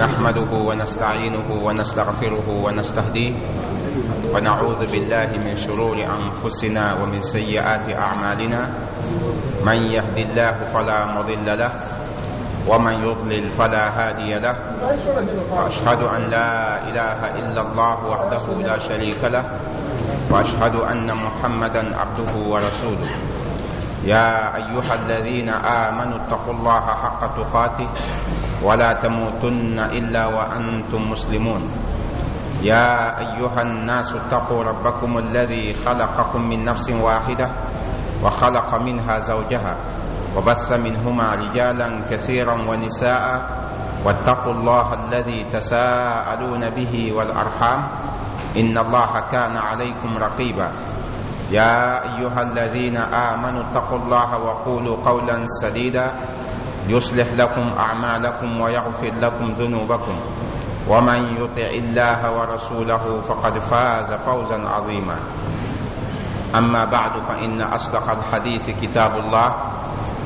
نحمده ونستعينه ونستغفره ونستهديه، ونعوذ بالله من شرور أنفسنا ومن سيئات أعمالنا. من يهد الله فلا مضل له ومن يضلل فلا هادي له، وأشهد أن لا إله إلا الله وحده لا شريك له، وأشهد أن محمدا عبده ورسوله. يا أيها الذين آمنوا اتقوا الله حق تقاته ولا تموتن إلا وأنتم مسلمون. يا أيها الناس اتقوا ربكم الذي خلقكم من نفس واحدة وخلق منها زوجها وبث منهما رجالا كثيرا ونساء، واتقوا الله الذي تساءلون به والأرحام إن الله كان عليكم رقيبا. يا أيها الذين آمنوا اتقوا الله وقولوا قولا سديدا يصلح لكم أعمالكم ويغفر لكم ذنوبكم، ومن يطع الله ورسوله فقد فاز فوزا عظيما. أما بعد، فإن أصدق الحديث كتاب الله،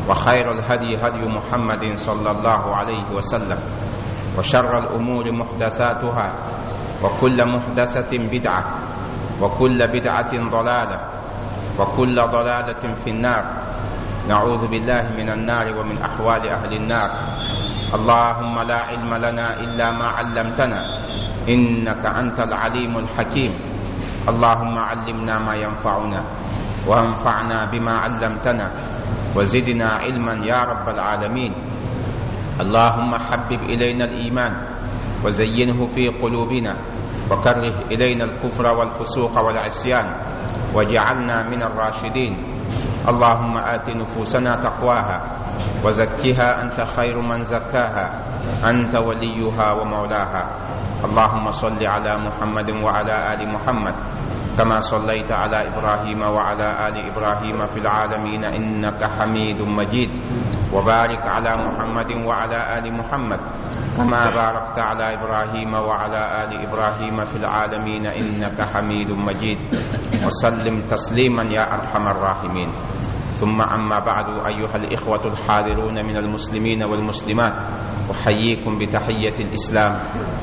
وخير الهدي هدي محمد صلى الله عليه وسلم، وشر الأمور محدثاتها، وكل محدثة بدعة، وكل بدعة ضلالة، وكل ضلالة في النار. نعوذ بالله من النار ومن أحوال أهل النار. اللهم لا علم لنا إلا ما علمتنا إنك أنت العليم الحكيم. اللهم علمنا ما ينفعنا، وانفعنا بما علمتنا، وزدنا علما يا رب العالمين. اللهم حبب إلينا الإيمان وزينه في قلوبنا، وكره إلينا الكفر والفسوق والعصيان، واجعلنا من الراشدين. اللهم آت نفوسنا تقواها وزكها أنت خير من زكاها، أنت وليها ومولاها. اللهم صل على محمد وعلى آل محمد كما صليت على إبراهيم وعلى آل إبراهيم في العالمين إنك حميد مجيد، وبارك على محمد وعلى آل محمد كما باركت على إبراهيم وعلى آل إبراهيم في العالمين إنك حميد مجيد، وسلم تسليما يا أرحم الراحمين. ثم أما بعد، أيها الإخوة الحاضرون من المسلمين والمسلمات، أحييكم بتحية الإسلام،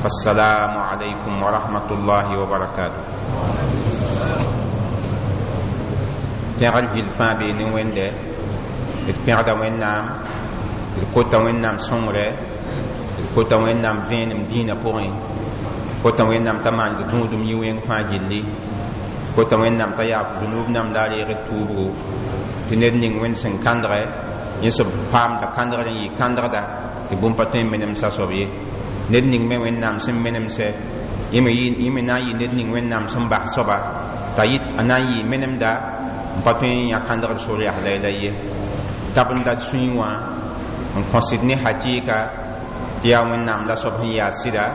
فالسلام عليكم ورحمة الله وبركاته. Pẽgr gill fãa bee ne Wẽnde. D pẽgda Wẽnnaam, d kota Wẽnnaam sõngre, d kota Wẽnnaam vẽenem dĩinã pʋgẽ, kota Wẽnnaam t'a maan d gũudum yĩ wẽng fãa gilli, kota Wẽnnaam t'a yaaf dũnub nam la a reeg d tuubgo, tɩ ned ning Wẽnd sẽn kãndgɛ yẽ soab paamda kãndgr n yɩ kãndgda tɩ bũmb pa tõe n menemsa soab ye. Ned ning me Wẽnnaam sẽn menemsɛ, yẽ me na n yɩ ned ning Wẽnnaam sẽn bas soaba t'a yɩ a na n yɩ menemda n pa tõe n yã kãndgd sor yaa la ye. Tab n dat sũyẽ wã n kõsd ne hakɩɩka tɩ yaa Wẽnnaam la soab sẽn yaa sɩda,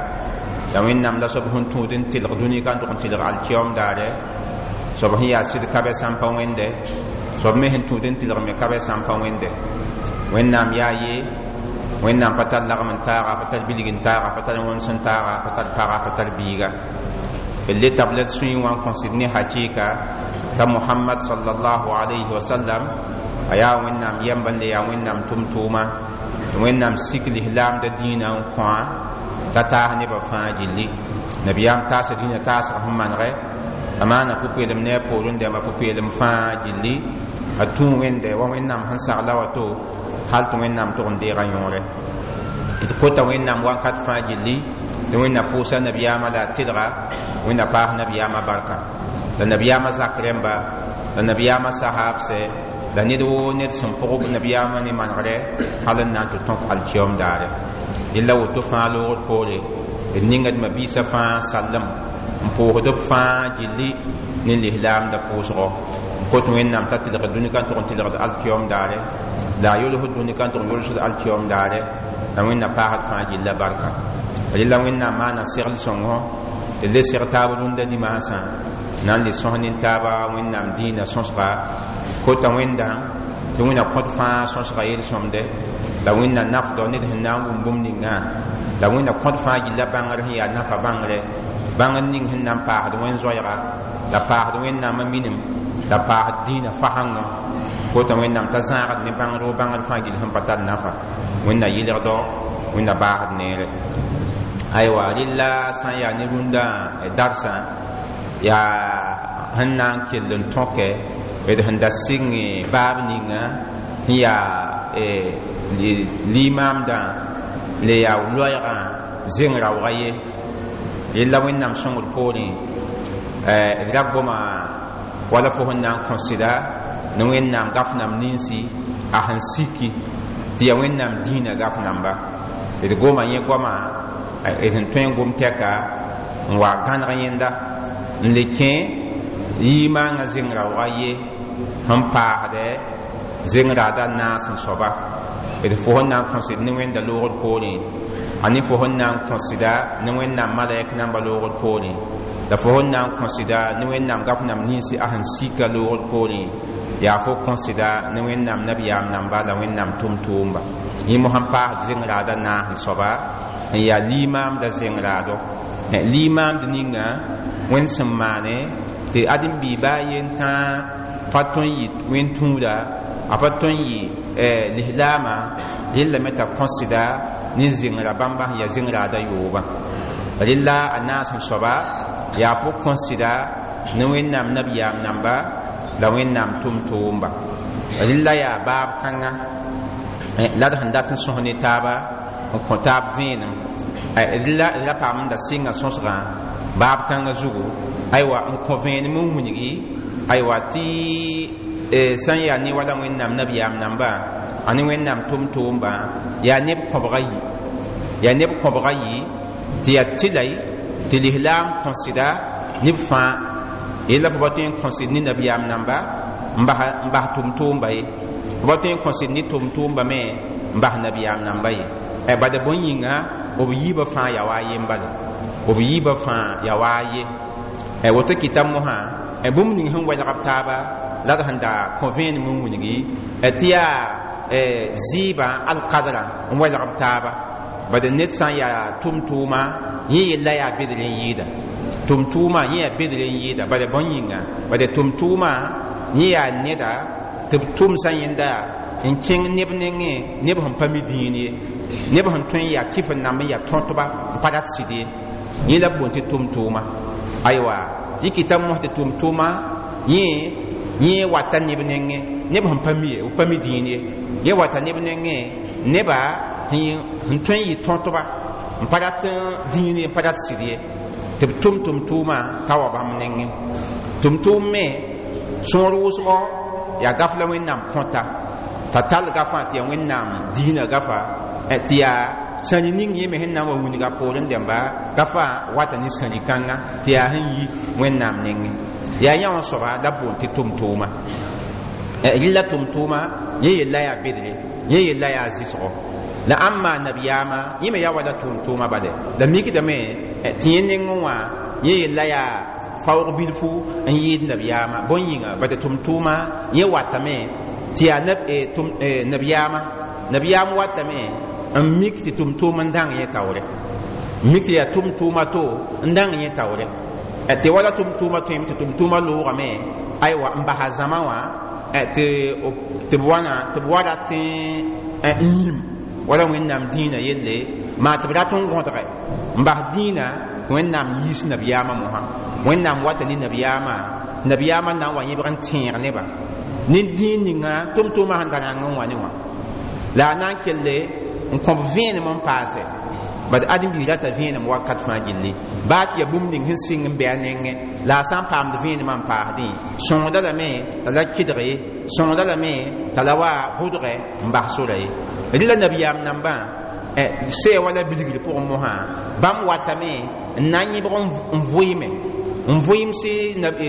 la Wẽnnaam la soab sẽn tũud n tɩlg dũni ka n tʋg n tɩlg alkiyoom daare. Soab sẽn yaa sɩd ka bɛ sã n pa wẽnde, soab me sẽn tũud n tɩlg me ka bɛ sã n pa wẽnde. Wẽnnaam yaa ye, Wẽnnaam pa tar lagm n taaga, pa tar bilg n taaga, pa tar wõns n taaga, pa tar paga, pa tar biiga. D le tab la d sũyẽ wã n kõsd ne hakɩɩka t'a Mohamad sallallahu alayhi wa sallam a yaa Wẽnnaam yɛmb n le yaa Wẽnnaam tʋm-tʋʋma, tɩ Wẽnnaam sik lislaamda dĩinã n kõ-a t'a taas nebã fãa gilli. Nabiyaam taasa dĩinã taasg sẽn manegɛ, a maana pʋ-peelem ne a poorẽ dãmba pʋ-peelem fãa gilli. A tũu Wẽnde wa Wẽnnaam sẽn sagla wato hal tɩ Wẽnnaam tʋg n deega yõore. D kota Wẽnnaam wakat fãa gilli tɩ Wẽnna pʋʋsa nabiyaamã la a tɩlga, Wẽnna paas nabiyaamã barka, la nabiyaamã zak rẽmba, la nabiyaamã sahaabsɛ, la ned woo ned sẽn pʋgb nabiyaamã ne manegrɛ hal n na n tɩ tõk alkiyoom daare. Yella woto fãa loogd poore, d ninga d mabiisã fãa sallem n pʋʋsd b fãa gilli ne lislaamda pʋʋsgɔ, n kot Wẽnnaam t'a tɩlgd dũni ka n tʋg n tɩlgd alkiyoom daare, la a yolsd dũni ka n tʋg n yolsd alkiyoom daare, la Wẽnna paasd fãa gilla barka. Rela Wẽnnaam maana segl sõngo, d le seg taab rũndã dimaasã na n le sõs nin-taaba Wẽnnaam dĩinã sõsga. Kota Wẽndã tɩ Wẽnna kõt fãa sõsga yel-sõmde, la Wẽnna nafdɔ ned sẽn na n wʋm bũmb ningã, la Wẽnna kõt fãa gilla bãngr sẽn yaa nafa bãngre, bãngr ning sẽn na n paasd wẽn-zoɛɛga, la paasd Wẽnnaamã minim, la paasd dĩinã fasãngõ. Kota Wẽnnaam t'a zãagd ne bãngr wo bãngr fãa gill sẽn pa tar nafa. Wẽnna yɩlgdɔ, Wẽnna baasd neere. Aywa, rɩlla sã n yaa ne rũndã darsã yaa sẽn na n kell n tõke d sẽn da sɩng baab ninga sẽn yaa limaamdã le yaa loɛɛgã zeng raoogã ye. Rella Wẽnnaam sõngr poorẽ d ra goma wala fo sẽn na n kõsda ne Wẽnnaam gaf nam ninsi a sẽn siki tɩ yaa Wẽnnaam dĩinã gaf namba. D goma yẽ goama d sẽn tõe n gom tɛka n wa gãneg yẽnda n le kẽ yimaangã zeng raoogã ye sẽn paasdɛ zeng raada naas n soaba. D fo sẽn na n kõsd ne Wẽnda loogr poorẽ, a ne fo sẽn na n kõsda ne Wẽnnaam malɛk namba loogr poorẽ, la fo sẽn na n kõsda ne Wẽnnaam gaf nam ninsi a sẽn sika loogr poorẽ, yaa fo kõsda ne Wẽnnaam nabiyaam namba la Wẽnnaam tʋm-tʋʋmba. Yẽ mosã n paasd zeng raada naas n soaba n yaa limaamda zeng raado. Limaamd ninga Wẽnd sẽn maane tɩ ãdem-biig baa yen tãa pa tõe n yɩ wẽn-tũuda, a pa tõe n yɩ lislaamã, rellame t'a kõsda ne zẽngra bãmba sẽn yaa zeng raada yoobã. Rella a naas n soaba yaa fo kõsda ne Wẽnnaam nabiyaam namba la Wẽnnaam tʋm-tʋʋmba. Rella yaa baab kãnga la d sẽn dat n sõs ne taaba n kõ taab vẽenem. Rella d ra paam n da sɩnga sõsgã baab kãngã zugu, aywa, n kõ vẽenem n wilgi, aywa, tɩ sã n yaa ne wala Wẽnnaam nabiyaam namba a ne Wẽnnaam tʋm-tʋʋmbã yaa neb kõbga yi, yaa neb kõbga yi tɩ yaa tɩlay tɩ lislaam kõsda neb fãa. Yella fo pa tõe n kõsd ne nabiyaam namba n bas tʋm-tʋʋmba ye, fo pa tõe n kõsd ne tʋm-tʋʋmba me n bas nabiyaam namba ye. Bada bõe yĩnga b yiibã fãa yaa wa a yen bala, b yiibã fãa yaa wa a ye. Woto kɩta mosã bũmb ning sẽn welg b taaba la d sẽn da kõ vẽenem n wilgi tɩ yaa zɩɩbã alkadrã n welg b taaba. Bad ned sã n yaa tʋm-tʋʋma yẽ yella yaa bedr n yɩɩda, tʋm-tʋʋma yẽ yaa bedr n yɩɩda. Bala bõe yĩnga? Bala tʋm-tʋʋma yẽ yaa neda tɩ b tʋmsã yẽnda n kẽng neb nengẽ, neb sẽn pa mi dĩin ye, neb sẽn tõe n yaa kɩf n namb n yaa tõtba n pa rat sɩd ye, yẽ la b boond tɩ tʋm-tʋʋma. Aywa, tɩ kɩta mos tɩ tʋm-tʋʋma yẽ wata neb nengẽ, neb sẽn pa mi ye, b pa mi dĩin ye, yẽ wata neb nengẽ, neba sẽn tõe n yɩ tõtba n pa rat dĩin ye, n pa rat sɩd ye, tɩ b tʋm tʋm-tʋʋmã t'a wa bãmb nengẽ. Tʋm-tʋʋm me sõor wʋsgɔ yaa gaf la Wẽnnaam kõta t'a tall gafã tɩ yaa Wẽnnaam diinã gafa tɩ yaa sãri ning yẽ me sẽn na n wa wilga poorẽ dẽmba gafã wata ne sãri kãnga tɩ yaa sẽn yi Wẽnnaam nengẽ. Yaa yã wã soaba la b boond tɩ tʋm-tʋʋma. Rɩlla tʋm-tʋʋma yẽ yella yaa bedre, yẽ yella yaa zɩsgɔ. La ãmb maa nabiyaamã yẽ me yaa wala tʋʋm-tʋʋma bale la mikdame tɩ yẽ nengẽ wã yẽ yella yaa faoog bilfu n yɩɩd nabiyaamã. Bõe yĩnga? Bad tʋm-tʋʋma yẽ watame tɩ yaa nabiyaamã, nabiyaam watame n mik tɩ tʋm-tʋʋm n dãng yẽ taoore, mik tɩ yaa tʋm-tʋʋma to n dãng yẽ taoore, tɩ wala tʋm-tʋʋma tõeme tɩ tʋm-tʋʋma loogame, aywa, n basa zãma wã tɩ b wãna tɩ b wa rat n yĩm wala Wẽnnaam dĩinã yelle maa tɩ b rat n gõdge n bas dĩinã. Wẽnnaam yiis nabiyaamã mosã, Wẽnnaam wata ne nabiyaamã, nabiyaamã na n wa yẽbg n tẽeg nebã ne dĩin ninga tʋm-tʋʋmã sẽn da rãng n wa ne wã la a na n kelle n kõb vẽenem n paase. Bad ãdem-biig rata vẽenem wakat fãa gilli baa tɩ yaa bũmb ning sẽn sɩng n bɩ a nengẽ la a sã n paamd vẽenemã n paasdẽ sõngda lame t'a la kɩdg ye, sõngda lame t'a la wa bʋdgɛ n bas sora ye. Rɩla nabiyaam nambã sɛɛ wala bilgr pʋgẽ mosã bãmb watame n na n yẽbg n vʋɩɩme n vʋɩɩmse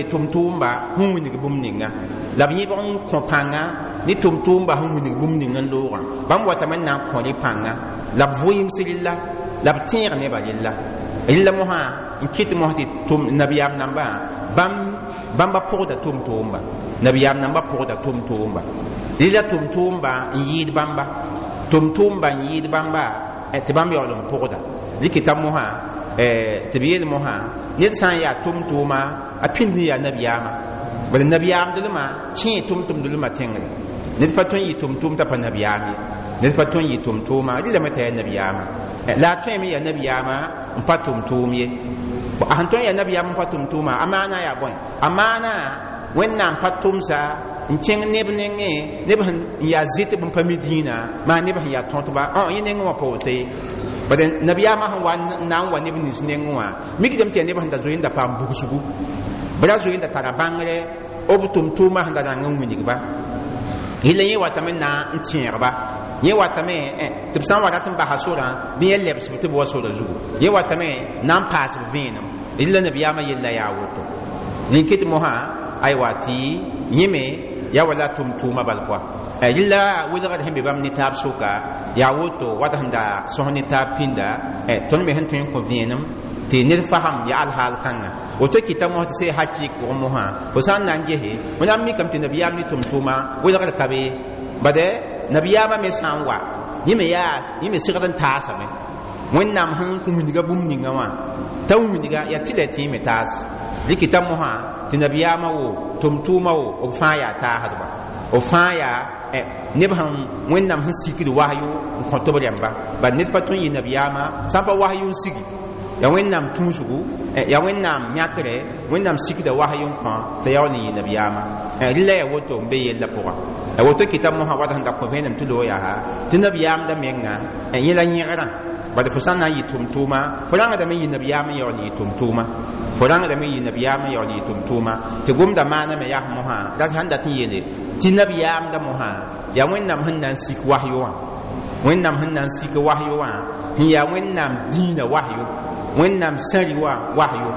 tʋm-tʋʋmba sẽn wilg bũmb ninga, la b yẽbg n kõ pãnga ne tʋm-tʋʋmba sẽn wilg bũmb ning n loogã. Bãmb watame n na n kõ rẽ pãnga la b vʋɩɩms rella la b tẽeg nebã rella. Rella mosã n kɩt mos tɩ nabiyaam nambã bãmba pʋgda tʋm-tʋʋmba, nabiyaam nambã pʋgda tʋm-tʋʋmba. Rella tʋm-tʋʋmba n yɩɩd bãmba, tʋm-tʋʋmba n yɩɩd bãmba tɩ bãmb yaool n pʋgda. Dɩkɩta mosã tɩ b yeel mosã ned sã n yaa tʋm-tʋʋma a pĩnd n yaa nabiyaamã, bala nabiyaamdlmã kẽe tʋm-tʋmdlmã tẽngre. Ned pa tõe n yɩ tʋm-tʋʋm t'a pa nabiyaam ye. Ned pa tõe n yɩ tʋm-tʋʋma rɩlame t'a yaa nabiyaamã la a tõeme yaa nabiyaamã n pa tʋm-tʋʋm ye. A sẽn tõe n yaa nabiyaam n pa tʋm-tʋʋma, a maana yaa bõe? A maana Wẽnnaam pa tʋmsa n kẽng neb nengẽ, neb sẽn yaa zɩtb n pa mi dĩinã, maa neb sẽn yaa tõtba yẽ nengẽ wã pa woto ye. Bad nabiyaamã sẽn wa n na n wa neb nins nengẽ wã mikdame tɩ yaa neb sẽn da zoe n da paam bugsgu, b ra zoe n da tara bãngre b tʋm-tʋʋmã sẽn da rãng n wilgba. Yella yẽ watame n na n tẽegba, yẽ watame tɩ b sã n wa rat n basa sorã bɩ yẽ lebsb tɩ b wa sora zugu, yẽ watame na n paas b vẽenem. Rɩla nabiyaamã yella yaa woto. Rẽn ket mosã aywa tɩ yẽ me yaa wala tʋm-tʋʋmã bal koa. Rɩla welgr sẽn be bãmb ne taab soka yaa woto wat sẽn da sõs ne taab pĩnda. Tõnd me sẽn tõe n kõ vẽenem tɩ ned fasem yaa alhaal kãnga woto kɩta mos tɩ see hakɩɩk pʋgẽ mosã fo sã n na n gese fo na n mikame tɩ nabiyaam ne tʋm-tʋʋma welgr ka be. Bad nabiyaamã me sã n wa yẽ me yaa yẽ me segd n taasame Wẽnnaam sẽn kõ wilga bũmb ninga wã t'a wilga yaa tɩ la tɩ yẽ me taas. Rɩkɩta mosã tɩ nabiyaamã wo tʋm-tʋʋmã wo b fãa yaa taasdba, b fãa yaa neb sẽn Wẽnnaam sẽn sikd wasyo n kõ tɩ b rẽmba. Bad ned pa tõe n yɩ nabiyaamã sã n pa wasyo n sigi, yaa Wẽnnaam tũusgu, yaa Wẽnnaam yãkre, Wẽnnaam sikda wasyo n kõ t'a yaool n yɩ nabiyaamã. Rɩla yaa woto n be yella pʋgã. Woto kɩta mosã wat sẽn da kõ vẽenem tɩ loog yaa tɩ nabiyaamda menga yẽ la yẽgrã. Bad fo sã n na n yɩ tʋm-tʋʋma fo rãngdame n yɩ nabiyaam n yaool n yɩ tʋm-tʋʋma, fo rãngdame n yɩ nabiyaam n yaool n yɩ tʋm-tʋʋma. Tɩ gomda maaname yaa mosã la sãn dat n yeele tɩ nabiyaamda mosã yaa Wẽnnaam sẽn na n sik wasyo wã, Wẽnnaam sẽn na n sik wasyo wã sẽn yaa Wẽnnaam dĩinã wasyo, Wẽnnaam sãri wã wasyo,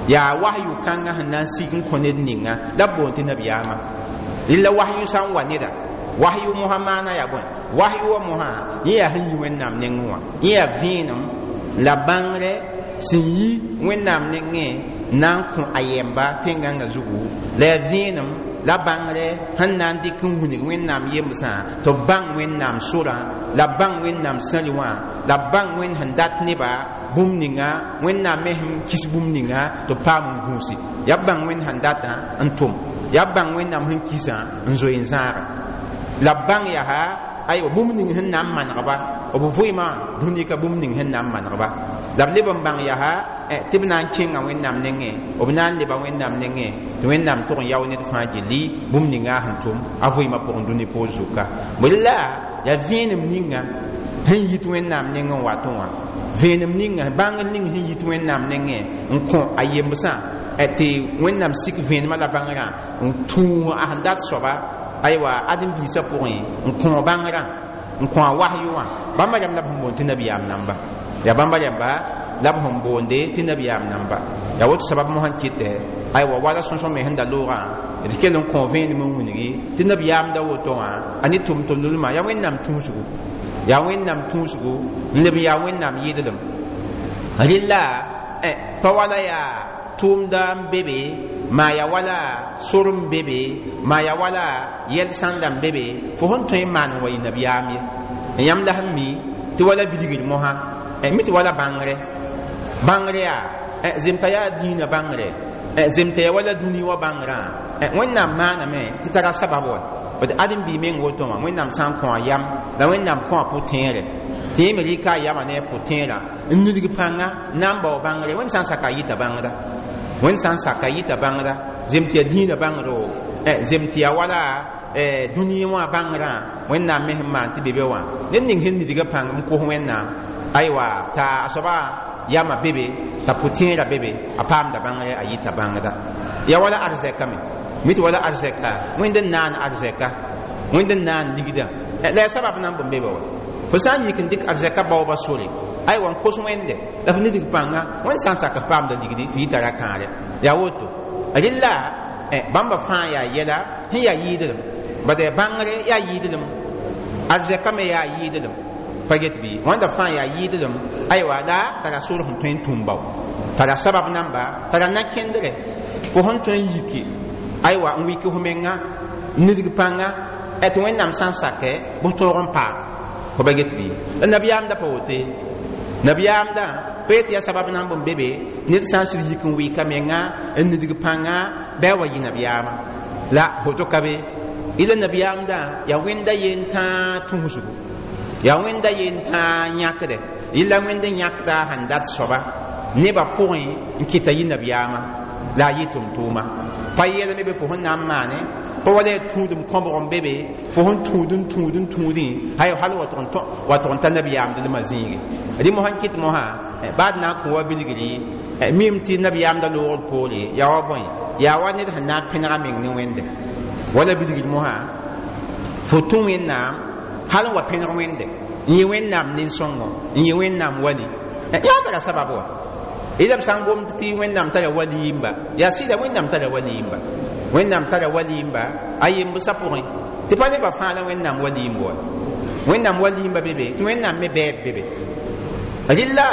yaa wasyo kãngã sẽn na n sik n kõ ned ninga la b boond tɩ nabiyaamã. Rɩla wasyo sã n wa neda, wasyo mosã maana yaa bõe? Wasyo wã mosã yẽ yaa sẽn yi Wẽnnaam nengẽ wã, yẽ yaa vẽenem la bãngre sẽn yi Wẽnnaam nengẽ na n kõ a yɛmba tẽn-gãngã zugu, la yaa vẽenem la bãngre sẽn na n dɩk n wilg Wẽnnaam yembsã tɩ b bãng Wẽnnaam sorã, la bãng Wẽnnaam sãri wã, la bãng Wẽnd sẽn dat neba bũmb ninga, Wẽnnaam me sẽn kis bũmb ninga tɩ b paam n gũusi. Yaa b bãng Wẽnd sẽn datã n tʋm, yaa b bãng Wẽnnaam sẽn kisã n zoe n zãaga, la b bãng yaa aywa bũmb ning sẽn na n manegba b vʋɩmã dũni ka bũmb ning sẽn na n manegba, la b leb n bãng yaa tɩ b na n kẽnga Wẽnnaam nengẽ, b na n leba Wẽnnaam nengẽ tɩ Wẽnnaam tʋg n yao ned fãa gilli bũmb ninga sẽn tʋm a vʋɩmã pʋgẽ dũni poor zuka. Bõe la yaa vẽenem ninga sẽn yit Wẽnnaam nengẽ n watẽ wã, vẽenem ninga bãngr ning sẽn yit Wẽnnaam nengẽ n kõ a yembsã tɩ Wẽnnaam sik vẽenemã la bãngrã n tũu a sẽn dat soaba aywa ãdem-biisã pʋgẽ n kõ bãngrã n kõ a wasyo wã. Bãmba rãmb la b sẽn boond tɩ nabiyaam namba, yaa bãmba rãmba la b sẽn boonde tɩ nabiyaam namba. Yaa woto sabab mosã n kɩtɛ aywa wala sõsg me sẽn da loogã d kell n kõ vẽenem n wilgi tɩ nabiyaamda woto wã a ne tʋm-tʋmdlmã yaa Wẽnnaam tũusgu, yaa Wẽnnaam tũusgu n leb n yaa Wẽnnaam yɩdlem. Rɩla pa wala yaa tʋʋmda n be be, maa yaa wala sor n be be, maa yaa wala yɛl sãnda n be be fo sẽn tõe n maan n wa yɩ nabiyaam ye. Yãmb la sẽn mi tɩ wala bilgr mosã mi tɩ wala bãngre, bãngre yaa zemta yaa dĩinã bãngre, zemta yaa wala dũni wã bãngrã. Wẽnnaam maaname tɩ tara sabab wa d ãdem-biig meng woto wã Wẽnnaam sã n kõ a yam la Wẽnnaam kõ a pʋ-tẽere tɩ yẽ me rɩka a yamã ne a pʋ-tẽerã n nidg pãnga na n bao bãngre. Wẽnd sã n saka a yɩta bãngda, Wẽnd sã n saka yɩta bãngda, zem tɩ yaa dĩinã bãngro, zem tɩ yaa wala dũni wã bãngrã Wẽnnaam me sẽn maan tɩ be be wã ned ning sẽn nidgã pãng n kos Wẽnnaam aywa t'a a soaba yamã be be t'a pʋ-tẽerã be be a paamda bãngre a yɩta bãngda. Yaa wala arzɛka me mi tɩ wala arzɛka Wẽnd n naan arzɛka, Wẽnd n naan ligdã la yaa sabab na n bõn be be wa. Fo sã n yik n dɩk arzɛka baooba sore aywa n kos Wẽnde la f nidg pãnga Wẽnd sã n sak f paamda ligdi f yɩ tara kãare yaa woto. Rɩla bãmba fãa yaa yɛla sẽn yaa yɩɩdlem, bad bãngre yaa yɩɩdlem, arzɛka me yaa yɩɩdlem, pa get bɩ wãnda fãa yaa yɩɩdlem aywa la tara sor sẽn tõe n tũm bao, tara sabab namba, tara na-kẽndre fo sẽn tõe n yiki aywa n wik f menga nidg pãnga tɩ Wẽnnaam sã n sakɛ bʋ tõog n paam fo ba get bɩ. La nabiyaamda pa wote, nabiyaamda pa yetɩ yaa sabab na n bõn be be ned sã n sɩd yik n wɩka menga n nidg pãnga bɩ a wa yɩ nabiyaamã la woto ka be. Ila nabiyaamda yaa Wẽnda yen tãa tũusgu, Yaa wẽnda yen tãa yãkde yella wẽnd n yãkda a sẽn dat soaba nebã pʋgẽ n kɩta yɩ nabiyaamã la a yɩ tʋm-tʋʋma pa yeelame be fo sẽn na n maane pa wala yaa tũudem kõbg n be be fo sẽn tũud n tũud n tũudẽ hal wa tʋg n ta nabiyaam dlmã zĩige rɩ mosã n kɩt mosã baad na n kõ wa bilgri mim tɩ nabiyaamda loogd poore yaa wa bõe yaa wa ned sẽn na n pẽnega meng ne wẽnde wala bilgr mosã fo tũ wẽnnaam hal n wa pẽneg wẽnde n yɩ wẽnnaam nin-sõngo n yɩ wẽnnaam wali yaa tara sabab wa ila b sã n gomd tɩ wẽnnaam tara wali-yimba yaa sɩda wẽnnaam tara wali-yimba wẽnnaam tara wali-yimba a yembsã pʋgẽ tɩ pa nebã fãa la wẽnnaam wali-yimb wa wẽnnaam wali-yimba be be tɩ wẽnnaam me bɛɛb be be rɩlla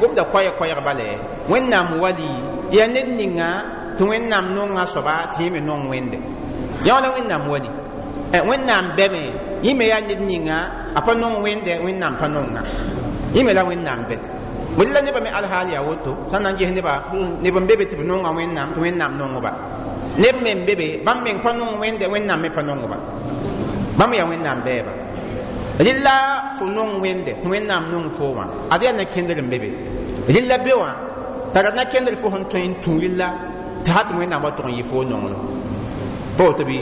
gomda koɛɛg bale wẽnnaam wali yaa ned ninga tɩ wẽnnaam nonga soaba tɩ yẽ me nong wẽnde yã wala wẽnnaam wali wẽnnaam bɛme yẽ me yaa ned ninga a pa nong wẽnde wẽnnaam pa nonga yẽ me la wẽnnaam bɛ wella nebã me alhaal yaa woto sã n na n ges neba neb n be be tɩ b nonga wẽnnaam tɩ wẽnnaam nongba neb me n be be bãmb meng pa nong wẽnde wẽnnaam me pa nongba bãmb yaa wẽnnaam bɛɛba rɩlla fo nong wẽnde tɩ wẽnnaam nong fo wã ad yaa na-kẽndr n be be rɩlla be wã tara na-kẽndr fo sẽn tõe n tũ rɩlla tɩ ha tɩ wẽnnaam wa tʋg n yɩ fo nonglem pa woto bɩ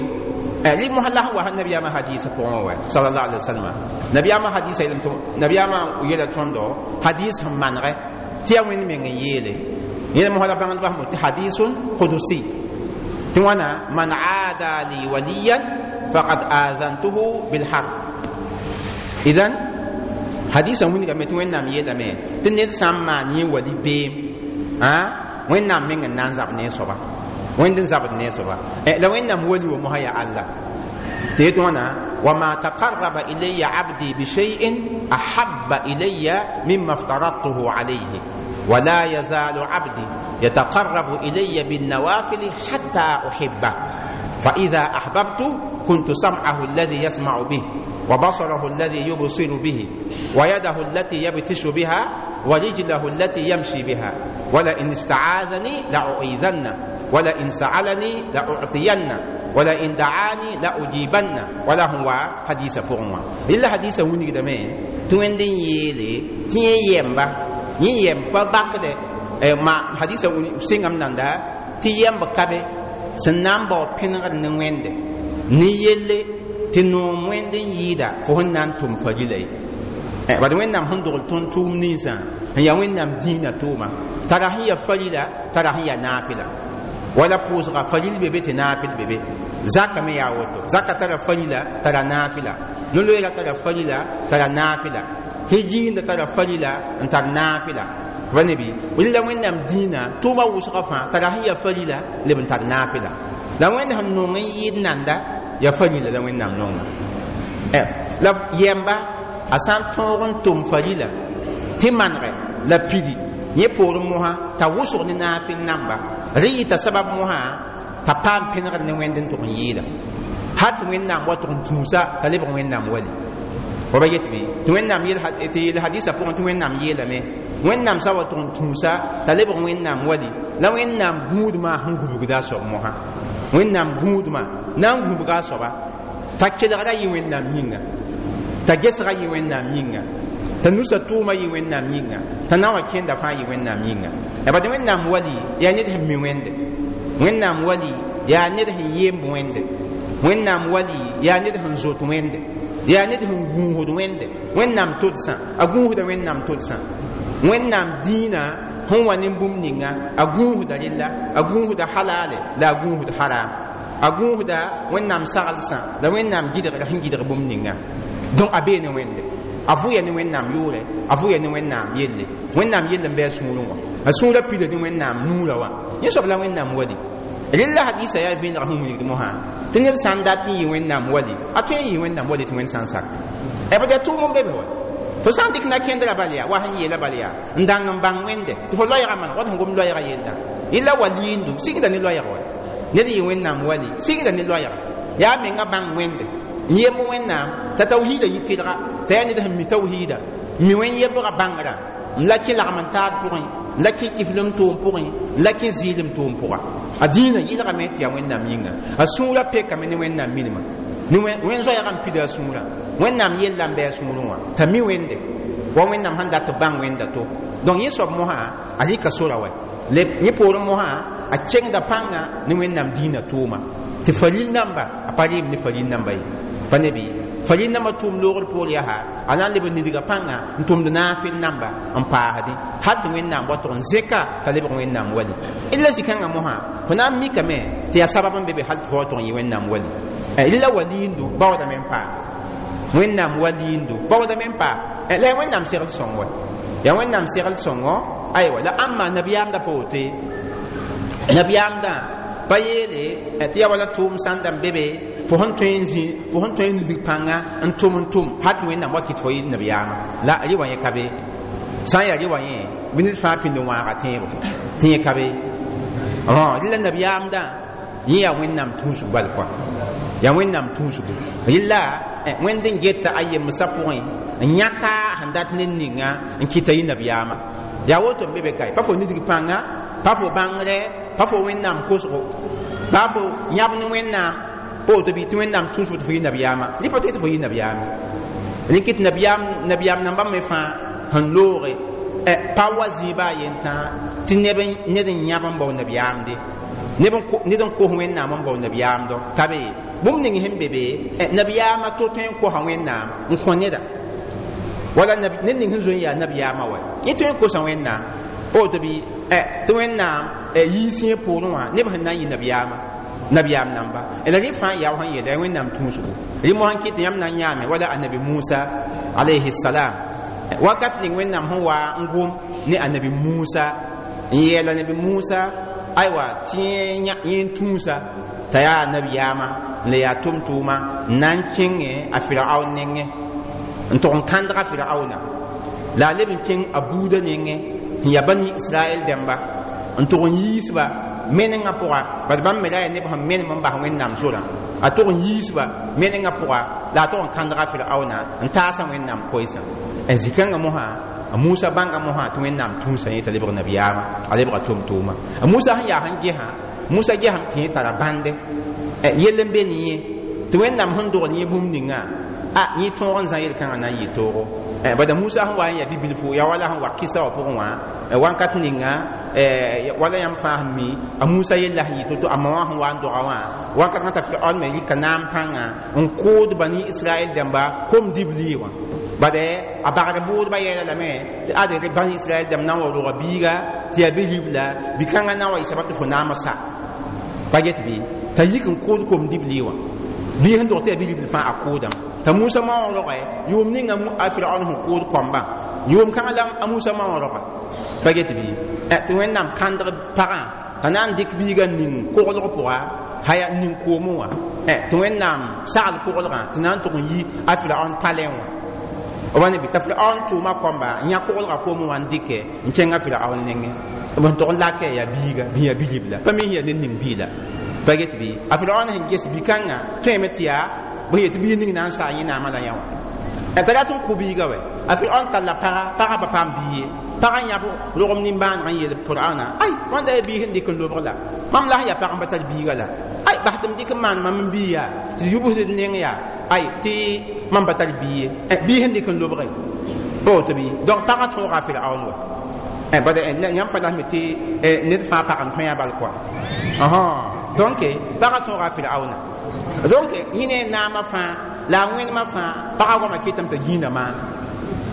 rɩ mosã la sẽn wa sã nabiyaamã hadiisã pʋgẽ wɛ sallallahu alaihi wasallam nabiyaamã hadiisã yeelame tɩ nabiyaamã yeela tõndo hadiis sẽn manegɛ tɩ yaa wẽnd meng n yeele yẽla mosã la bãngdbã sẽn tɩ hadisun qudusi tɩ wãna man aada li waliyan faqad azantuhu bilharb idan hadisã wilgame tɩ wẽnnaam yeelame tɩ ned sã n maan yẽ wali beem wẽnnaam meng n na n zab ne a soaba wẽnd n zabd ne a soaba la wẽnnaam wali wa mosã yaa alla tɩ yet wãna wama taqarraba ilaya abdi bishay'in ahabba ilaya mima aftaradtuhu alayhi ولا يزال عبدي يتقرب إلي بالنوافل حتى أحبه فإذا أحببت كنت سمعه الذي يسمع به وبصره الذي يبصر به ويده التي يبتش بها ورجله التي يمشي بها ولئن استعاذني لأعيذن ولئن سألني لأعطين ولئن دعاني لأجيبن ولا هو حديث فورما إلا حديث وني دمي توندين يلي تي يمبا يي يمبا باكده ما حديث وني سينغام ناندا تي يمبا كابي سنامبو پينغ نويند ني يلي tɩ noom wẽnd n yɩɩda fo sẽn na n tʋm farila ye bad wẽnnaam sẽn dogl tõnd tʋʋm ninsã n yaa wẽnnaam dĩinã tʋʋma tara sẽn ya farila tara sẽn ya naafɩla wala pʋʋsga faril be be tɩ naafɩl be be zaka me yaa woto zaka tara farila tara naafɩla no-loeera tara farila tara naafɩla hijiinda tara farila n tar naafɩla va ne bɩ rɩla wẽnnaam dĩinã tʋʋma wʋsgã fãa tara sẽn ya farila leb n tar naafɩla la wẽnd sẽn nong n yɩɩd nanda ya farila la wẽnnaam nonga la yɛmba a sã n tõog n tʋm farila tɩ manegɛ la pidi yẽ poorẽ mosã t'a wʋsg ne naafɩl namba rẽ yɩta sabab mosã t'a paam pẽnegd ne wẽnd n tʋg n yɩɩda hal tɩ wẽnnaam wa tʋg n tũusa t'a lebg wẽnnaam wali wa ba yet bɩ tɩ wẽnnaam tɩ yel hadisã pʋgẽ tɩ wẽnnaam yeelame wẽnnaam sã wa tʋg n tũusa t'a lebg wẽnnaam wali la wẽnnaam gũudmã sẽn gubgda a soab mosã wẽnnaam gũudmã na n gũbga a soaba t'a kelgra yɩ wẽnnaam yĩnga t'a gesga yɩ wẽnnaam yĩnga t'a nusa tʋʋma yɩ wẽnnaam yĩnga t'a na n wa kẽnda fãa yɩ wẽnnaam yĩnga bad wẽnnaam wali yaa ned sẽn mi wẽnde wẽnnaam wali yaa ned sẽn yemb wẽnde wẽnnaam wali yaa ned sẽn zot wẽnde yaa ned sẽn gũusd wẽnde wẽnnaam todsã a gũusda wẽnnaam todsã wẽnnaam dĩinã sẽn wa ne bũmb ninga a gũusda rella a gũusda halale la a gũusd haram a gũusda wẽnnaam saglsã la wẽnnaam gɩdgra sẽn gɩdg bũmb ninga donc a bee ne wẽnde a vʋya ne wẽnnaam yʋʋrɛ a vʋya ne wẽnnaam yelle wẽnnaam yell n bɩ a sũurẽ wã a sũurã pida ne wẽnnaam nuurã wã yẽ soab la wẽnnaam wali rella hadisa yaa vẽenega sẽn wilgd mosã tɩ ned sã n dat n yɩ wẽnnaam wali a tõe n yɩ wẽnnaam wali tɩ wẽnd sã n sak bd yaa tʋʋm n be be wa fo sã n dɩk na-kẽndrã bal yaa wa sẽn yeela bal yaa n dãng n bãng wẽnde tɩ fo loɛɛgã maneg wat sẽn gom loɛɛgã yella yella waliindu sigda ne loɛɛg wa ned yɩ wẽnnaam wali sigda ne loɛɛga yaa menga bãng wẽnde n yemb wẽnnaam t'a tawhiida yɩ tɩlga t'a yaa ned sẽn mi tawhiida mi wẽn yembga bãngrã n la kẽ lagm n taad pʋgẽ n la kẽ kiflem tʋʋm pʋgẽ n la kẽ zɩɩlem tʋʋm pʋga a dĩinã yɩlgame tɩ yaa wẽnnaam yĩnga a sũurã pekame ne wẽnnaam milma ne wẽn zoɛɛgã n pida a sũurã Wẽnnaam yella n bɩ a sũurẽ wã t'a mi wẽnde wa Wẽnnaam sẽn dat b bãng wẽnda to. Donc yẽ soab mosã a rɩka sora wa yẽ poorẽ mosã a kengda pãnga ne Wẽnnaam dĩinã tʋʋma tɩ faril namba a pa rɩɩm ne faril namba ye pa ne bɩ faril namba tʋʋm loogr poor yaa a na n leb n nidga pãnga n tʋmd naafɩl namba n paasdẽ hal tɩ Wẽnnaam wa tʋg n zẽka t'a lebg Wẽnnaam wali. La zĩ-kãngã mosã fo na n mikame tɩ yaa sabab n be be hal tɩ fo wa tʋg n yɩ Wẽnnaam wali. La waliindo baoodame n paam Wẽnnaam waliindo baoodame n paam la yaa Wẽnnaam segl sõng wa yaa Wẽnnaam segl sõngo aywa la ãmba nabiyaamda pa woto ye nabiyaamdã pa yeele tɩ yaa wala tʋʋm sãn da n be be fo sẽn tõe n zĩ fo sẽn tõe n nidg pãnga n tʋm hal tɩ Wẽnnaam wa kɩt fo yɩ nabiyaamã la rɩ wa yẽ ka be sã n yaa rɩ wa yẽ bɩ ned fãa pĩnd n wãaga tẽebo tɩ yẽ ka be rɩ la nabiyaamdã yẽ yaa Wẽnnaam tũusg bal kɔa yaa Wẽnnaam tũusgo rɩla Wẽnd n geta a yemsã pʋgẽ n yãka sẽn dat ned ninga n kɩta yɩ nabiyaamã yaa woto n be be kae pa fo nidg pãnga pa fo bãngrɛ pa fo Wẽnnaam kosgo pa fo yãb ne Wẽnnaam pa woto bɩ tɩ Wẽnnaam tũus fo tɩ fo yɩ nabiyaamã rɩ pa tɩ fo yɩ nabiyaame rẽ kɩt nabiyaam nambã me fãa sẽn looge pa wa zĩiba a yentã tɩ ned n yãb n bao nabiyaamde ned n kos Wẽnnaam n bao nabiyaamdɔ ka be bũmb ning sẽn be be nabiyaamã to tõe n kosa Wẽnnaam n kõ neda wala ned ning sẽn zoe n yaa nabiyaamã wa yẽ tõe n kosa Wẽnnaam pa woto bɩ tɩ Wẽnnaam yiis yẽ poorẽ wã neb sẽn na n yɩ nabiyaamã nabiyaam namba la rẽ fãa yaa sẽn yeela Wẽnnaam tũusgo rẽ mosã n kɩt yãmb na n yãame wala annabi Musa alayhi salam wakat ning Wẽnnaam sẽn wa n gom ne annabi Musa n yeel annabi Musa aywa tɩ yẽ n tũusa t'a yaa nabiyaamã la yaa tʋm-tʋʋma n na n kẽngẽ a Firaoon nengẽ n tʋg n kãndga Firaoona la a leb n kẽng a buudã nengẽ sẽn yaa bani Israɛl dẽmba n tʋg n yiisba menengã pʋga bad bãmb me ra yaa neb sẽn menem n bas Wẽnnaam sorã a tʋg n yiisba menengã pʋga la a tʋg n kãndga Firaoona n taasa Wẽnnaam koɛɛsã zĩ-kãngã mosã a Musa bãnga mosã tɩ Wẽnnaam tũusã yẽ t'a lebg nabiyaamã a lebga tʋm-tʋʋma a Musa sẽn yaa sẽn gesã Musa gesame tɩ yẽ tara bãnde yell n be ne yẽ tɩ Wẽnnaam sẽn dogl yẽ bũmb ninga a yẽ tõog n zã yel-kãngã na n yɩ toogo bada Musa sẽn wa n yaa bi-bilfu yaa wala sẽn wa kɩsa wã pʋgẽ wã wãnkat ninga wala yãmb fãa sẽn mi a Musa yella sẽn yɩ to-to a ma wã sẽn wa n doga wã wãnkat t'a Firaon me rɩka naam pãnga n kʋʋd bani Israɛl dẽmba kom dibli wã bade a bagd bʋʋdbã yɛɛla lame tɩ ad bani Israɛl dẽmb na n wa roga biiga tɩ yaa bi-ribla bi-kãngã na n wa yɩ sabab tɩ fo naamã sa pa get bɩ t'a yik n kʋʋd kom dibli wã bii sẽn dog tɩ yaa bi-ribl fãa a kʋʋdame t'a Musa ma wã rogɛ yʋʋm ninga a Firaon sẽn kʋʋd koambã yʋʋm kãngã la a Musa ma wã roga pa get bɩ tɩ Wẽnnaam kãndg pagã t'a na n dɩk biigã ning koglg pʋga haya ning koomẽ wã tɩ Wẽnnaam sagl koglgã tɩ na n tʋg n yi a Firaon palẽ wã b ne bɩ t'a Firaon tʋʋma koamba n yã koglgã koomẽ wã n dɩkɛ n kẽng a Firaon nengẽ b sẽn tʋg n lakɛ yaa biiga bɩ yaa bi-ribla pa mi yaa ned ning biila pa get bɩ a Firaon sẽn ges bi-kãngã tõeme tɩ yaa bõe yetɩ bii ning na n saa yẽ naamã la yã wã t'a rat n kʋ biiga wɛ a Firaon talla paga pagã pa paam bii ye pagã yãb rogem nimbãaneg n yeel Firaona ay wãnda yaa bii sẽn dɩk n lobg la mam la sẽn yaa pag n pa tar biiga la ay bas tɩ m dɩk n maan mam n bii yaa tɩ yubsd neng yaa ay tɩ mam pa tar bii ye bii sẽn dɩk n lobge pa woto bɩ donc pagã tõoga Firaon wa bad yãmb fa lasme tɩ ned fãa pag n tõe a bal kɔa donc pagã tõoga Firaona donc yẽ ne naamã fãa la a wẽnemã fãa pagã goamã kɩtame t'a gĩinda maana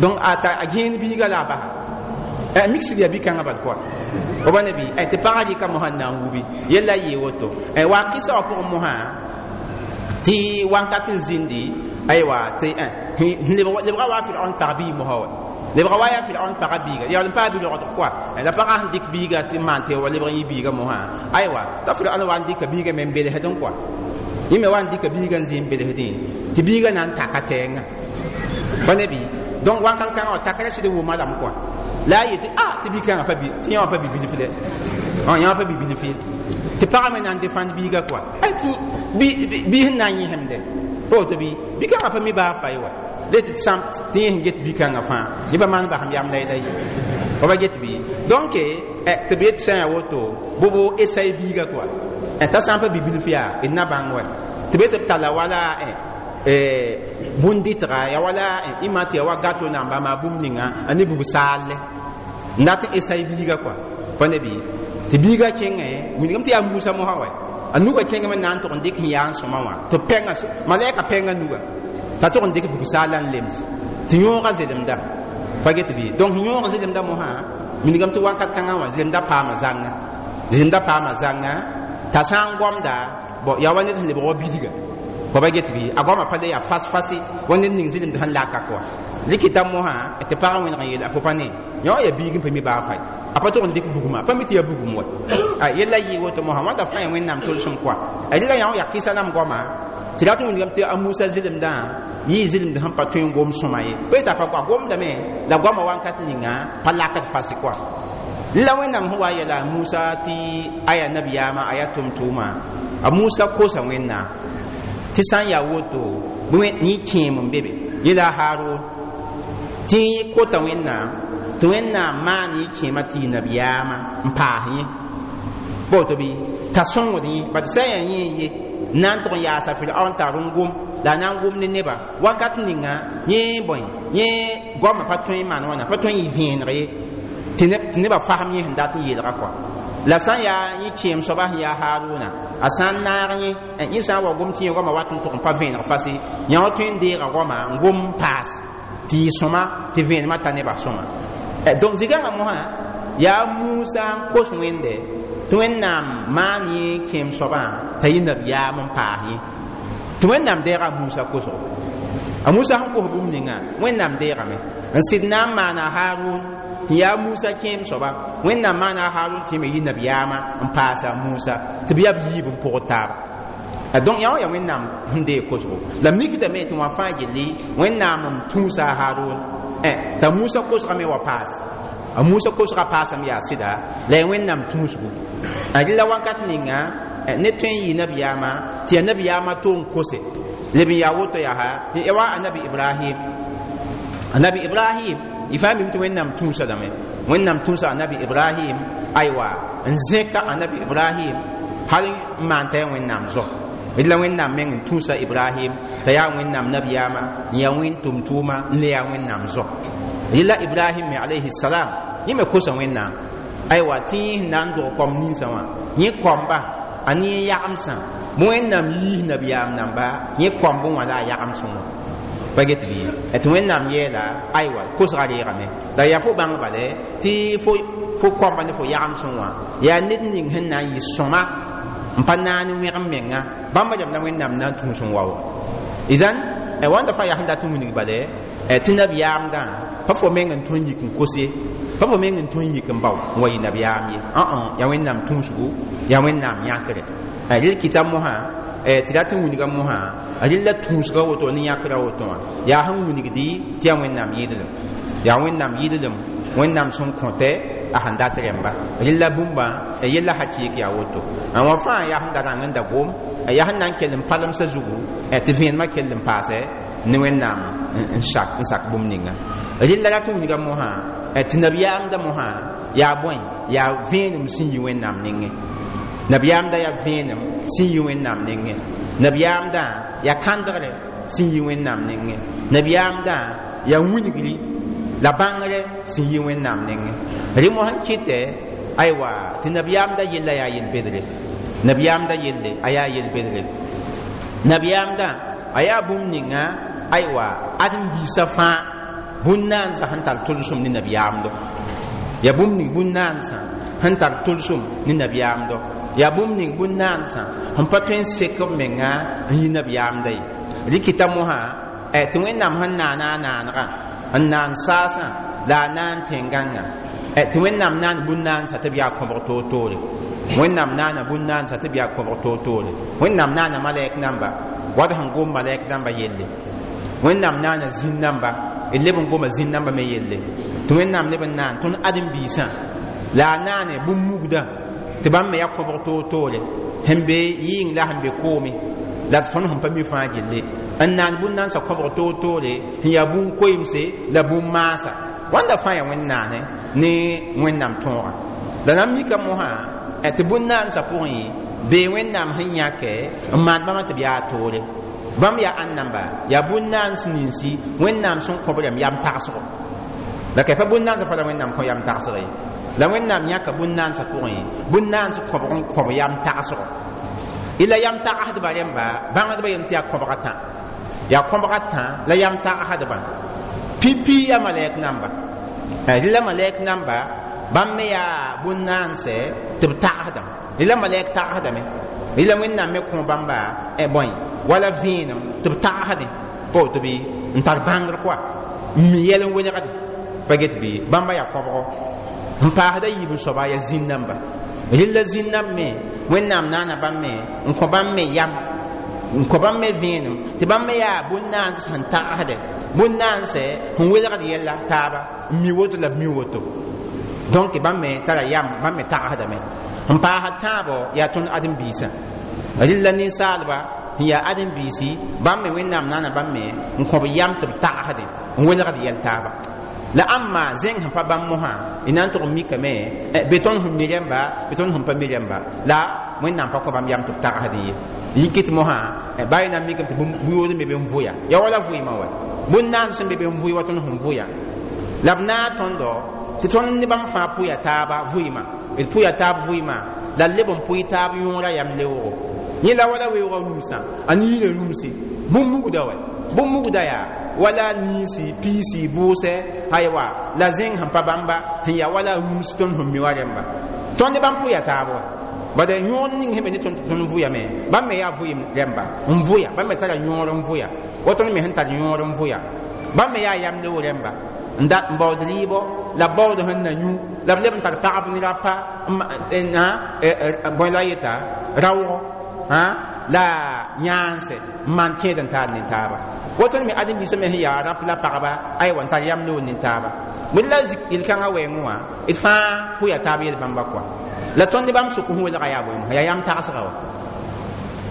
donc a gẽen biiga la a basa miksd yaa bi-kãngã bal kɔa b ne bɩ tɩ pagã rɩka mosã n na n wubi yella yee woto wa kɩsa wã pʋgẽ mosã tɩ wãnkat n zĩndi aywa tɩ lebga wa Firaon pag bii mosã wa lebga wa yaa Firaon pagã biiga yaa n paa bi-rogdg kɔa la pagã sẽn dɩk biiga tɩ maan tɩ wa lebg n yɩ biiga mosã aywa t'a Firaon wa n dɩka biiga me n belsdẽ kɔa yẽ me wa n dɩka biiga n zĩ n belsdẽ tɩ biiga na n taka tɛɛngã pa ne bɩ donc wãnkat kãngã wã takra sɩd wʋma lame kɔa la a yetɩ a tɩ bi-kãngã pa tɩ yã wã pa bi-bilf dɛ yã wã pa bi-bilf ye tɩ pagã me na n defãnd biiga kɔa tɩ bii sẽn na n yẽsemde pa woto bɩ bi-kãngã pa mi baa fay wa le tɩ tɩ yẽ sẽn get bi-kãngã fãa yẽ pa maan basem yam la ye pa ba get bɩ donc tɩ b yet sã n yaa woto bʋbo esai biiga kɔa t'a sã n pa bi-bilf yaa d na bãng wa tɩ be tɩ b talla wala Bũn-dɩtga ya wala ima tɩ ya wa gato namba maa bũmb ninga a ne bug saalle n dat n esai biiga kɔa pa ne bɩ tɩ biiga kẽngẽ wilgame tɩ yaa Musa mosã wa a nuga kẽngame na n tʋg n dɩk sẽn yaa n sõma wã tɩ pɛngã malɛka pɛngã nuga t'a tʋg n dɩk bug saala n lems tɩ yõoga zelemda pa get bɩ. Donc yõog zelemda mosã wilgame tɩ wakat kãngã wã zelemda paama zãnga, zelemda paama zãnga t'a sã n goamda bon yaa wa ned sẽn lebg wa bidga pa ba get bɩ a goamã pa le yaa fas-fase wa ned ning zelemd sẽn laka kɔa rɩkɩta mosã tɩ pagã wẽneg n yeela fo pa ne yã wã yaa biig n pa mi baa fay a pa tʋg n dɩk bugmã pa mi tɩ yaa bugum wa a yella yɩ woto mosã wãnda fãa ya Wẽnnaam tolsem kɔa a rɩla yã wã yaa kɩsa rãmb goama tɩ rat n wilgame tɩ a Musa zelemdã yɩ zelemd sẽn pa tõe n gom sõma ye pa yetɩ a pa goa gomdame la goamã wakat ninga pa lakd fas kɔa la Wẽnnaam sẽn wa yɛla a Musa tɩ a yaa nabiyaamã a yaa tʋm-tʋʋmã a Musa kosa Wẽnnaam tɩ sã n yaa woto yẽ kẽem n be be yẽla a Haarun tɩ yẽ kota Wẽnnaam tɩ Wẽnnaam maan yẽ kẽema tɩ yɩ nabiyaamã n paas yẽ pa woto bɩ t'a sõngd yẽ bat sã n yaa yẽ ye na n tʋg n yaasa Firaon tar n gom la a na n gom ne neba wakat ninga yẽ bõe yẽ goamã pa tõe n maan wãna pa tõe n yɩ vẽeneg ye tɩ nebã fasem yẽ sẽn dat n yeelga kɔa la sã n yaa yẽ kẽem soaba sẽn yaa Haaruna a sã n naag yẽ yẽ sã n wa gom tɩ yẽ goamã wat n tʋg n pa vẽeneg fase yã wã tõe n deega goamã n gom n paas tɩ yɩ sõma tɩ vẽenemã ta nebã sõma. Donc zigãngã mosã yaa Musa n kos Wẽnde tɩ Wẽnnaam maan yẽ kẽem soabã t'a yɩ nabiyaam n paas yẽ tɩ Wẽnnaam deega a Musa kosgo a Musa sẽn kos bũmb ninga Wẽnnaam deegame n sɩd na n maana Haarun n yaa Musa kẽem soaba Wẽnnaam maana a Haarun tɩ me yɩ nabiyaamã n paasa Musa tɩ b yaa b yiib n pʋgd taaba. Donc yã wã yaa Wẽnnaam sẽn deeg kosgo la mikdame tɩ wã fãa gilli Wẽnnaam n tũusa a Haarun t'a Musa kosgame wa paas a Musa kosga paasame yaa sɩda la yaa Wẽnnaam tũusgu a rɩla wakat ninga ne tõe n yɩ nabiyaamã tɩ yaa nabiyaamã to n kose leb n yaa woto yaa wa anabi Ibrahim. Anabi Ibrahim y fãa mim tɩ Wẽnnaam tũusa lame Wẽnnaam tũusa anabi Ibrahim aywa n zẽka anabi Ibrahim hal n maan t'a yaa Wẽnnaam zo la Wẽnnaam meng n tũusa Ibrahim t'a yaa Wẽnnaam nabiyaamã n yaa wẽn tʋm-tʋʋma n le yaa Wẽnnaam zo rɩla Ibrahim me alayhi salam yẽ me kosa Wẽnnaam aywa tɩ yẽ sẽn na n dog kom ninsã wã yẽ koamba a ne yẽ yagemsã bõ Wẽnnaam yiis nabiyaam namba yẽ koamb wã la a yagemsẽ wã pa get bɩ tɩ Wẽnnaam yeela aywa kosga reegame la yaa fo bãng bale tɩ fo koamba ne fo yagemsẽ wã yaa ned ning sẽn na n yɩ sõma n pa naane wẽgem menga bãmba rãmb la Wẽnnaam na n tũus n wao idan wãnda fãa yaa sẽn dat n wilg bale tɩ nabiyaamdã pa fo meng n tõe n yik n kos ye pa fo meng n tõe n yik n bao n wa yɩ nabiyaam ye yaa Wẽnnaam tũusgu yaa Wẽnnaam yãkre rel kɩta mosã tɩ rat n wilga mosã rel la tũusga woto ne yãkra woto wã yaa sẽn wilgdi tɩ yaa Wẽnnaam yɩɩdlem yaa Wẽnnaam yɩɩdlem Wẽnnaam sẽn kõtɛ a sẽn dat rẽmba rel la bũmba yella hakɩɩk yaa woto wã fãa yaa sẽn da rãng n da gom yaa sẽn na n kell n palemsã zugu tɩ vẽenemã kell n paasɛ ne Wẽnnaam n sak bũmb ninga rel la rat n wilga mosã tɩ nabiyaamda mosã yaa bõe yaa vẽenem sẽn yi Wẽnnaam nengẽ nabiyaamda yaa vẽenem sẽn yi Wẽnnaam nengẽ nabiyaamdã yaa kãndgre sẽn yi Wẽnnaam nengẽ nabiyaamdã yaa wilgri la bãngre sẽn yi Wẽnnaam nengẽ rẽ mos n kɩtɛ aywa tɩ nabiyaamda yella yaa yel-bedre nabiyaamda yelle a yaa yel-bedre nabiyaamdã a yaa bũmb ninga aywa ãdem-biisã fãa bũn-naansã sẽn tar tolsem ne nabiyaamdo yaa bũmb ning bũn-naansã sẽn tar tolsem ne nabiyaamdo yaa bũmb ning bũn-naansã sẽn pa tõe n sek b menga n yi nabiyaamda ye rɩkɩta mosã tɩ Wẽnnaam sẽn naana a naanegã n naan saasã la a naan tẽn-gãngã tɩ Wẽnnaam naan bũn-naansã tɩ b yaa kõbg toor-toore Wẽnnaam naana bũn-naansã tɩ b yaa kõbg toor-toore Wẽnnaam naana malɛk namba wad sẽn gom malɛk namba yelle Wẽnnaam naana zĩn namba d leb n goma zĩn namba me yelle tɩ Wẽnnaam leb n naan tõnd ãdem-biisã la a naane bũmb mugdã tɩ bãmb me yaa kõbg toor-toore sẽn be yɩɩng la sẽn be koome la tõnd sẽn pa mi fãa gilli n naan bũn-naansã kõbg toor-toore sẽn yaa bũn-koeemse la bũn-maasa wãnda fãa yaa Wẽn-naane ne Wẽnnaam tõogã la na n mika mosã tɩ bũn-naansã pʋgẽ bee Wẽnnaam sẽn yãkɛ n maan bãmba tɩ b yaa toore Bãmb yaa ãn namba yaa bũn-naans ninsi Wẽnnaam sẽn kõ b rãmb yam tagsgo. La ka pa bũn-naansã fa la Wẽnnaam kõ yam tagsg ye. La Wẽnnaam yãka bũn-naansã pʋgẽ bũn-naans kõbg n kõb yam tagsgo. Ila yam tagsdbã rẽmba bãngdbã yem tɩ yaa kõbga tã. Yaa kõbga tã la yam tagsdbã. Pipi yaa malɛk namba. Rɩla malɛk namba bãmb me yaa bũn-naanse tɩ b tagsdame. Rɩla malɛk tagsdame. Rɩla Wẽnnaam me kõ bãmba bõe wala vẽenem tɩ b tagsdẽ pa woto bɩ n tar bãngr koa n mi yɛl n welgde pa get bɩ bãmba yaa kõbgo. N paasda yiib n soaba yaa zĩn-namba. Rɩla zĩn-namb me Wẽnnaam naana bãmb me n kõ bãmb me yam n kõ bãmb me vẽenem tɩ bãmb me yaa bũn-naans sẽn tagsdɛ bũn-naanse sẽn welgd yɛla taaba n mi woto la b mi woto. Donc bãmb me tara yam bãmb me tagsdame. N paasd tãabo yaa tõnd ãdem-biisã. Rɩla ninsaalba sẽn yaa ãdem-biisi bãmb me Wẽnnaam naana bãmb me n kõ b yam tɩ b tagsdẽ n welgd yɛl taaba. La ãmma zẽng sẽn pa bãmb mosã y na n tʋg n mikame be tõnd sẽn mi rẽmba be tõnd sẽn pa mi rẽmba la Wẽnnaam pa kõ bãmb yam tɩ b tagsdẽ ye. Yikit mosã ba y na n mikame tɩ bũyood me be n vʋya yaa wala vʋɩmã wa bũn-naand sẽn be be n vʋɩ wa tõnd sẽn vʋya la b naag tõndo tɩ tõnd ne bãmb fãa pʋya taaba vʋɩma d pʋya taab vʋɩma la leb n pʋɩ taab yõora yam leoogo. Yẽ la wala weoogã rũmsã a niinã rũmse bũmb mugda wa bũmb mugda yaa wala niinsi piisi bʋʋsɛ aywa la zẽng sẽn pa bãmba sẽn yaa wala rũms tõnd sẽn mi wa rẽmba tõnd ne bãmb pʋya taab wa. Bada yõor ning sẽn be ne tõnd tɩ tõnd vʋyame bãmb me yaa vʋɩm rẽmba n vʋya bãmb me tara yõor n vʋya wa tõnd me sẽn tar yõor n vʋya bãmb me yaa yam leoog rẽmba n dat n baood rɩɩbɔ la b baood sẽn na yũ la b leb n tar pagb ne rapa bõe la yeta raoogo la yãanse n maan kẽed n taar ne taaba. Woto me ãdem-biisã me sẽn yaa rap la pagba aywa n tar yam loog ne taaba. Bd la yel-kãngã wɛɛngẽ wã d fãa pʋya taab yel-bãmba koa. La tõnd ne bãmb sʋk sẽn welga yaa bõe yaa yam tagsga wa.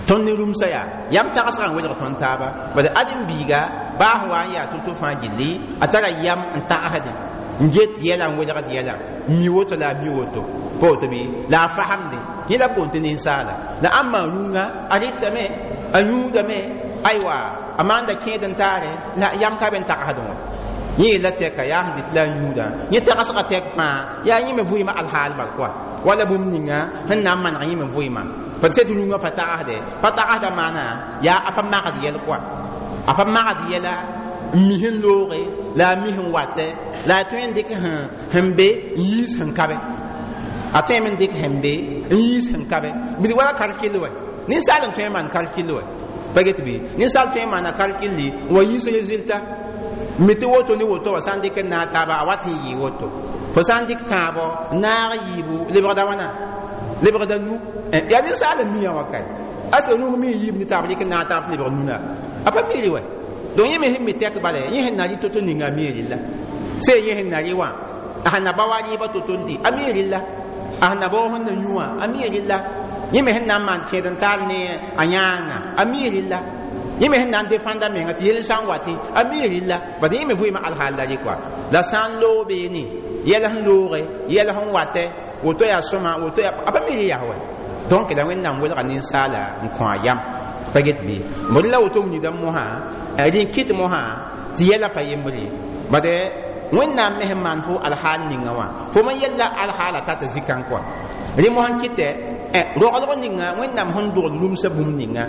Tõnd ne rũmsã yaa yam tagsgã n welg tõnd taaba. Bad ãdem-biiga baa sẽn wa n yaa to-to fãa gilli a tara yam n tagsdẽ n get yɛla n welgd yɛla n mi woto la a mi woto pa woto bɩ la a fasemdẽ yẽ la b boond tɩ ninsaala. La ãmba rũngã a rɩtame a yũudame aywa a maanda kẽed n taare la yam ka be n tagsdẽ wã. Yẽ yella tɛka yaa sẽn dɩt la a yũudã yẽ tagsgã tɛk fãa yaa yẽ me vʋɩɩmã alhaal bal koa wala bũmb ninga sẽn na n maneg yẽ me vʋɩɩmã pa tɩ tɩ rũngã pa tagsdɛ pa tagsda maana yaa a pa magd yɛl koa a pa magd yɛla n mi sẽn looge la a mi sẽn watɛ la a tõe n dɩk sẽn be n yiis sẽn kabe a tõe me n dɩk sẽn be n yiis sẽn kabe bd wala kalkil wɛ ninsaal n tõe n maan kalkil wɛ pa get bɩ ninsaal tõe n maana kalkilli n wa yiis résultat mi tɩ woto ne woto wa sã n dɩk n naag taaba a wat n yɩɩ woto fo sã n dɩk tãabɔ naag yiibu lebgda wãna lebgda nu yaa ninsaal n mia wã kae aska rũng mi n yiib ne taab dɩk n naag taab tɩ lebg nuna a pa miiri wɛ. Donc yẽ me sẽn mi tɛk bala yẽ sẽn na rɩ to-to ninga a mi rɩlla sẽn yẽ sẽn na rɩ wã a sẽn na ba wa rɩɩbã to-to n dɩ a mi rɩlla a sẽn na bao sẽn na yũ wã a mi rɩlla yẽ me sẽn na n maan kẽed n taal ne a yãanga a mi rɩlla yẽ me sẽn na n defãnda menga tɩ yel sã n watẽ a mi rɩlla bad yẽ me vʋɩɩmã alhaal la rɩ koa la sã n loog beene yɛl sẽn looge yɛl sẽn watɛ woto yaa sõma woto yaa a pa mi rɩ yaa wɛ. Donc la Wẽnnaam welga ninsaala n kõ a yam pa get bɩ bd la woto nidã mosã rẽ kɩt mosã tɩ yɛla pa yembre bad Wẽnnaam me sẽn maan fo alhaal ninga wã fo me yella alhaala tata zikã koa rẽ mosã n kɩtɛ roglg ninga Wẽnnaam sẽn dogl rũmsã bũmb ninga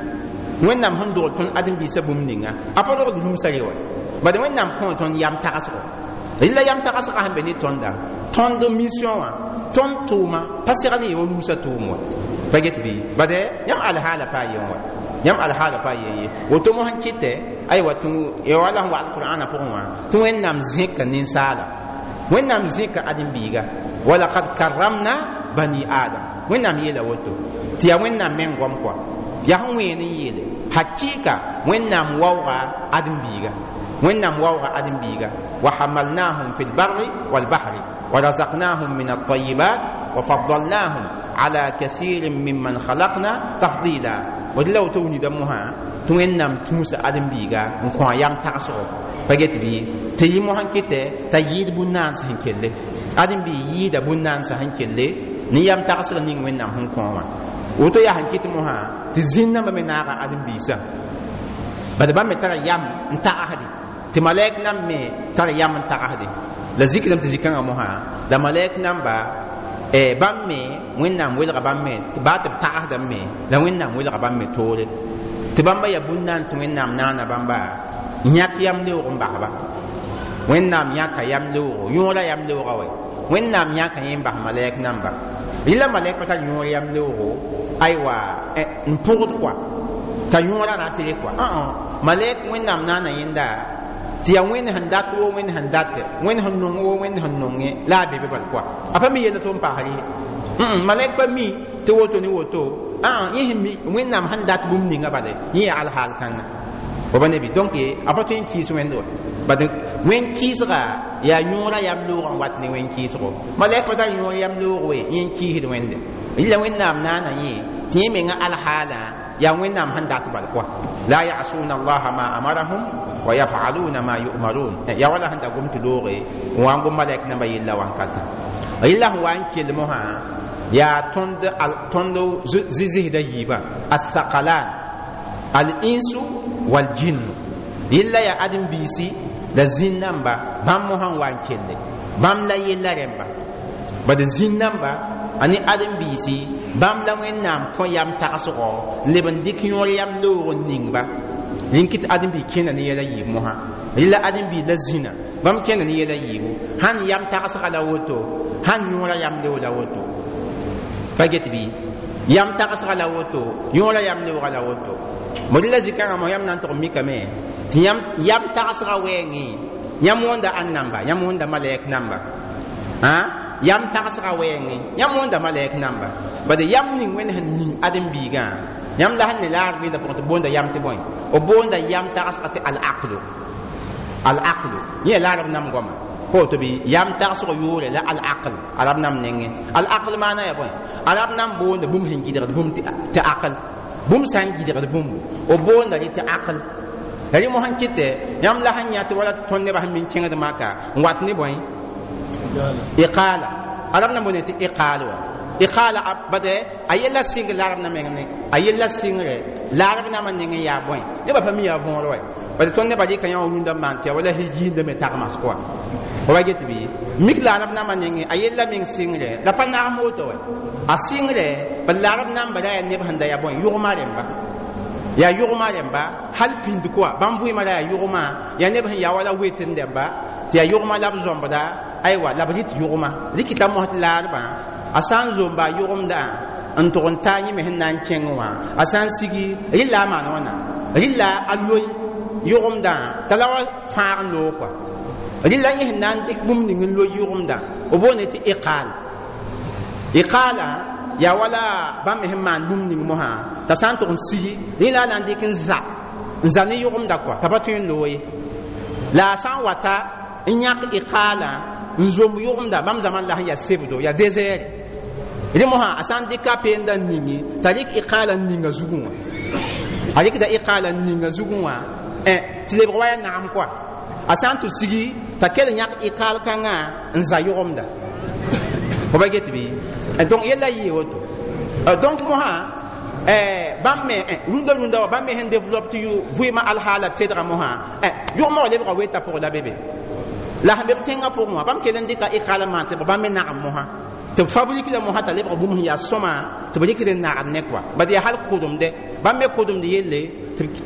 Wẽnnaam sẽn dogl tõnd ãdem-biisã bũmb ninga a pa rogd rũmsã re wa bad Wẽnnaam kõ tõnd yam tagsgo rɩla yam tagsgã sẽn be ne tõnda tõnd mission wã tõnd tʋʋma pa segl n wa rũmsã tʋʋm wa pa get bɩ bad yãmb alhaala pa yen wa yãmb alhaala pa yen ye woto mosã n kɩtɛ aywa tɩ wala sẽn wa alqur'ana pʋgẽ wã tɩ Wẽnnaam zẽka ninsaala Wẽnnaam zẽka ãdem-biiga walakad karramna bani adam Wẽnnaam yeela woto tɩ yaa Wẽnnaam meng goam koa yaa sẽn wẽen n yeele hakɩɩka Wẽnnaam waooga ãdem-biiga Wẽnnaam waooga ãdem-biiga wa hamalnahum fi lbarri walbahri wa razaqnahum min altayibat wa faddalnahum ala kathirin mimman khalaqna tafdila d la woto wilgda mosã tɩ Wẽnnaam tũusa ãdem-biiga n kõ a yam tagsgo pa get bɩ tɩ yɩ mosã kɩtɛ t'a yɩɩd bũn-naansã sẽn kelle ãdem-biig yɩɩda bũn-naansã sẽn kelle ne yam tagsg ning Wẽnnaam sẽn kõ wã woto yaa sẽn kɩt mosã tɩ zĩn-nambã me naaga ãdem-biisã Bad bãmb me tara yam n tagsde tɩ malɛk nam me tara yam n tagsde la zikdame tɩ zĩ-kãngã mosã la malɛk namba bãmb me Wẽnnaam welga bãmb me baa tɩ b tagsdame me la Wẽnnaam welga bãmb me toore tɩ bãmba yaa bũn-naan tɩ Wẽnnaam naana bãmba yãk yam leoog n basba. Wẽnnaam yãka yam leoogo yõora yam leoogã wɛ Wẽnnaam yãka yẽ n bas malɛk namba rɩla malɛk pa tar yõor yam leoogo aywa n pʋgd kɔa t'a yõora ratere kɔa malɛk Wẽnnaam naana yẽnda tɩ yaa Wẽnd sẽn dat woo Wẽnd sẽn date Wẽnd sẽn nong woo Wẽnd sẽn nonge la a be be bal kɔa a pa mi yella tɩ n paas rɩ malɛk pa mi tɩ woto ne woto yẽ sẽn mi Wẽnnaam sẽn dat bũmb ninga bale yẽ yaa alhaal kãnga wa ba nebi. Donc a pa tõe n kɩɩs Wẽnd wa bad wẽn kɩɩsga yaa yõora yam loogã n wat ne wẽn kɩɩsgo malɛk pa tar yõor yam loog we yẽ n kɩɩsd Wẽnde rɩla Wẽnnaam naana yẽ tɩ yẽ menga alhaalã yaa Wẽnnaam sẽn dat bal kɔa la yasuna allaha ma amarahum wa yafaluna ma yu'marun yaa wala sẽn da gom tɩ looge n wa n gom malɛk namba yella wankatã rɩla sẽn wa n kell mosã yaa tõnd zɩzsda yiibã athaqalan al-insu wal-jinnu yella yaa ãdem-biisi la zĩn namba bãmb mosã n wa n kelle bãmb la yella rẽmba bad zĩn namba a ne ãdem-biisi bãmb la Wẽnnaam kõ yam tagsgɔ n leb n dɩk yõor yam loog n ning-ba rẽn kɩ tɩ ãdem-biig kẽna ne yɛla yiib mosã rɩla ãdem-biig la zĩna bãmb kẽna ne yɛla yiibu sãn yam tagsga la woto sãn yõora yam loog la woto pa get bɩ yam tagsga la woto yõora yam loogã la woto mo rɩla zĩ-kãngã mo yam na n tʋg mikame tɩ yam tagsga wɛɛngẽ yãmb wõnda ãn namba yãmb wõnda malɛk namba yam tagsga wɛɛngẽ yãmb wõnda malɛk namba bad yam ning Wẽnd sẽn ning ãdem-biigã yãmb la sẽn ne laag bɩɩda pʋgẽ tɩ boonda yam tɩ bõe b boonda yam tagsga tɩ al-aqlu al-aqlu yẽ la arab nam goama pa woto bɩ yam tagsg yʋʋre la al-aql arab nam nengẽ al-aql maana ya bõe arab nam boonda bũmb sẽn gɩdgd bũmb tɩ aql bũmb sã n gɩdgd bũmbu b boonda rẽ tɩ aql la rẽ mosã kɩtɛ yãmb la sẽn yã tɩ wala tõnd nebã sẽn min kẽngd maka n wat ne bõe iqala arab na boonde tɩ iqaal wa iqala bade a yella sɩngr la arab na meng ne a yella sɩngre la arab namã nengẽ yaa bõe nebã pa mi yaa võor wa bade tõnd nebã rɩka yã wã rũndã maan tɩ ya wala higiindame me tagmas kɔa wa get bɩ mik la arab namã nengẽ a yella meng sɩngre la pa nagm woto wa a sɩngre bad la arab namba ra yaa neb sẽn da yaa bõe yʋgma rẽmba yaa yʋgma rẽmba hal pĩnd kɔa bãmb vɩɩmã ra yaa yʋgma yaa neb sẽn yaa wala wetn dẽmba tɩ yaa yʋgma la b zõmbda aywa la b rɩt yʋgma rɩkɩta mos tɩ laarbã a sã n zomba a yʋgemdã n tʋg n taa yẽ me sẽn na n kẽng wã a sã n sigi rɩla a maan wãna rɩla a loe yʋgemdã t'a la wa fãag n loog kɔa rɩla yẽ sẽn na n dɩk bũmb ning n loe yʋgemdã b boonde tɩ iqaal iqaala yaa wala bãmb me sẽn maan bũmb ning mosã t'a sã n tʋg n sigi rẽ la a na n dɩk n za n za ne yʋgemda kɔa t'a pa tõe n loog ye la a sã n wata n yãk iqaalã n zomb yʋgemda bãmb zãmã la sẽn yaa sebdo yaa désert rẽ mosã a sã n dɩka a peenda n ningi t'a rɩk iqaalã n ninga zugẽ wã a rɩkda iqaalã n ninga zugẽ wã tɩ lebg wa yaa nagem kɔa a sã n tɩ sigi t'a kell yãk iqaal kãngã n za yʋgemda fo ba get bɩ donc yella yɩɩ woto donc mosã bãmb me rũndã rũndã wa bãmb me sẽn développe tɩ yʋ vɩɩmã alhaala tedga mosã yʋgmã wa lebga weta pʋgẽ la be be la sẽn be b tẽngã pʋgẽ wã bãmb kell n dɩka iqaala maan tɩ bãmb me nagem mosã tɩ b fabrique la mosã t'a lebg bũmb sẽn yaa sõma tɩ b rɩkd n nagd ne kɔa bad yaa hal kʋdemde bãmb me kʋdemd yelle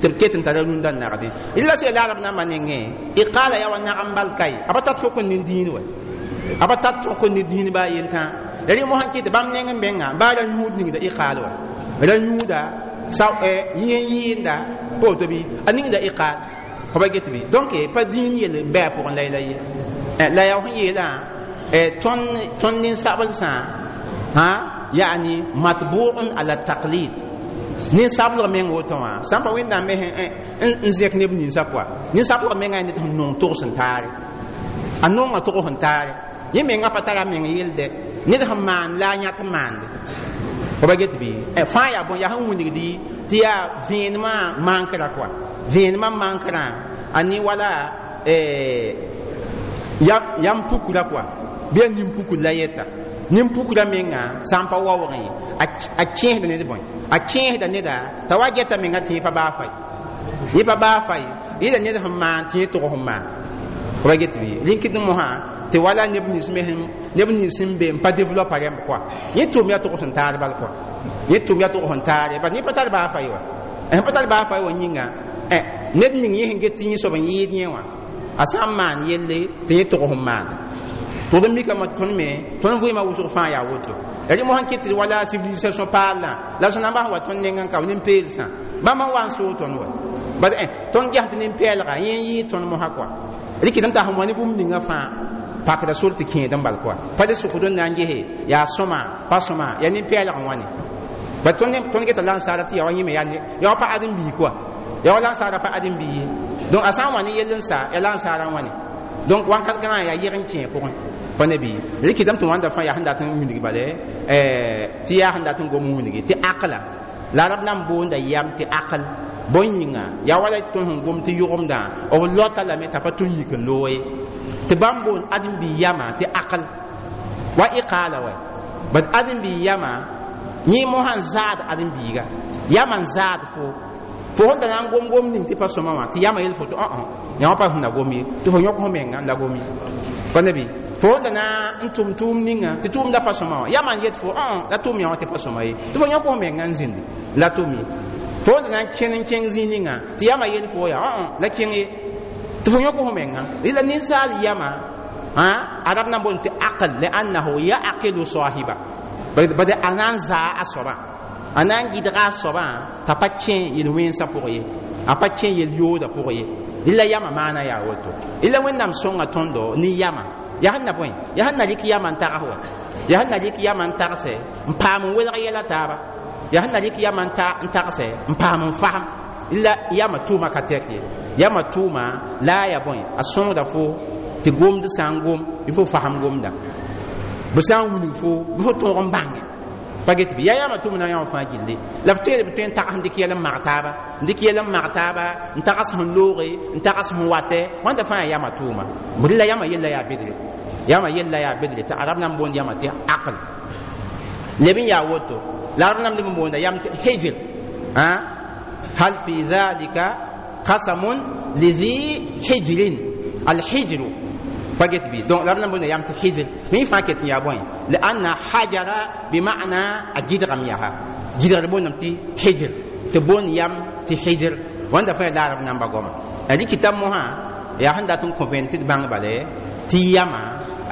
tɩ b ket n tara rũndã n nagdẽ rɩla sẽn la arab nambã nengẽ iqaala yaa wa nagem bal kae a pa tar tõk n ne dĩin wɛ a pa tar tõk n ne dĩin baa yentã la rẽ mosã kɩ tɩ bãmb neng n menga baa ra yũud ningda iqaal wa ra yũuda yẽ yɩɩnda pa woto bɩ a ningda iqaal fo ba get bɩ donc pa dĩin yell n bɩ a pʋgẽ la yɛla ye la yaa sẽn yeelã tõnd nin-sablsã yani matbuun ala taqlid nin-sablg meng woto wã sã n pa Wẽnnaam me n zẽk neb ninsã kɔa nin-sablg mengã yaa ned sẽn nong togs n taare a nonga tog sẽn taare yẽ menga pa tara meng yelde ned sẽn maan la a yãk n maande fo ba get bɩ fãa yaa bõe yaa sẽn wilgdi tɩ yaa vẽenemã mankra kɔa vẽenemã mankra a ne wala yam pukra kɔa bɩ a nin-pukr la yeta nin-pukra menga sã n pa waoogẽ a kẽesda ned bõe a kẽesda neda t'a wa geta menga tẽe pa baa fai Yẽ pa baa fa ye yẽla ned sẽn maan tɩ yẽ tʋg sẽn maan pa get bɩ rĩnkɩd mosã tɩ wala neb nins me neb nins sẽn be n pa développa rẽmb kɔa yẽ tʋʋm yaa tʋgs n taar bal kɔa yẽ tʋʋm yaa tʋgs n taare bad yẽ pa tar baa fa ye wa sẽn pa tar baa fa ye wã yĩnga ned ning yẽ sẽn get tɩ yẽ soab n yɩɩd yẽ wã a sã n maan yelle tɩ yẽ tʋgs n maanda tʋgd n mikame tõnd me tõnd vɩɩmã wʋsg fãa yaa woto rẽ mosã n ket tɩ wala civilisation paallã la sẽn na n bas n wa tõnd nengã n ka nin-peelsã bãmb n wa n soog tõnd wa bad tõnd ges tɩ nin-pɛɛlga yẽ n yɩɩ tõnd mosã kɔa rɩkɩd n t'a sẽn wa ne bũmb ninga fãa pakda sor tɩ kẽed n bal kɔa pa le sʋkd n na n gese yaa sõma pa sõma yaa nin-pɛɛlg n wãne ba tõnd geta la n saara tɩ yaa wa yẽme yaa wa pa ãdem-bii kɔa yaa wa la n saara pa ãdem-bii ye donc a sã n wa ne yell n sa yaa la n saara n wãne donc wãnkat gãnga yaa yeg n kẽ pʋgẽ pa ne bɩ rɩkɩdame tɩ wãnda fãa yaa sẽn dat n wilg bale tɩ yaa sẽn dat n gom n wilgi tɩ aqla la arab na n boonda yam tɩ aql bõe yĩnga yaa wala tõnd sẽn gom tɩ yʋgemdã b lota lame t'a pa tʋ n yik n loog ye tɩ bãmb boond ãdem-bi yama tɩ aql wa iqaala wa bad ãdem-bi yama yẽ mosã n zaad ãdem-biiga yama n zaad fo fo sẽn da na n gom gom ning tɩ pa sõma wã tɩ yama yel fo tɩ yã wã pa sẽn na gom ye tɩ fo yõk fo menga n la gom ye pa ne bɩ fo sẽn da na n tʋm tʋʋm ninga tɩ tʋʋmda pa sõma wã yama n yet fo la tʋʋm yã wã tɩ pa sõma ye tɩ fo yõk fo menga n zĩndi la tʋm ye fo sẽn da na n kẽn n kẽng zĩig ninga tɩ yama yel fo yaa la kẽng ye tɩ fo yõk fo menga la ninsaal yama arab na n boond tɩ aql liannahu yaqilu sahiba bad a na n zaa a soaba a na n gɩdga a soabã t'a pa kẽ yel-wẽnsã pʋg ye a pa kẽ yel-yoodã pʋg ye la yama maana yaa woto la wẽnnaam sõnga tõndo ne yama yaa sẽn na bõe yaa sẽn na rɩk yama n tags wa yaa sẽn na rɩk yama n tagse n paam n welg yɛla taaba yaa sẽn na rɩk yama n tagse n paam n fasem la yama tʋʋma ka tɛk ye yama tʋʋma la a yaa bõe a sõngda fo tɩ gomd sã n gom bɩ fo fasem gomda bɩ sã n wilg fo bɩ fo tõog n bãnge pa get bɩ yaa yama tʋʋm na yã wã fãa gilli la f tõe b tõe n tags n dɩk yɛl n mag taaba n dɩk yɛl n mag taaba n tags sẽn looge n tags sẽn watɛ wãnda fãa yaa yama tʋʋma b la yama yella yaa bedre yama yella yaa bedre tɩ arab na n boond yama tɩ aql leb n yaa woto la arab na n leb n boonda yam tɩ hijr hal fi dhalika qasamun lidhi hijrin alhijru pa get bɩ donc la b na n boonda yam tɩ hijr mẽ fãa ket n yaa bõe lianna hajara bima'na a gɩdgame yaa gɩdgr boondame tɩ hijr tɩ boond yam tɩ hijr wãnda fãa la arab namba goama rɩkɩta mosã yaa sẽn dat n kõ vẽen tɩ d bãng bale tɩ yama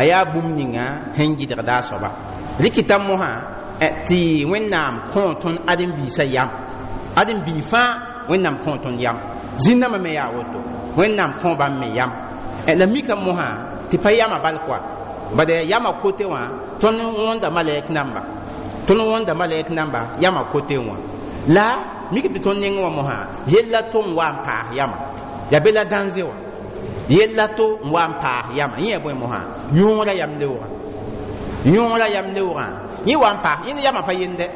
a yaa bũmb ninga sẽn gɩdgda a soaba rɩkɩta mosã tɩ wẽnnaam kõ tõnd ãdem-biisã yam ãdem-bii fãa wẽnnaam kõ tõnd yam zĩnnãmã me yaa woto wẽnnaam kõ bãmb me yam la mika mosã tɩ pa yama bal koa bad yama kote wã tõnd wõnda malɛk namba tõnd wõnda malɛk namba yama kote wã la mik tɩ tõnd neng wã mosã yella to n wa n paas yama yaa be la dãnze wã yella to n wa n paas yama yẽ yaa bõe mosã yõogra yam leoogã yõogra yam leoogã yẽ wa n paas yẽ yama pa yende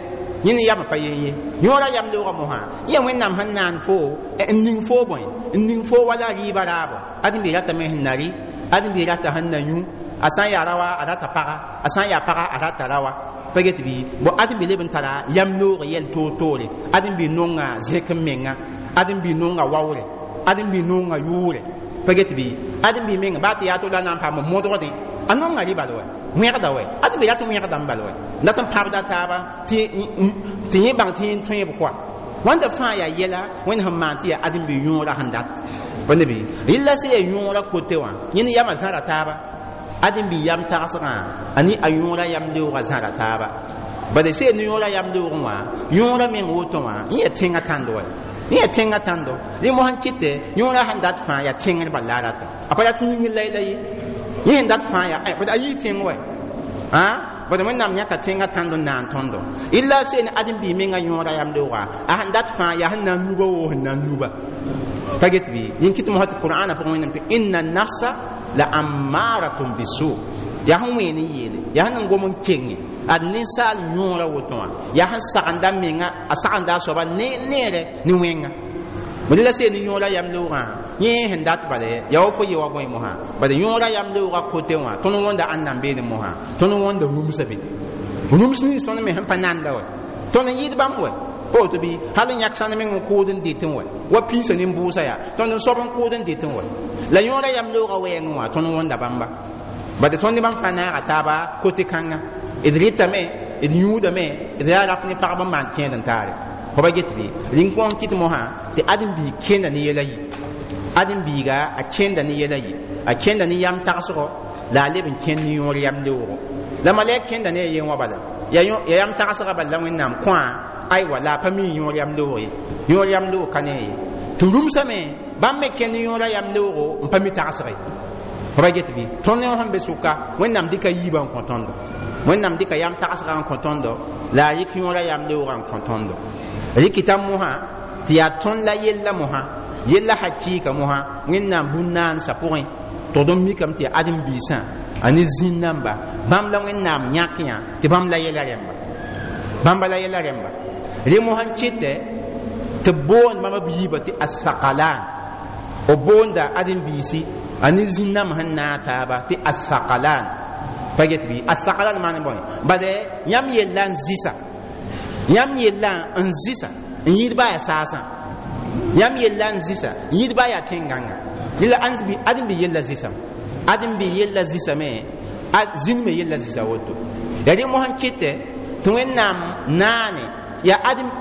yẽ ne yama pa yen ye yõogra yam leoogã mosã yẽ wẽnnaam sẽn naan fo n ning fo bõe n ning fo wala rɩɩbã raabo ãdem-bi ratame sẽn na rɩ ãdem-bi rata sẽn na yũ a sã n yaa rawa a rata paga a sã n yaa paga a rata rawa pa get bɩ bo ãdem-bi leb n tara yam loog yɛl toor-toore ãdem-bi nonga zẽk n menga ãdem-bi nonga waoore ãdem-bi nonga yʋʋre pa get bɩ ãdem-bi menga baa tɩ yaa to la na n paam modgdẽ a nonga rɩ bal wɛ wẽgda wɛ ãdem-bi rat n wẽgda n bal wɛ dat n pãbda taaba tɩ yẽ bãng tɩ yẽ tõeb koa wãnda fãa yaa yɛla wẽnd sẽn maan tɩ yaa ãdem-bi yõora sẽn dat pa ne bɩ rɩlla sẽn yaa yõora kote wã yẽ ne yama zãra taaba ãdem-bi yam tagsgã a ne a yõora yam leoogã zãra taaba bala sẽn ne yõora yam leoogẽ wã yõora meng woto wã yẽ yaa tẽngã tãndo wɛ yẽ yaa tẽngã tãndo rẽ mosã kɩtɛ yõora sẽn dat fãa yaa tẽngr bal la a rata a pa rat yĩngr la la ye yẽ sẽn dat fãa yaa bad a yii tẽng wɛ bad wẽnnaam yãka tẽngã tãnd n naan tõndo illa sẽn ãdem-bii menga yõora yam leooga a sẽn dat fãa yaa sẽn na n luba woo sẽn na n luba pa get bɩ yẽn kɩt mosã tɩ qur'ana pʋgẽ wẽnnaam tɩ inna nafsa la ammaratun bisu yaa sẽn ween n yeele yaa sẽn n gom n kenge ad ninsaal yõora woto wã yaa sẽn sagenda menga a sagenda a soaba neere ne wẽnga bd la seen yõora yam leoogã yẽ sẽn dat bale yaa wa fo ye wa bõe mosã bad yõora yam leoogã kote wã tõnd wõnda ãnna n beene mosã tõnd wõnda rũmsã be rũms nins tõnd me sẽn pa nanda wɛ tõnd n yɩɩd bãmb wɛ Pa woto bɩ hal n yãk sãnd meng n kʋʋd n dɩtẽ wɛ wa piisã nin-bʋʋsã yaa tõnd n soab n kʋʋd n dɩtẽ wɛ la yõora yam loogã wɛɛngẽ wã tõnd wõnda bãmba bad tõnd ne bãmb fãa naaga taaba kote kãnga d rɩtame d yũudame d yaa rap ne pagb n maan kẽed n taare fo ba get bɩ rĩng kõ n kɩt mosã tɩ ãdem-biig kẽnda ne yɛla yi ãdem-biiga a kẽnda ne yɛla yi a kẽnda ne yam tagsgɔ la a leb n kẽnd ne yõor yam leoogo la malɛk kẽnda ne a yen wã bala ya yam tagsga bala la wẽnnaam kõa aywa la a pa mi yõor yam leoog ye yõor yam leoog ka ne a ye tɩ rũmsame bãmb me kẽnd yõora yam leoogo n pa mi tagsge fo ba get bɩ tõnd ne sẽn be sʋka wẽnnaam dɩka yiibã n kõ tõndo wẽnnaam dɩka yam tagsgã n kõ tõndo la a yɩk yõora yam leoogã n kõ tõndo rɩkɩta mosã tɩ yaa tõnd la yella mosã yella hakɩɩka mosã wẽnnaam bũn-naansã pʋgẽ tʋgd n mikame tɩ yaa ãdem-biisã a ne zĩn-namba bãmb la wẽnnaam yãk yã tɩ bãmb la yɛla rẽmba bãmba la yɛla rẽmba rẽ mosã n kɩtɛ tɩ b boond bãmb b yiibã tɩ asakalan b boonda ãdem-biisi a ne zĩn-nãmb sẽn naag taaba tɩ asakalan pa get bɩ asakalan maan bõe bade yãmb yella n zɩsa yãmb yella n zɩsa n yɩɩd baa yaa saasã yãmb yella n zɩsa n yɩɩd baa yaa tẽn-gãnga la ãdem-bi yella zɩsame ãdem-bi yella zɩsame zĩnd me yella zɩsa woto yaa rẽ mosã n kɩtɛ tɩ wẽnnaam naane yaa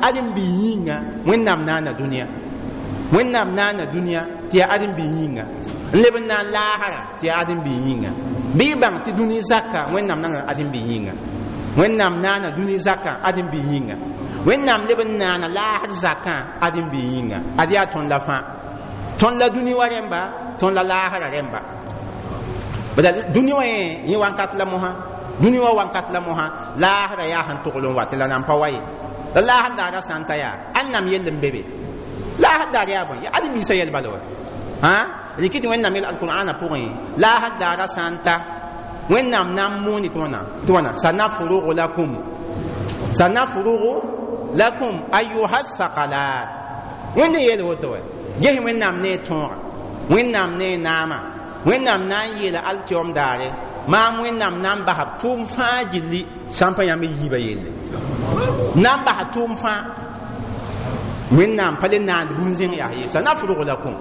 ãdem-bi yĩnga wẽnnaam naana dũniyã wẽnnaam naana dũniyã tɩ yaa ãdem-bi yĩnga n leb n naan laasra tɩ yaa ãdem-bi yĩnga bɩ y bãng tɩ dũni zakã wẽnnaam nanga ãdem-bi yĩnga wẽnnaam naana dũni zakã ãdem-bi yĩnga wẽnnaam leb n naana laasr zakã ãdem-bi yĩnga ad yaa tõnd la fãa tõnd la dũni wa rẽmba tõnd la laasra rẽmba bala dũni wã yẽ wãnkat la mosã dũni wã wãnkat la mosã laasra yaa sẽn togl n wat la nan pa wa ye la laasr daara sã n ta yaa ãnnam yell n be be laasr daar yaa bõe ãdem-biisã yɛl bala wa rɩkɩ tɩ wẽnnaam yel alqur'ana pʋgẽ laasr daara sã n ta wẽnnaam na n moone tɩ wãna sanafrugu lakum sanafrugu lakum ayuha thaqalat wẽnd n yeel woto wɛ ges wẽnnaam ne a tõoga wẽnnaam ne a naama wẽnnaam na n yeela alkiom daare maam wẽnnaam na n basa tʋʋm fãa gilli sã n pa yãmb yiibã yelle na n basa tʋʋm fãa wẽnnaam pa le naand bũn-zẽng yaa ye sanafrug lakum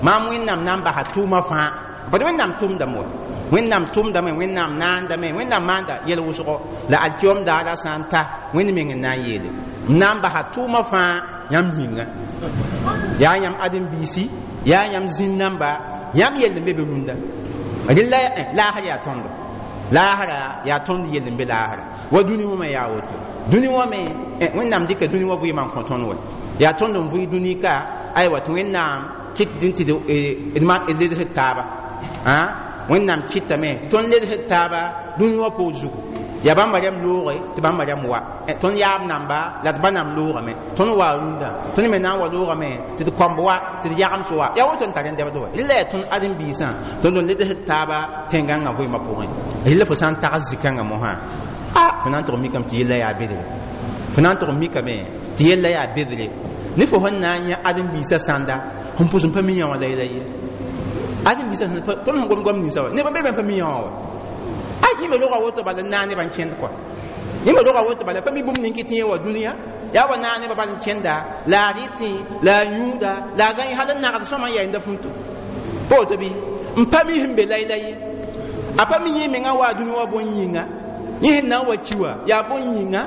maam wẽnnaam na n basa tʋʋmã fãa bad wẽnnaam tʋmdame wa wẽnnaam tʋmdame wẽnnaam naandame wẽnnaam maanda yɛl wʋsgo la alkiom daara sã n ta wẽnd meng n na n yeele n na n basa tʋʋmã fãa yãmb yĩnga yaa yãmb ãdem-biisi yaa yãmb zĩn-namba yãmb yell n be be rũndã rɩla laasr yaa tõndo laasra yaa tõnd yell n be laasra wa dũni wã me yaa woto dũni wã me wẽnnaam dɩka dũni wã vɩɩmã n kõ tõnd wɛ yaa tõnd n vʋɩ dũni ka aywa tɩ wẽnnaam kɩt tɩ d ledsd taaba wẽnnaam kɩtame tɩ tõnd ledsd taaba dũni wã poor zugu yaa bãmba rẽmb looge tɩ bãmba rẽmb wa tõnd yaab namba la d ba nam loogame tõnd waa rũndã tõnd me na n wa loogame tɩ d kõmb wa tɩ d yagems wa yaa woto n tar n dɛbd wa rɩla yaa tõnd ãdem-biisã tõnd n ledsd taaba tẽn-gãngã vɩɩmã pʋgẽ rɩla fo sã n tags zĩ-kãngã mosã a fo na n tʋg n mikame tɩ yella yaa bedre fo na n tʋg n mikame tɩ yella yaa bedre ne fo sẽn na n yã ãdem-biisã sãnda sẽn pʋs n pa mi yã wã la yɛla ye ãdem-biisã tõnd sẽn gom goam ninsã wa neb n be be n pa mi yã wã wa a yĩme roga woto bala n naag nebã n kẽnd kɔa yĩme roga woto bala pa mi bũmb ning tɩ yẽ wa dũniyã yaa wa naag nebã bal n kẽnda la a rɩtẽ la a yũuda la a gãe hal n nagd sõma n yaa yẽnda fuito pa woto bɩ n pa mi sẽn be layla ye a pa mi yẽ mengã waa dũni wã bõn-yĩnga yẽ sẽn na n wa ki wã yaa bõn-yĩnga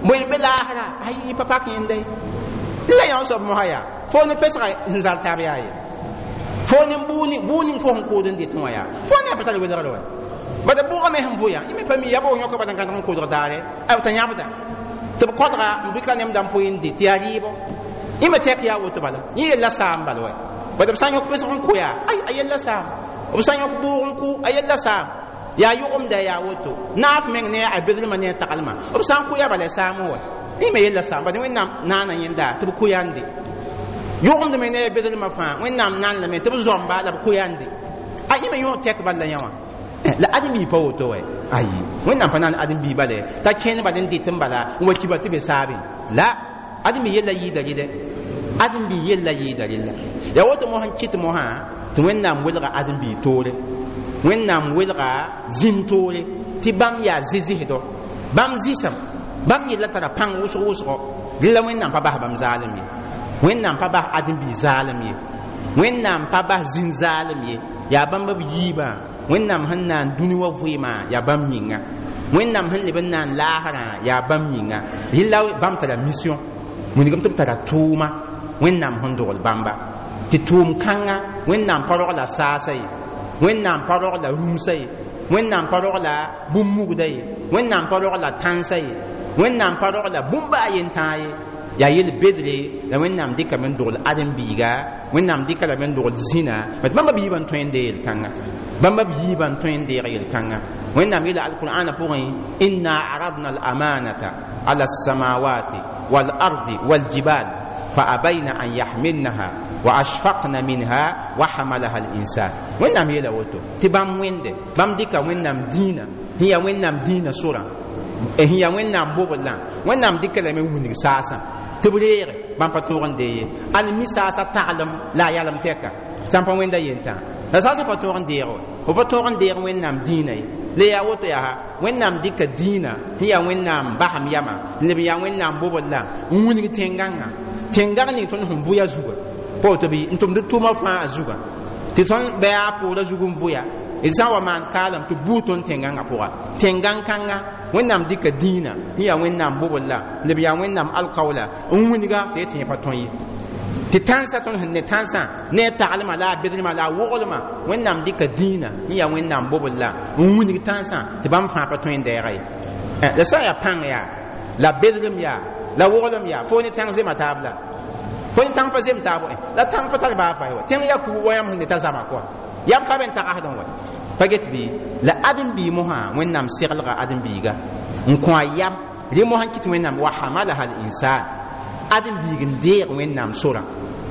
bõe n be laasra ay pa pak yẽnda ye la yã soab mosã yaa fo ne pesga sẽn zal taab yaa ye fo ne bʋʋg ning fo sẽn kʋʋd n dɩtẽ wã yaa fo ne pa tar welgr wa bada bʋʋgame sẽn vʋ yã yẽ me pa mi ya bo yõka bala n gãdg n kʋʋdg daare b t'a yãbda tɩ b kõdga n bɩka nemda n pʋɩ n dɩ tɩ yaa rɩɩbɔ yẽ me tɛk yaa woto bala yẽ yella saam bala wɛ bada b sã n yõk pesg n kʋ yaa ay a yella saam b sã n yõk bʋʋg n kʋ a yella saam yaa yʋgemda yaa woto naaf meng ne a bedlmã ne a taglmã b sã n kʋ yaa bala saam wɛ yẽ me yella saam bad wẽnnaam naana yẽnda tɩ b kʋ yaa n de yʋgemd me ne a bedlmã fãa wẽnnaam naan lame tɩ b zõmba la b kʋ yaa n de a yẽ me yõ tɛk bal la yã wã la ãdem-bi pa woto wɛ ayi wẽnnaam pa naan ãdem-bi bale t'a kẽnd bal n dɩt n bala n wa kiba tɩ be saabẽ la ãdem-bi yella yɩɩda rɩdɛ ãdem-bi yella yɩɩda rɩlla yaa woto mos n kɩt mosã tɩ wẽnnaam welga ãdem-bi toore wẽnnaam welga zĩm toore tɩ bãmb yaa zɩ-zɩsdɔ bãmb zɩsem bãmb yella tara pãng wʋsg wʋsgo Rɩla Wẽnnaam pa bas bãmb zaalem ye, Wẽnnaam pa bas ãdem-biig zaalem ye, Wẽnnaam pa bas zĩn zaalem ye. Yaa bãmb b yiibã. Wẽnnaam sẽn naan dũni wã vɩɩmã yaa bãmb yĩnga, Wẽnnaam sẽn leb n naan laasrã yaa bãmb yĩnga. Rɩla bãmb tara mission, wilgame tɩ b tara tʋʋma Wẽnnaam sẽn dogl bãmba tɩ tʋʋm kãnga. Wẽnnaam pa rogla saasa ye, Wẽnnaam pa rogla rũmsa ye, Wẽnnaam pa rogla bũmb mugda ye, Wẽnnaam pa rogla tãnsa ye, Wẽnnaam pa rogla bũmb a yen tãa ye. Yaa yel bedre la Wẽnnaam dɩkame n dogl ãdem-biiga, Wẽnnaam dɩka lame n dogl zĩna bat bãmba b yiibã n tõe n deeg yel-kãnga, bãmba b yiibã n tõe n deeg yel-kãnga. Wẽnnaam yeela alqur'ana pʋgẽ: inna aradna alamanata ala alsamawati walardi waljibal فأبين أن يحملنها وأشفقن منها وحملها الإنسان. Wẽnnaam yeela woto tɩ bãmb wẽnde bãmb dɩka Wẽnnaam dĩinã sẽn yaa Wẽnnaam dĩinã sorã, sẽn yaa Wẽnnaam bobl-lã, Wẽnnaam dɩka lame n wilg saasã tɩ b reege bãmb pa tõog n dee ye. Al mi saasã taglem la a yalem tɛka sãn pa wẽnda yentã la saasã pa tõog n deeg wa, f pa tõog n deeg Wẽnnaam dĩinã ye. La yaa woto yaa Wẽnnaam dɩka dĩinã sẽn yaa Wẽnnaam basem yamã n leb yaa Wẽnnaam bobl-la n wilg tẽn-gãngã, tẽn-gãng ning tõnd sẽn vʋya zuga pa woto bɩ n tʋmd tʋʋmã fãa a zuga tɩ tõnd bɩ a poorã zug n vʋya d sã n wa maan kaalem tɩ buud tõnd tẽn-gãngã pʋga. Tẽn-gãng kãnga Wẽnnaam dɩka dĩinã sẽn yaa Wẽnnaam bobl-la leb yaa Wẽnnaam alkaoola n wilga tɩ tẽ pa tõe ye tɩ tãnsã tõnd sẽn ne tãnsã ne a taglmã la a bedrmã la a woglmã. Wẽnnaam dɩka dĩinã sẽn yaa Wẽnnaam bobl-la n wilg tãnsã tɩ bãmb fãa pa tõe n deega ye. La sã n yaa pãng yaa la bedrem yaa la woglem yaa fo ne tãng zema taab la fo ne tãng pa zem taab la tãng pa tar baa pa wa tẽng yaa kugu wa yãmb sẽn ne ta zama kɔa yam ka ben tagsdẽ wa pa get bɩ la ãdem-biig mosã. Wẽnnaam seglga ãdem-biiga n kõ a yam rẽ mosã n kɩt Wẽnnaam wa hamalaha l insan. Ãdem-biig n deeg Wẽnnaam sorã,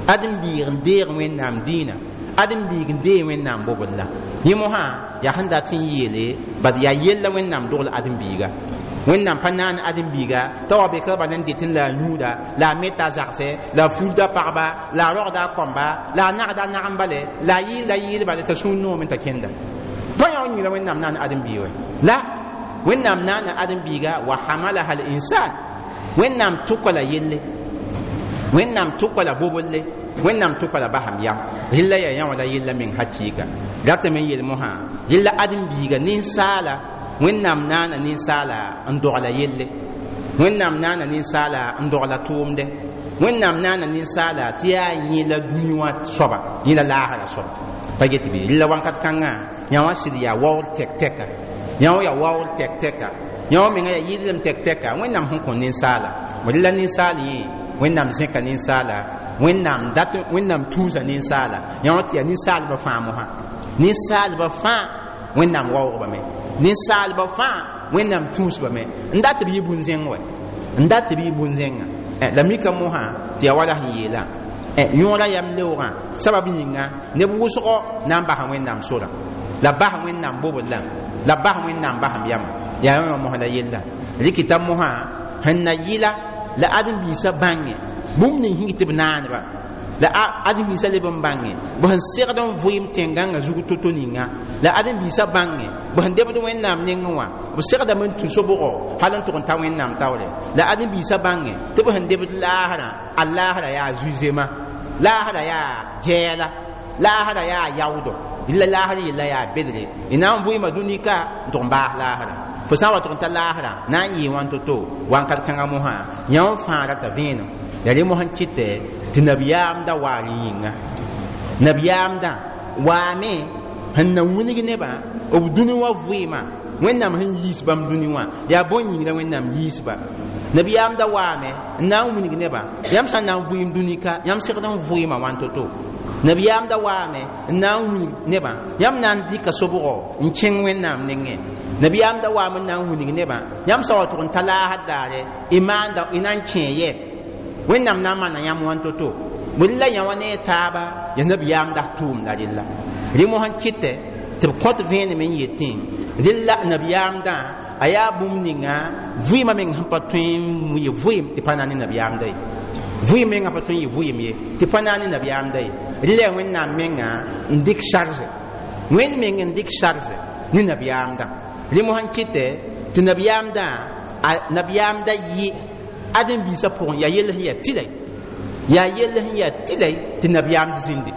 ãdem-biig n deeg Wẽnnaam dĩinã, ãdem-biig n deeg Wẽnnaam bobl-la. Yẽ mosã yaa sẽn dat n yeele bad yaa yella Wẽnnaam dogl ãdem-biiga. Wẽnnaam pa naan ãdem-biiga t'a wa beka bala n detẽ la a yũuda la a meta a zagsɛ la a fulda pagba la a rogda a kõmba la a nagda a nagem bale la a yɩɩnda yɩɩl bale t'a sũur noome t'a kẽnda pa yã yĩnga. Wẽnnaam naan ãdem-biig wɛ la Wẽnnaam naana ãdem-biiga wa hamalaha l insan. Wẽnnaam tʋka la yelle, Wẽnnaam tʋka la bobolle, Wẽnnaam tʋka la basam yam. Rɩla yaa yã wã la yella meng hakɩɩka ratame n yel mosã. Rɩla ãdem-biiga ninsaala, Wẽnnaam naana ninsaala n dogla yelle, Wẽnnaam naana ninsaala n dogla tʋʋmde, Wẽnnaam naana ninsaala tɩ yaa yẽ la dũni wã soaba, yẽ la laasra soaba pa get bɩ. Rɩla wãnkat kãngã yã wã sɩd yaa waoor tɛk-tɛka, yã wã yaa waoor tɛk-tɛka, yã wã menga yaa yɩllem tɛk-tɛka Wẽnnaam sẽn kõ ninsaala. Rɩla ninsaal yẽ Wẽnnaam zẽka ninsaala, Wẽnnaam dat, Wẽnnaam tũusa ninsaala yã wã tɩ yaa ninsaalbã fãa mosã. Ninsaalbã fãa Wẽnnaam waoogba me, ninsaalbã fãa Wẽnnaam tũusba me n dat b yɩ bũn-zẽng wɛ, n dat b yɩ bũn-zẽnga. La mika mosã tɩ yaa wala sẽn yeelã yõora yam leoogã sabab yĩnga neb wʋsgɔ na n basa Wẽnnaam sorã la bas Wẽnnaam bobl-la la bas Wẽnnaam basem yamã yaa yã wã mosã la yella rɩkɩta mosã sẽn na yɩla la ãdem-biisã bãnge bũmb ning sẽn tɩ b naaneba la ãdem-biisã leb n bãnge b sẽn segd n vʋɩɩm tẽn-gãngã zug to-to ninga la ãdem-biisã bãnge b sẽn debd Wẽnnaam nengẽ wã b segdame n tũ sobgo hal n tʋg n ta Wẽnnaam taoore la ãdem-biisã bãnge tɩ b sẽn debd laasrã a laasrã yaa zu-zema, laasrã yaa gɛɛla, laasrã yaa yaoodo la laasr yella yaa bedre y na n vʋɩɩma dũnika n tʋg n baas laasrã fo sã n wa tʋg n ta laasrã na n yɩɩ wãn to-to wãnkat kãngã mosã yã wã fãa rata vẽenem yaa rẽ mosã n kɩtɛ tɩ nabiyaamda waar yĩnga nabiyaamdã waame sẽn na wilg nebã b dũni wã vɩɩmã Wẽnnaam sẽn yiis bãmb dũni wã yaa bõn yĩngra Wẽnnaam yiisba. Nabiyaamda waame n na n wilg nebã yãmb sã n na n vʋɩɩm dũnika yãmb segd n vʋɩɩmã wãn to-to. Nabiyaamda waame n na n wilg nebã yãmb na n dɩka sobgo n kẽng Wẽnnaam nengẽ. Nabiyaamda waame n na n wilg nebã yãmb sã wa tʋg n ta laasd daare y maanda y na n kẽ yɛ Wẽnnaam na n maana yãmb wãn to-to. Bõe la yã wã ne a taaba yaa nabiyaamda tʋʋmda rella rẽ mosã n kɩtɛ tɩ b kõt vẽenem n yetẽ rella nabiyaamdã a yaa bũmb ninga vɩɩmã meng sẽn pa tõe n yɩ vɩɩm tɩ pa na ne nabiyaamda ye, vɩɩm mengã pa tõe n yɩ vɩɩm ye tɩ pa na ne nabiyaamda ye. Rɩla yaa Wẽnnaam menga n dɩk charge, Wẽnd meng n dɩk charge ne nabiyaamdã. Rẽ mosã n kɩtɛ tɩ nabiyaamdã a nabiyaamdã yɩ Ãdem-biisã pʋgẽ yaa yell sẽn yaa tɩlɛ, yaa yell sẽn yaa tɩlɛ tɩ nabiyaamd zĩnde.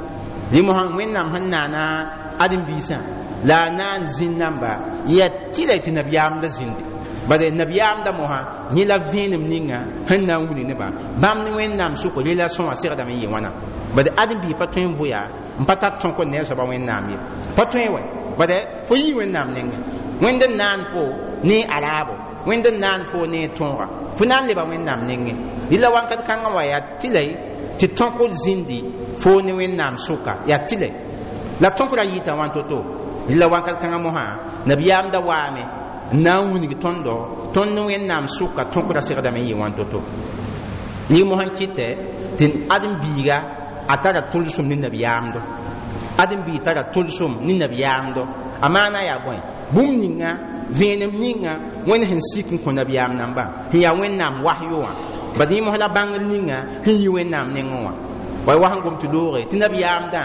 Rẽ mosã Wẽnnaam sẽn naana ãdem-biisã la a naan zĩnd namba yaa tɩlɛ tɩ nabiyaamda zĩnde. Bala nabiyaamda mosã yẽ la vẽenem ninga sẽn na n wilg nebã bãmb ne Wẽnnaam sʋk relation wã segdame n yɩ wãna. Bala ãdem-biig pa tõe n vʋya n pa tar tõk n ne a soaba Wẽnnaam ye, pa tõe wɛ. Bala fo yii Wẽnnaam nengẽ, Wẽnd n naan fo ne a raabo, Wẽnd n naan fo ne tõoga, fo na n leba Wẽnnaam nengẽ. Rɩla wãnkat kãngã wã yaa tɩlɛ tɩ tõkr zĩndi fo ne Wẽnnaam sʋka, yaa tɩlɛ la tõkra yɩɩta wãn to-to. Rɩla wãnkat kãngã mosã nabiyaamda waame n na n wilg tõndo tõnd ne Wẽnnaam sʋka tõkra segdame n yɩ wãn to-to. Ning mosã n kɩtɛ tɩ ãdem-biiga a tara tʋlsem ne nabiyaamdo, ãdem-biig tara tʋlsem ne nabiyaamdo. A maana yaa bõe? Bũmb ninga vẽenem ninga Wẽnd sẽn sik n kõ nabiyaam nambã sẽn yaa Wẽnnaam wasyo wã, bad yẽ mos la bãngr ninga sẽn yi Wẽnnaam nengẽ wã. Wa wa sẽn gom tɩ looge tɩ nabiyaamdã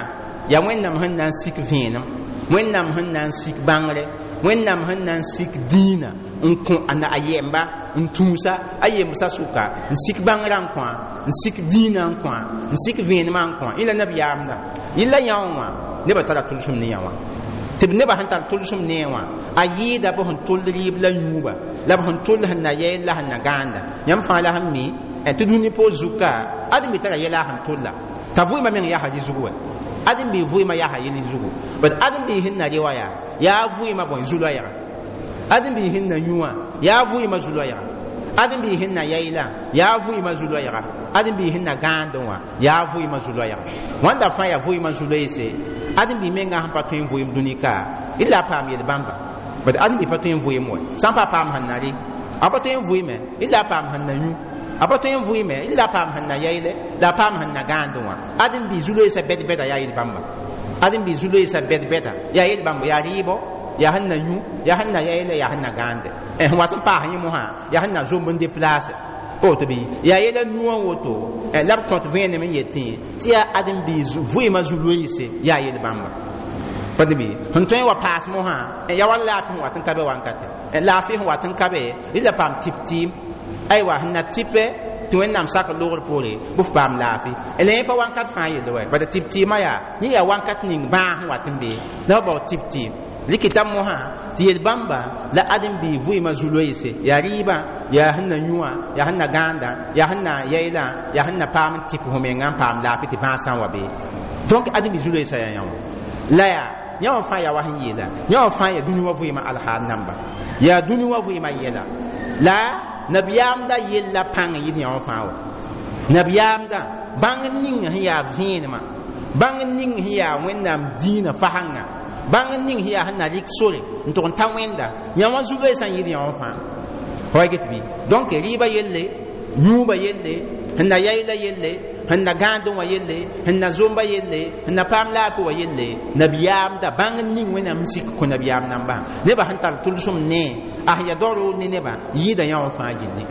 yaa Wẽnnaam sẽn na n sik vẽenem, Wẽnnaam sẽn na n sik bãngre, Wẽnnaam sẽn na n sik dĩinã n kõ a yɛmba n tũusa a yembsã sʋka, n sik bãngrã n kõa, n sik dĩinã n kõa, n sik vẽenemã n kõa. Yẽ la nabiyaamdã. Yella yã wã nebã tara tʋlsem ne yã wã, tɩ b nebã sẽn tar tʋlsem ne wã a yɩɩda b sẽn tʋll rɩɩb la yũuba la b sẽn tʋll sẽn na yɛl la sẽn na gãanda. Yãmb fãa la sẽn mi tɩ dũni poor zuka ãdem-bi tara yɛla a sẽn tʋlla t'a vʋɩɩmã meng yaa rɩ zugu wɛ, ãdem-bi vʋɩɩmã yaa yel zugu. Bad ãdem-bi sẽn na rɩ wã yaa vʋɩɩmã bõe zu-loɛɛga, ãdem-bi sẽn na yũ wã yaa vʋɩɩmã zu-loɛɛga, ãdem-bi sẽn na yɛɛla yaa vʋɩɩmã zu-loɛɛga, ãdem-bi sẽn na gãandẽ wã yaa vʋɩɩmã zu-loɛɛga. Wãnda fãa yaa vʋɩɩmã zu-loeese. Ãdem-bi menga sẽn pa tõe n vʋɩɩm dũni ka d la a paam yel-bãmba. Bad ãdem-bi pa tõe n vʋɩɩm wɛ sã n pa paam sẽn na rɩ, a pa tõe n vʋɩɩme d la a paam sẽn na yũ, a pa tõe n vʋɩɩme d la a paam sẽn na yɛɛle la a paam sẽn na gãandẽ wã. Ãdem-bi zu-loeesã bɛd-bɛda yaa yel-bãmba, ãdem-bi zu-loeesã bɛd-bɛda yaa yel-bãmba, yaa rɩɩbɔ, yaa sẽn na yũ, yaa sẽn na yɛɛle, yaa sẽn na gãande. Sẽn wat n paas yẽ mosã yaa sẽn na zomb n deplaase woto bɩ yaa yɛla nuwã woto la b kõt vẽenem n yetẽ tɩ yaa ãdem-biis vʋɩɩmã zu-loeese yaa yel-bãmba. Pa bɩ sẽn tõe n wa paas mosã yaa wa laafɩ sẽn wat n ka be wankate, laafɩ sẽn wat n ka be rɩ la paam tɩp-tɩɩm, aywa sẽn na tɩpɛ tɩ Wẽnnaam sak logr poore bɩ f paam laafɩ. La yẽ pa wankat fãa yelle wɛ, bala tɩp-tɩɩmã yaa yẽ yaa wankat ning bãag sẽn wat n be la f bao tɩp-tɩɩm. Rɩkɩta mosã tɩ yel-bãmba la ãdem-biig vʋɩɩmã zu-loeese yaa rɩɩbã, yaa sẽn na yũ wã, yaa sẽn na gãanda, yaa sẽn na yɛɛlã, yaa sẽn na paam n tɩp fo mengã n paam laafɩ tɩ bãag sã n wa bee. Donc ãdem-biig zu-loeesã yaa yã wã la yaa yã wã fãa yaa wa sẽn yeela yã wã fãa yaa dũni wã vʋɩɩmã alhaal namba, yaa dũni wã vʋɩɩmã yɛla la nabiyaamda yella pãng n yɩd yã wã fãa wa. Nabiyaamda bãngr ning sẽn yaa vẽenemã, bãngr ning sẽn yaa Wẽnnaam dĩinã fasãngã, bãngr ning sẽn yaa sẽn na rɩk sore n tʋg n ta Wẽnda yã wã zu-loeesã n yɩd yã wã fãa. Fa wa get bɩ? Donc rɩɩbã yelle, yũubã yelle, sẽn na yɛɛla yelle, sẽn na gãandẽ wã yelle, sẽn na zomba yelle, sẽn na paam laafɩ wã yelle, nabiyaamda bãngr ning Wẽnnaam n sik kõ nabiyaam nambã nebã sẽn tar tʋlsem ne a sẽn yaa daoor ne nebã yɩɩda yã wã fãa gilli.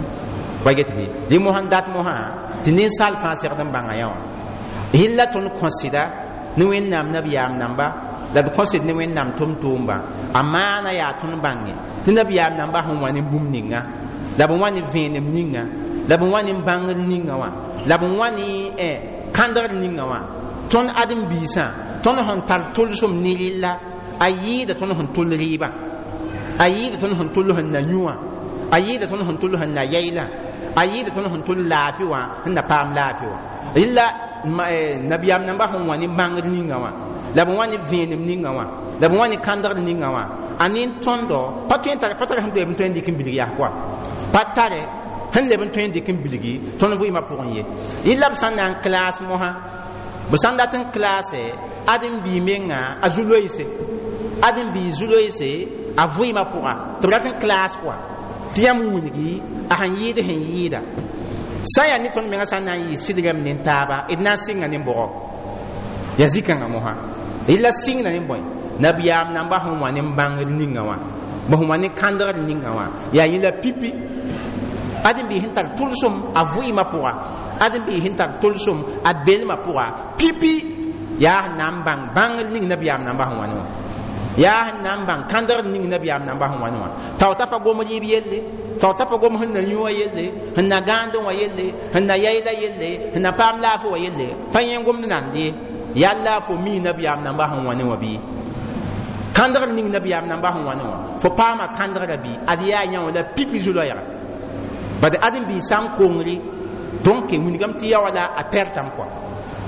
Wa get bɩ? Rẽ mosã n dat mosã tɩ ninsaal fãa segd n bãnga yã wã. Yella tõnd kõsɩda ne Wẽnnaam nabiyaam namba la d kõsd ne Wẽnnaam tʋm-tʋʋmba a maana yaa tõnd bãnge tɩ nabiyaam namba sẽn wa ne bũmb ninga la b wa ne vẽenem ninga la b wa ne bãngr ninga wã la b wa ne kãndgr ninga wã. Tõnd ãdem-biisã tõnd sẽn tar tʋlsem ne rɩlla a yɩɩda tõnd sẽn tʋl rɩɩbã, a yɩɩda tõnd sẽn tʋl sẽn na yũ wã, a yɩɩda tõnd sẽn tʋl sẽn na yɛɛlã, a yɩɩda tõnd sẽn tʋl laafɩ wã sẽn na paam laafɩ wã. Rɩla nabiyaam namba sẽn wa ne bãngr ninga wã la b wa ne vẽenem ninga wã la b wa ne kãndgr ninga wã a nin tõndo pa tõe n tare pa tare sẽn leb n tõe n dɩk n bilg yaa koa, pa tare sẽn leb n tõe n dɩk n bilgi tõnd vʋɩɩmã pʋgẽ ye. Yella b sã n na n klaas mosã, b sã n dat n klaase ãdem-bii menga a zu-loeese, ãdem-bii zu-loeese a vʋɩɩmã pʋga tɩ b rat n klaas koa tɩ yãmb wilgi a sẽn yɩɩd sẽn yɩɩda. Sã n yaa ne tõnd menga sã n na n yɩ sɩdgame ne taaba d na n sɩnga ne bʋgɔ yaa zĩ-kãngã mosã yella sɩngda ne bõe nabiyaam namba sẽn wa ne bãngr ninga wã, b sẽn wa ne kãndgr ninga wã yaa yẽla pipi. Ãdem-biig sẽn tar tʋlsem a vʋɩɩmã pʋga, ãdem-biig sẽn tar tʋlsem a belmã pʋga pipi yaa sẽn na n bãng bãngr ning nabiyaam namba sẽn wa ne wã. Yaa sẽn na n bãng kãndgd ning nabiyaam namba sẽn wa ne wã tao t'a pa gom rɩɩb yelle, tao t'a pa gom sẽn na yũ wã yelle, sẽn na gãandẽ wã yelle, sẽn na yayla yelle, sẽn na paam laafɩ wã yelle, pa yẽ gomd nand ye. Yalla fo mi nabiyaam namba sẽn wa ne wã bɩ kãndgd ning nabiyaam namba sẽn wa ne wã fo paama kãndgrã bɩ ad yaa yã wã la pipi zu-loɛɛga bad ãdem-biis sã n kongre. Donc wilgame tɩ ya wala a pɛrtame kɔa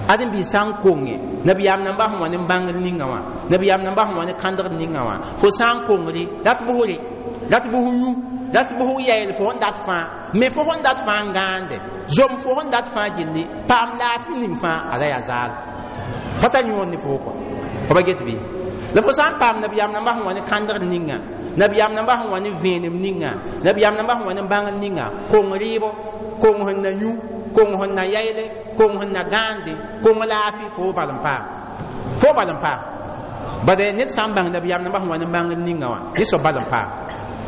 ãdem-biis sã n konge nabiyaam namba sẽn wa ne bãngr ninga wã, nabiyaam namba sẽn wa ne kãndgd ninga wã, fo sã n kongre rat bʋsre, rat bʋs yũ, rat bʋs yɛɛl fo sẽn dat fãa me, fo sẽn dat fãa n gãande zom, fo sẽn dat fãa gilli paam laafɩ ning fãa ada yaa zaal pa tar yõod ne fo kɔa fo pa get bɩ. La fo sã n paam nabiyaam namba sẽn wa ne kãndgd ninga, nabiyaam namba sẽn wa ne vẽenem ninga, nabiyaam namba sẽn wa ne bãngr ninga, kong rɩɩbo, kong sẽn na yũ, kong sẽn na yayle, kong sẽn na gãande, kong laafɩ, fo bal n paam, fo bal n paam. Bad ned sã n bãng nabiyaam namba sẽn wa ne bãngr ninga wã, yẽ soab bal n paam.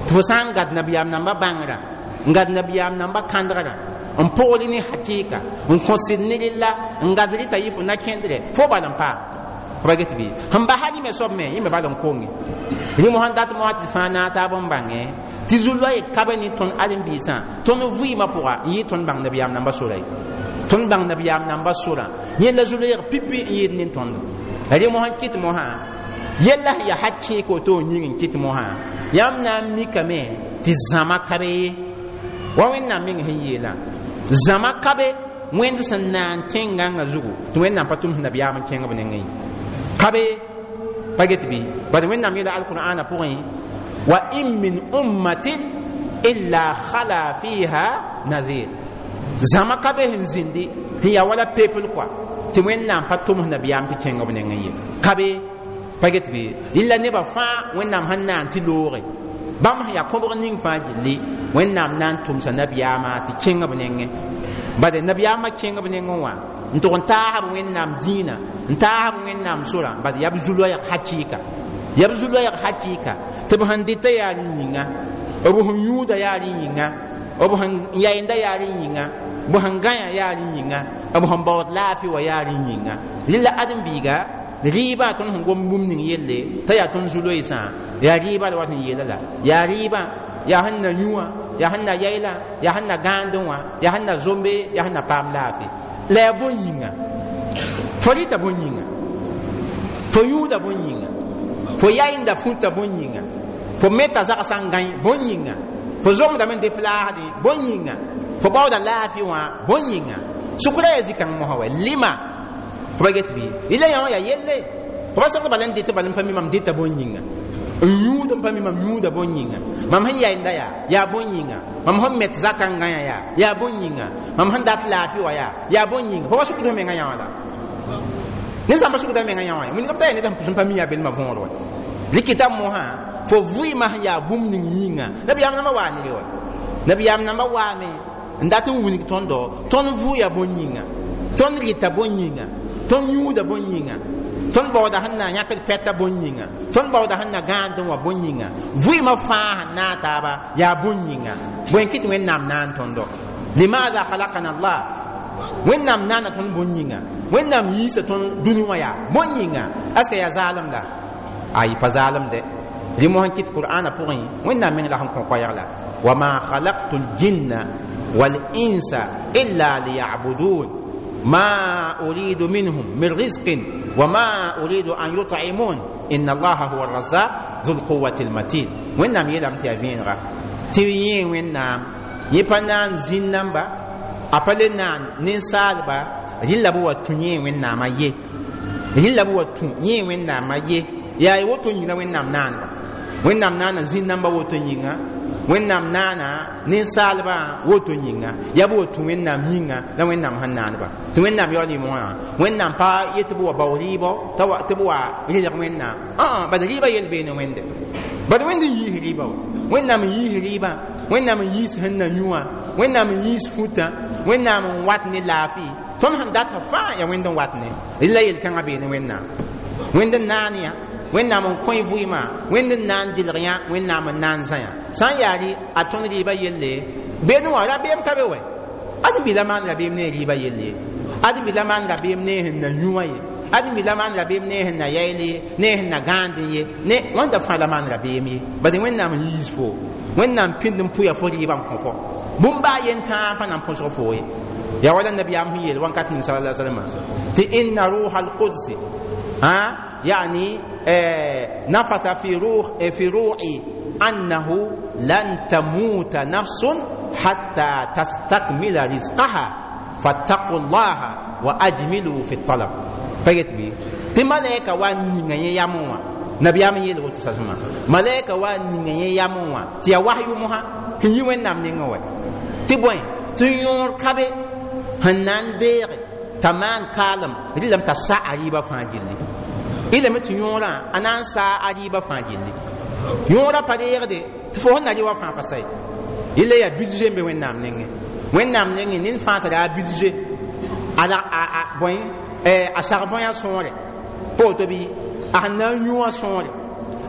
Tɩ fo sã n gad nabiyaam namba bãngrã, n gad nabiyaam namba kãndgrã, n pʋgd ne hakɩɩka, n kõ sɩd ne rella, n gad rɩta yɩ fo na-kẽndrɛ, fo bal n paam. Fo pa get bɩ sẽn basa rɩme soab me yẽ me bal n konge rɩ mosã n dat mosã tɩ fãa naag taab n bãngẽ tɩ zu-loɛɛ ka be ne tõnd ãdem-biisã. Tõnd vɩɩmã pʋga n yɩ tõnd bãng nabiyaam namba sora ye, tõnd bãng nabiyaam namba sora yẽ la zu-loɛɛg pipi n yɩɩd ne tõndo. Rɩ mosã n kɩt mosã yella sẽn yaa hakɩɩk woto n yĩng n kɩt mosã yãmb na n mikame tɩ zãma ka be ye wa Wẽnnaam meng sẽn yeelã zãma ka be Wẽnd sẽn naan tẽn-gãngã zugu tɩ Wẽnnaam pa tʋms nabiyaam n kẽng b nengẽ ye ka be pa get bɩ. Bad Wẽnnaam yeela alqur'ana pʋgẽ: wa in min ummatin illa khala fiha nadhir. Zãma ka be sẽn zĩndi sẽn yaa wala pepl kɔa tɩ Wẽnnaam pa tʋms nabiyaam tɩ kẽng b nengẽ ye ka be pa get bɩ. Rɩla nebã fãa Wẽnnaam sẽn naan tɩ looge bãmb sẽn yaa kõbg ning fãa gilli, Wẽnnaam na n tʋmsa nabiyaamã tɩ kẽng b nengẽ. Bad nabiyaamã kẽng b nengẽ wã n tʋg n taasb Wẽnnaam dĩinã, n taasb Wẽnnaam sorã. Bad yaa b zu-loɛɛg hakɩɩka, yaa b zu-loɛɛg hakɩɩka tɩ b sẽn dɩta yaa rẽ yĩnga, b sẽn yũuda yaa rẽ yĩnga, b sẽn yɛɛnda yaa rẽ yĩnga, b sẽn gãyã yaa rẽ yĩnga, b sẽn baood laafɩ wã yaa rẽ yĩnga. Rɩla ãdem-biiga rɩɩbã tõnd sẽn gom bũmb ning yelle t'a yaa tõnd zu-loeesã yaa rɩɩbã la wat n yeela la yaa rɩɩbã yaa sẽn na yũ wã, yaa sẽn na yɛɛla, yaa sẽn na gãandẽ wã, yaa sẽn na zombe, yaa sẽn na paam laafɩ la yaa bõn yĩnga. Fo rɩta bõn yĩnga, fo yũuda bõn yĩnga, fo yaɩnda fũta bõn yĩnga, fo meta zagsã n gãe bõn yĩnga, fo zomdame n dep laasdẽ bõn yĩnga, fo baooda laafɩ wã bõn yĩnga. Sʋkra yaa zĩ-kãng mosã wa lima fo pa get bɩ. Rɩla yã wã yaa yelle fo pa sẽgd bala n dɩt bala n pa mi mam dɩta bõn yĩnga, n yũud n pa mi mam yũuda bõn yĩnga, mam sẽn yaɩnda yaa bõn yĩnga, mam sẽn met zakã n gãyã yaa bõn yĩnga, mam sẽn dat laafɩ wã yaa bõn yĩnga. Fo pa sʋkd f mengã yã wã la ned sã n pa sʋkda mengã yã wã wilgame t'a yaa ned sẽn pa mi yaa belmã võor wa rɩkɩta mosã fo vɩɩmã sẽn yaa bũmb ning yĩnga. Nabiyaam nambã waa ne re wa nabiyaam nambã waame n dat n wilg tõndo tõnd vʋʋ yaa bõn yĩnga, tõnd rɩta bõn yĩnga, tõnd yũuda bõn yĩnga, tõnd baooda sẽn na yãkd pɛta bõn yĩnga, tõnd baooda sẽn na gãandẽ wã bõn yĩnga, vɩɩmã fãa sẽn naag taaba yaa bõn yĩnga. Bõe n kɩt Wẽnnaam naan tõndo? Limaada khalakana Allah? Wẽnnaam naana tõnd bõn yĩnga, Wẽnnaam yiisa tõnd dũni wã yaa bõn yĩnga. Aska yaa zaalem la ayi pa zaalem dɛ. Rɩ mosã n kɩt qur'ana pʋgẽ Wẽnnaam meng la sẽn kõ koɛɛg la wama khalaqtu ljinna walinsa illa liyabudun ma uridu minhum min rizqin wama uridu an yut'imun inna allaha huwa arrazaq dhu lquwati lmatin. Wẽnnaam yeelame tɩ yaa vẽenega tɩ yẽ Wẽnnaam yẽ pa naan zĩn namba, a pa le naan ninsaalba rɩla b wa tũ yẽ Wẽnnaamã ye, rɩla b wa tũ yẽ Wẽnnaamã ye. Yaa woto yĩnga Wẽnnaam naanba, Wẽnnaam naana zĩn namba woto yĩnga, Wẽnnaam naana ninsaalbã woto yĩnga, yaa b wa tũ Wẽnnaam yĩnga la Wẽnnaam sẽn naanba tɩ Wẽnnaam yaool yɩ mosã. Wẽnnaam pa yet b wa bao rɩɩbɔ tɩ b wa rɩlg Wẽnnaam bad rɩɩbã yel beene Wẽnde, bad Wẽnd n yiis rɩɩbã wa, Wẽnnaam n yiis rɩɩbã, Wẽnnaam n yiis sẽn na yũ wã, Wẽnnaam n yiis futã, Wẽnnaam n wat ne laafɩ tõnd sẽn data fãa yaa Wẽnd n wat ne rɩla yel-kãngã beene Wẽnnaam. Wẽnd n naan yã, Wẽnnaam n kõ vɩɩmã, Wẽnd n na n dɩlg yã, Wẽnnaam n na n zã yã. Sã n yaa rɩ a tõnd rɩɩbã yelle beene wã rabeem ka be wɛ ãdem-bi la maan rabeem ne rɩɩbã yelle ye, ãdem-bi la maan rabeem ne sẽn na yũ wã ye, Ãdem-bi la maan rabeem ne sẽn na yayle ye, ne sẽn na gãandẽ ye, ne wãnda fãa la maan rabeem ye. Bad Wẽnnaam n yiis fo, Wẽnnaam pĩnd n pʋya fo rɩɩbã n kõ fo bũmb baa yen tãa pa na n põsg fo ye. Yaa wala nabiyaam sẽn yeel wãnkat ning sala salama tɩ inna ruha alqudsi ha يعني نفث في روحي أنه لن تموت نفس حتى تستكمل رزقها فاتقوا الله وأجملوا في الطلب. فقلت بي تمالك وان ياموا نبي أمي يلو تساسما ملائكة وان ياموا تيا وحي مها كن يوين نام نينغوي تبوين تيور كابي هنان دير تمان كالم ريلم تسا عريبا فاجلي إلا مت يورا أنا سا عريبا فاجلي يورا paderde tɩ fo sẽn na rɩ wa fãa pa sa ye. Yella yaa budget n be Wẽnnaam nengẽ. Wẽnnaam nengẽ ned fãa tara a budget ala a bõe a sag võya sõore pa woto bɩ a sẽn na n yũ wã sõore,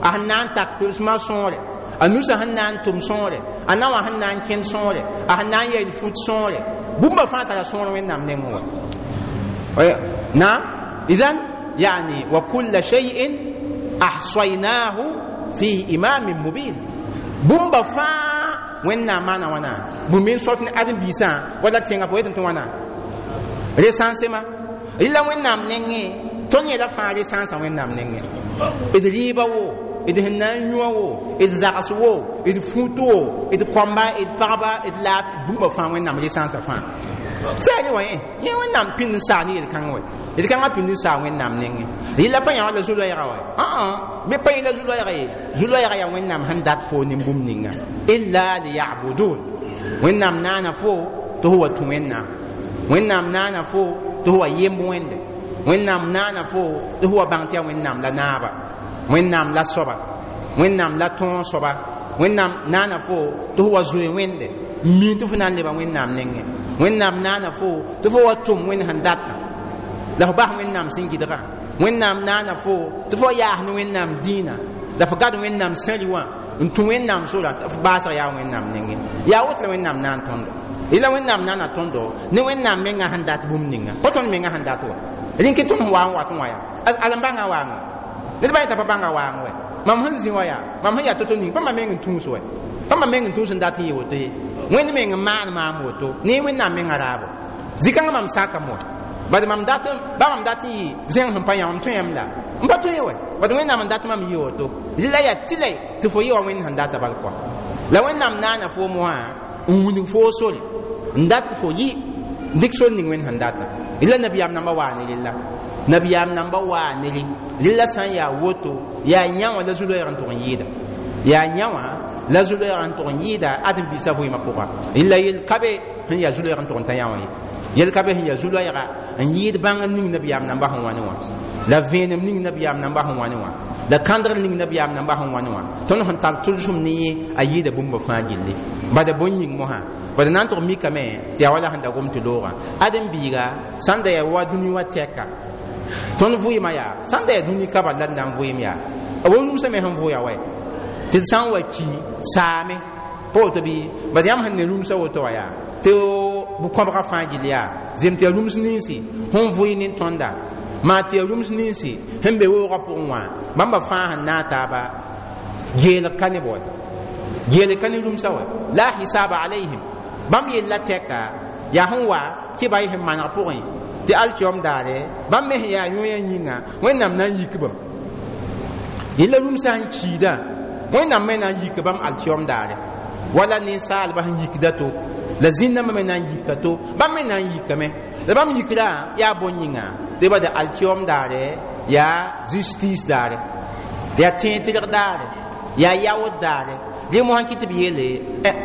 a sẽn na n tak pʋlsmã sõore, a nusã sẽn na n tʋm sõore, a na wã sẽn na n kẽnd sõore, a sẽn na n yɛl fut sõore, bũmba fãa tara sõor Wẽnnaam nengẽ wa. Naam, idan yani wa kulla shay'in ahsaynahu fi imamin mubin. Bũmba fãa Wẽnnaam maana wãna bũmb n sot ne ãdem-biisã wala tẽngã pʋgẽ tɩ wãna recensement rɩla Wẽnnaam nengẽ. Tõnd yɛla fãa recensã Wẽnnaam nengẽ. D rɩɩba wo, d sẽn na n yũ wo, d zags wo, d fut wo, d kõmba, d pagba, d laaf, bũmba fãa Wẽnnaam recensã fãa sɛɛre wã yẽ Wẽnnaam pĩnd n saa ne yel-kãng wɛ, yel-kãngã pĩnd n saa Wẽnnaam nengẽ. Rɩla pa yã wã la zu-loɛɛga wɛ, me pa yẽ la zu-loɛɛga ye. Zu-loɛɛga yaa Wẽnnaam sẽn dat fo nin bũmb ninga illa liyabudun. Wẽnnaam naana fo tɩ fo wa tũ Wẽnnaam, Wẽnnaam naana fo tɩ fo wa yemb Wẽnde, Wẽnnaam naana fo tɩ fo wa bãng tɩ yaa Wẽnnaam la naaba, Wẽnnaam la soaba, Wẽnnaam la tõog soaba, Wẽnnaam naana fo tɩ fo wa zoe Wẽnde n miin tɩ fo na n leba Wẽnnaam nengẽ. Wẽnnaam naana fo tɩ fo wa tʋm Wẽnd sẽn datã la fo bas Wẽnnaam sẽn gɩdgã. Wẽnnaam naana fo tɩ fo yaas ne Wẽnnaam dĩinã la fo gad Wẽnnaam sẽri wã n tũ Wẽnnaam sora tɩ fo baasg yaa Wẽnnaam nengẽ. Yaa woto la Wẽnnaam naan tõndo. Rɩla Wẽnnaam naana tõndo ne Wẽnnaam mengã sẽn dat bũmb ninga pa tõnd mengã sẽn dat wa rẽn kɩ tõnd sẽn wa n wat n wã yaa ala n bãnga waang ned ba yeta pa bãnga waang wɛ. Mam sẽn zĩ wã yaa mam sẽn yaa to-to ning pa mam meng n tũus wɛ, pa mam meng n tũus n dat n yɩ woto ye. Wẽnd meng n maan maam woto ne Wẽnnaam mengã raabo zĩ-kãngã mam sakame wɛ. Bad mam dat ba mam dat n yɩ zẽng sẽn pa yã mam tõe la n pa tõe wɛ, bad Wẽnnaam n dat mam yɩ woto. Rɩla yaa tɩlɛ tɩ fo yɩ wa Wẽnd sẽn data bal kɔa la Wẽnnaam naana fo mosã n wilg fo sore n dat fo yɩ dɩk sor ning Wẽnd sẽn data. Rɩla nabiyaam namba waa ne rella, nabiyaam namba waa ne rẽ. Rɩla sã n yaa woto yaa yã wã la zu-loɛɛg n tʋg n yɩɩda, yaa yã wã la zu-loɛɛg n tʋg n yɩɩda ãdem-biisã vɩɩmã pʋga. Rɩla yel ka be sẽn yaa zu-loɛɛg n tʋg n ta yã wã ye, yel ka be sẽn yaa zu-loɛɛga n yɩɩd bãng n ning nabiyaam namba sẽn wã ne wã, la vẽenem ning nabiyaam namba sẽn wã ne wã, la kãndgr ning nabiyaam namba sẽn wã ne wã. Tõnd sẽn tar tʋlsem ne yẽ a yɩɩda bũmba fãa gilli bada bõn yĩng mosã bad na n tʋg mikame tɩ yaa wala sẽn da gom tɩ loogã. Ãdem-biiga sãn da yaa wa dũni wã tɛka tõnd vɩɩmã yaa sãn da yaa dũni ka bal la d na n vɩɩm yaa b rũmsã me sẽn vʋʋya wɛ tɩ d sã n wa ki saame pa woto bɩ bad yãmb sẽn ne rũmsã woto wã yaa tɩ bʋ-kõbga fãa gill yaa zem tɩ yaa rũms ninsi sẽn vʋɩ nin-tõnda maa tɩ yaa rũms ninsi sẽn be weoogã pʋgẽ wã bãmba fãa sẽn naag taaba geelg ka ne b wɛ, geelg ka ne rũmsã wɛ la hisaba alayhim. Bãmb yella tɛka yaa sẽn wa kɩba y sẽn maneg pʋgẽ tɩ alkiom daare bãmb me sẽn yaa yõoyã yĩnga Wẽnnaam na n yik bam yella rũmsã sẽn kiidã Wẽnnaam me na n yik bãmb alkiom daare wala ninsaalba sẽn yikda to la zĩnnãmbã me na n yika to bãmb me na n yikame la bãmb yikdã yaa bõn yĩnga tɩ ba de alkiom daare yaa justice daare yaa tẽeg-tɩrg daare yaa yaood daare. Rẽ mosã kɩ tɩ b yeele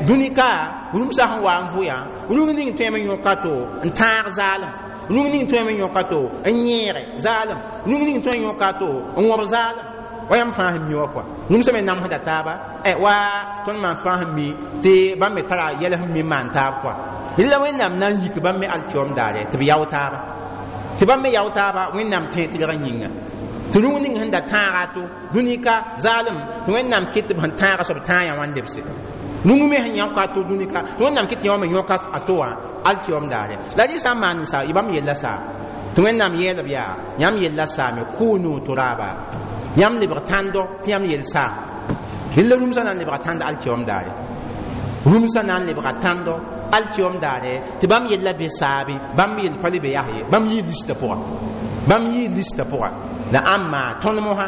dũni ka rũmsã sẽn wa n vʋyã rũng ning tõeme yõka to n tãag zaalem, rũng ning tõeme yõka to n yẽege zaalem, rũng ning tõe n yõka to n wõb zaalem wa yãmb fãa sẽn mi wã kɔa rũmsã me namsda taaba wa tõnd maan fãa sẽn mi tɩ bãmb me tara yɛl sẽn mi n maan taab kɔa. Rɩla Wẽnnaam na n yik bãmb me alkiom daare tɩ b yao taaba, tɩ bãmb me yao taaba Wẽnnaam tẽeg-tɩrgã yĩnga tɩ rũng ning sẽn da tãaga to dũni ka zaalem tɩ Wẽnnaam kɩt tɩ b sẽn tãaga soab tãag yã wã n lebse rũng me sẽn yãoka to dũni ka tɩ Wẽnnaam kɩt tɩ yã wã me yõka a to wã alkiom daare. La rẽ sã n maan sa bãmb yella saa Tɩ Wẽnnaam yeelb yaa yãmb yella saame kunu turaba, yãmb lebg tãndo tɩ yãmb yell saam. Rɩlla rũmsã na n lebga tãnd alkiom daare, rũmsã na n lebga tãndo alkiom daare, tɩ bãmb yella be saabe, bãmb yell pa le be yas ye, bãmb yii lista pʋga, bãmb yii lista pʋga. La ãmma tõnd mosã,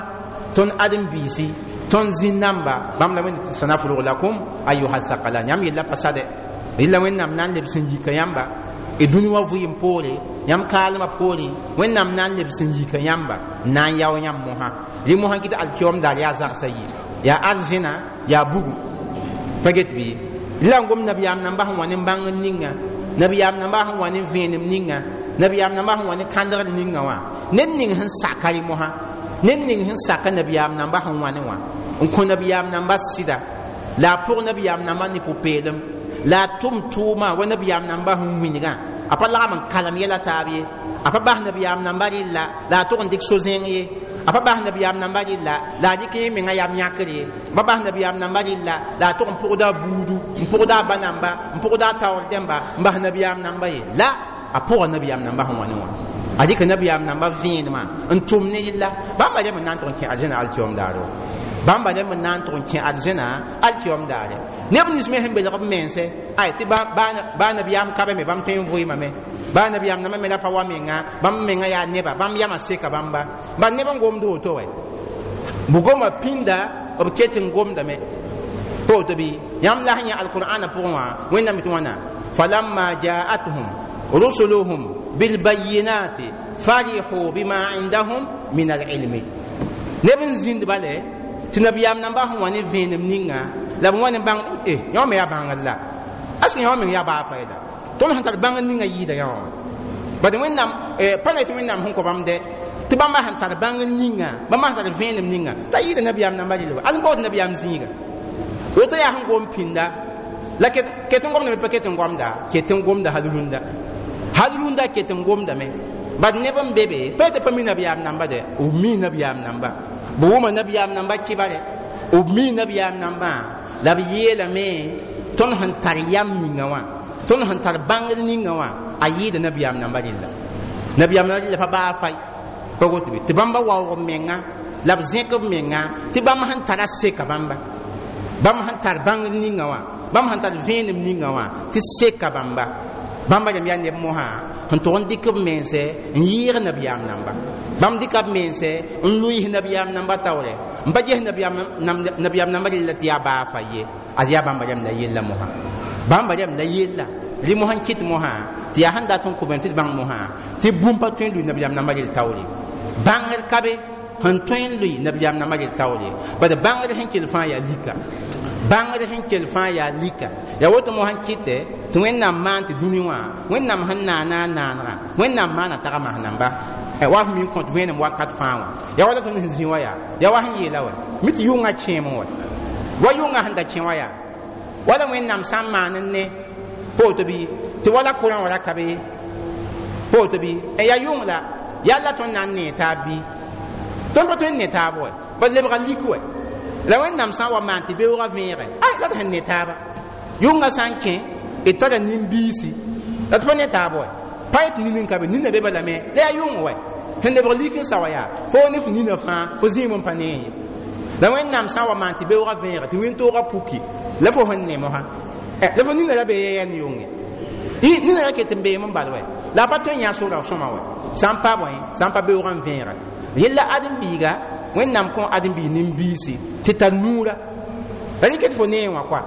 tõnd ãdem-biisi, tõnd zĩn-namba, bãmb la Wẽnd sanafrug lakum ayuha thaqalan, yãmb yella pa sade. Rɩlla Wẽnnaam na n lebs n yika yãmba y dũni wã vɩɩm poore, yãmb kaalmã poore, Wẽnnaam na n lebs n yika yãmba n na n yao yãmb mosã. Rɩ mosã kɩ tɩ alkiom daar yaa zagsã yi, yaa arzẽna, yaa bugum pa get bɩ. La n gom nabiyaam namba sẽn wa ne bãngr ninga, nabiyaam namba sẽn wa ne vẽenem ninga, nabiyaam namba sẽn wa ne kãndgr ninga wã, ned ning sẽn saka rɩ mosã, ned ning sẽn saka nabiyaam namba sẽn wa ne wã, n kõ nabiyaam namba sɩda, la a pʋg nabiyaam namba ne pʋ-peelem, la a tʋm tʋʋma wa nabiyaam namba sẽn wilgã, a pa lagm n kalem yɛla taab ye, a pa bas nabiyaam namba rɩlla la a tʋg n dɩk so-zẽng ye, a pa bas nabiyaam namba rɩlla la a dɩk yẽ menga yam yãkr ye, a pa bas nabiyaam namba rɩlla la a tʋg n pʋgda a buudu, n pʋgda a ba namba, n pʋgda a taoor dẽmba, n bas nabiyaam namba ye. La a pʋga nabiyaam namba sẽn wa ne wã, a dɩka nabiyaam namba vẽenemã n tʋm ne rɩlla. Bãmba rẽmb n na n tʋg n kẽ arzẽna alkiom daare, bãmba rẽmb n na n tʋg n kẽ arzẽna alkiom daare. Neb nins me sẽn belg b mense, ay tɩ baa nabiyaam ka be me, bãmb tõe n vʋɩɩmame, baa nabiyaam namba me ra pa wa menga, bãmb menga yaa neba, bãmb yamã seka bãmba. Bal neb n gomd woto wɛ, bugoma pĩnda b ket n gomdame pa woto bɩ. Yãmb la sẽn yã alqur'ana pʋgẽ wã, Wẽnnaam tɩ wãna: falamma jaatuhum rusuluhum bilbayinati farihu bima indahum min alilmi. Neb n zĩnd bale tɩ nabiyaam namba sẽn wa ne vẽenem ninga la b wa ne bãng yõ me yaa bãngr la ask yõ meng yaa baa fayda, tõnd sẽn tar bãngr ninga yɩɩda yã wã. Bad Wẽnnaam pa na tɩ Wẽnnaam sẽn kõ bãmb dɛ, tɩ bãmba sẽn tar bãngr ninga, bãmba sẽn tar vẽenem ninga t'a yɩɩda nabiyaam namba rɩl wa al n baood nabiyaam zĩiga. Woto yaa sẽn gom pĩnda la ket n gomdame, pa ket n gomda, ket n gomda hal rũndã, hal rũndã ket n gomdame. Bad neb n be be pa tɩ pa mi nabiyaam namba dɛ, b mi nabiyaam namba, b wʋma nabiyaam namba kɩbare, b mi nabiyaam nambã la b yeelame tõnd sẽn tar yam ninga wã, tõnd sẽn tar bãngr ninga wã, a yɩɩda nabiyaam namba rɩlla, nabiyaam namba rɩlla pa baa fay pa woto bɩ. Tɩ bãmba waoog b menga la b zẽk b menga tɩ bãmb sẽn tara seka bãmba, bãmb sẽn tar bãngr ninga wã, bãmb sẽn tar vẽenem ninga wã, tɩ seka bãmba. Bãmba rãmb yaa neb mosã sẽn tʋg n dɩk b mense n yɩɩg nabiyaam namba, bãmb dɩka b mense n lʋɩɩs nabiyaam namba taoore, n pa ges nabiyaam namba rɩlla tɩ yaa baa fa ye. Ad yaa bãmba rãmb la yella mosã, bãmba rãmb la yella rɩ mosã n kɩt mosã tɩ yaa sẽn dat n kõ bãmb tɩ d bãng mosã tɩ bũmb pa tõe n lʋɩ nabiyaam namba rɩl taoore. Bãngr ka be sẽn tõe n lʋɩ nabiyaam namba rɩl taoore, bad bãngr sẽn kell fãa yaa lika, bãngr sẽn kell fãa yaa lika. Yaa woto mosã n kɩtɛ tɩ Wẽnnaam maan tɩ dũni wã, Wẽnnaam sẽn naana a naanegã, Wẽnnaam maana tag mas namba wa f min kõt vẽenem wakat fãa wã. Yaa wala tõnd sẽn zĩ wã, yaa wa sẽn yeela wɛ mi tɩ yʋngã kẽem wɛ, wa yʋngã sẽn da kẽ wã yaa wala Wẽnnaam sã n maan n ne pa woto bɩ, tɩ wala kʋrã wã ra ka be pa woto bɩ. Yaa yʋng la yalla tõnd na n nee taab bɩ, tõnd pa tõe n ne taab wɛ, ba lebga lik wɛ. La Wẽnnaam sã n wa maan tɩ beoogã vẽege, ay la d sẽn ne taaba yʋngã sã n kẽ d tara nin-biisi la tɩ pa ne taab wɛ, pa yet nin n ka be, nina be balame la yaa yʋng wɛ sẽn lebg lik n sa wa yaa fo ne f nina fãa fo zĩim n pa nee ye. La Wẽnnaam sã n wa maan tɩ beoogã vẽege tɩ wĩntoogã puki la fo sẽn ne mosã, la fo nina ra be yɛ ne yʋng ye, nina ra ket n beem n bal wɛ, la a pa tõe n yã sora sõma wɛ sã n pa bõe, sã n pa beoogã n vẽege yella ãdem-biiga. Wẽnnaam kõ ãdem-biig nin-biisi tɩ tar nuura la rɩk tɩ fo nee wã koa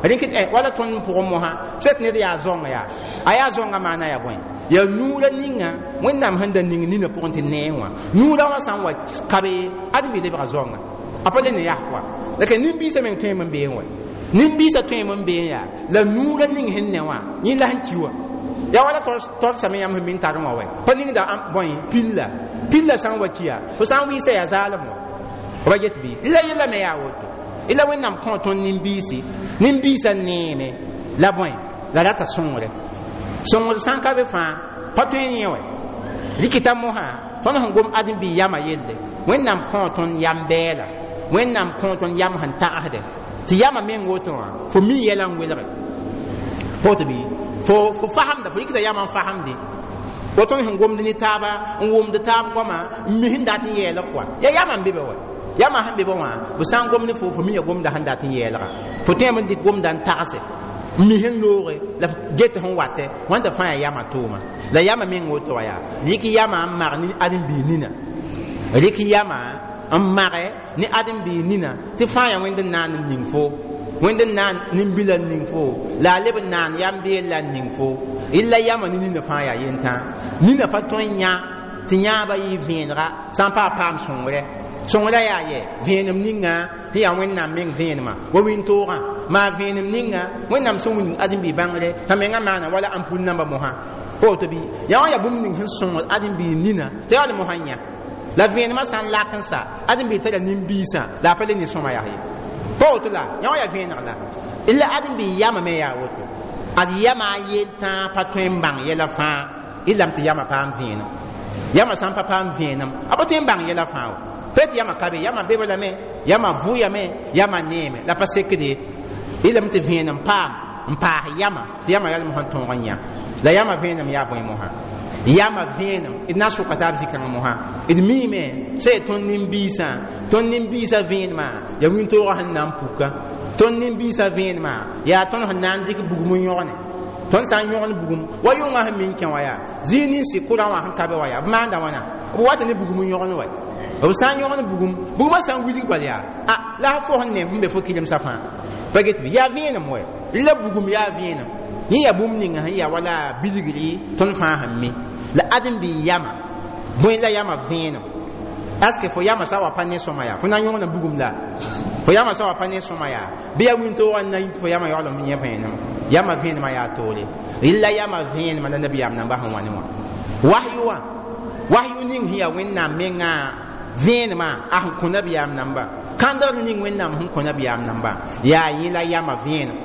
rɩk wala tõnd pʋgẽ mosã sẽt ned yaa zãonga yaa a yaa zãongã maana yaa bõe, yaa nuurã ninga Wẽnnaam sẽn da ning nina pʋgẽ tɩ nee wã nuurã wã sã n wa ka be ãdem-biig lebga zãonga a pa le ne yas koa. La ka nin-biisã meng tõeme n beẽ wɛ, nin-biisã tõeme n beẽ yaa la nuurã ning sẽn ne wã yẽ la sẽn ki wã yaa wala torsame yãmb sẽn min tar wã wɛ pa ningda bõe pilla, pilla sã n wa kiya fo sã n wɩɩsa yaa zaalem wã ba get bɩ. La yella me yaa woto ila Wẽnnaam kõ tõnd nin-biisi, nin-biisã neeme la bõe la rata sõngre, sõngr sã n ka be fãa pa tõe n yẽ wɛ rɩkɩta mosã. Tõnd sẽn gom ãdem-biig yamã yelle, Wẽnnaam kõ tõnd yam bɛɛla, Wẽnnaam kõ tõnd yam sẽn tagsdɛ tɩ yamã meng woto wã fo mi yɛla n welge pa woto bɩ, fo fasemda, fo rɩkda yamã n fasemde. Wa tõnd sẽn gomd ne taaba n wʋmd taab goama n mi sẽn dat n yɛɛlg kɔa ya yamã n be be wa yamã sẽn be be wã b sã n gom ne fo fo mi ya gomda sẽn dat n yɛɛlga fo tõeme n dɩk gomda n tagse n mi sẽn looge la f get sẽn watɛ wãnda fãa yaa yamã tʋʋma la yamã meng woto wa yaa rɩk yamã n mag ne ãdem-biig nina rɩk yamã n mage ne ãdem-biig nina tɩ fãa yaa wẽnd n naan n ning fo wẽnd n naan nin-bilã n ning fo la a leb n naan yam beel la n ning fo illa yamã ne nina fãa yaa yentã nina pa tõe n yã tɩ yãaba yɩ vẽenega sã n paa paam sõngre sõngrã yaa yɛ vẽenem ninga sẽn yaa wẽnnaam meng vẽenemã wa wĩntoogã maa vẽenem ninga wẽnnaam sẽn wilg ãdem-biig bãngre t'a mengã maana wala ampul namba mosã pa woto bɩ yaa wã yaa bũmb ning sẽn sõngd ãdem-biig nina t'a yaool mosã n yã la vẽenemã sã n lak n sa ãdem-biig tara nin-biisã la a pa le ne sõma yaa ye pa woto la yã wã yaa vẽeneg la la ãdem-biig yamã me yaa woto ad yamã a yel-tãa pa tõe n bãng yɛla fãa y lame tɩ yamã paam vẽenem yamã sã n pa paam vẽenem a pa tõe n bãng yɛla fãa wa peut yamã ka be yamã be lame yamã vʋyame yamã neeme la pa sekde y lame tɩ vẽenem paam n paas yamã tɩ yamã yalem sẽn tõog n yã la yamã vẽenem yaa bõe mosã yamã vẽenem d na n sʋka taab zĩ-kãng mosã d miime sã yaa tõnd nin-biisã tõnd nin-biisã vẽenemã yaa wĩntoogã sẽn na n puka tõnd nin-biisã vẽenemã yaa tõnd sẽn na n dɩk bugum n yõgne tõnd sã n yõgn bugum wa yʋngã sẽn min kẽ wã yaa zĩig ninsi kʋrã wã sẽn ka be wã yaa b maanda wãna b wata ne bugum n yõgn wa b sã n yõgn bugum bugumã sã n wilg bal yaa a la fo sẽn ne sẽn be fo kɩlemsã fãa pa get bɩ yaa vẽenem wɛ la bugum yaa vẽenem yẽ yaa bũmb ninga sẽn yaa wala bilgri tõnd fãa sẽn mi la ãdem-biig yamã bõe la yamã vẽenem est ce que fo yamã sã wa pa ne sõma yaa fo na n yõgna bugum la fo yamã sã wa pa ne sõma yaa bɩ yaa wĩntoogã n na yit fo yamã yaool n yẽ vẽenem yamã vẽenemã yaa toore rɩla yamã vẽenemã la nabiyaam namba sẽn wa ne wã wahyu wã wahyu ning sẽn yaa wẽnnaam mengã vẽenemã a sẽn kõ nabiyaam namba kãndgr ning wẽnnaam sẽn kõ nabiyaam namba yaa yẽ la yamã vẽenem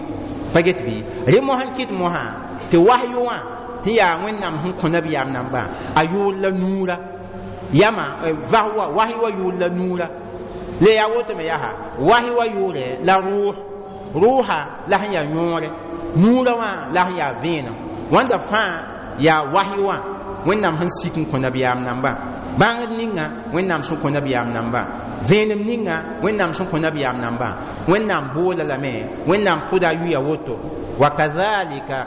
pa get bɩ rẽ mosã n kɩt mosã tɩ wahyu wã sẽn yaa wẽnnaam sẽn kõ nabiyaam namba a yʋʋr la nuura yama vah wahi wa yʋʋr la nuura le yaa woto me yaa wahi wa yʋʋre la rʋʋs rʋʋsa la sẽn yaa yõore nuurã wã la sẽn yaa vẽenem wãnda fãa yaa wahi wã wẽnnaam sẽn sik n kõ nabiyaam nambã bãngd ninga wẽnnaam sẽn kõ nabiyaam nambã vẽenem ninga wẽnnaam sẽn kõ nabiyaam nambã wẽnnaam boola lame wẽnnaam pʋda a yuya woto wakadhalika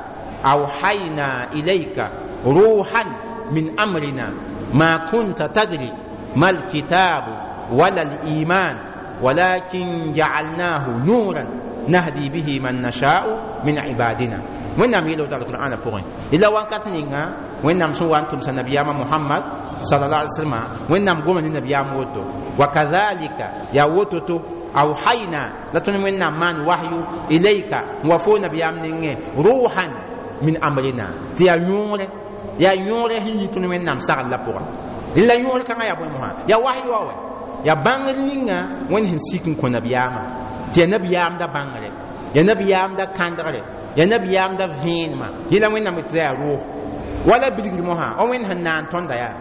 awhayna ilayka ruhan min amrina ما كنت تدري ما الكتاب ولا الإيمان ولكن جعلناه نورا نهدي به من نشاء من عبادنا وين يلو تعالى القرآن بوغين إلا وان كاتنينغا وين نام سو وانتم سنبيام محمد صلى الله عليه وسلم وين نام قوم النبيام وتو وكذلك يا وتو أوحينا لتن وين نام من وحي إليك وفو نبيام نينغ روحا من أمرنا تيا نور ya yõore sẽn yi tõnd wẽnnaam sagl la pʋga la yõor kãngã yaa bõe mosã yaa wahyi wa wɛ yaa bãngr ninga wẽnd sẽn sik n kõ nabiyaamã tɩ yaa nabiyaamda bãngre yaa nabiyaamda kãndgre yaa nabiyaamda vẽenemã yẽla wẽnnaam tɩ yaa rʋʋg wala bilgr mosã wa wẽnd sẽn naan tõnda yaa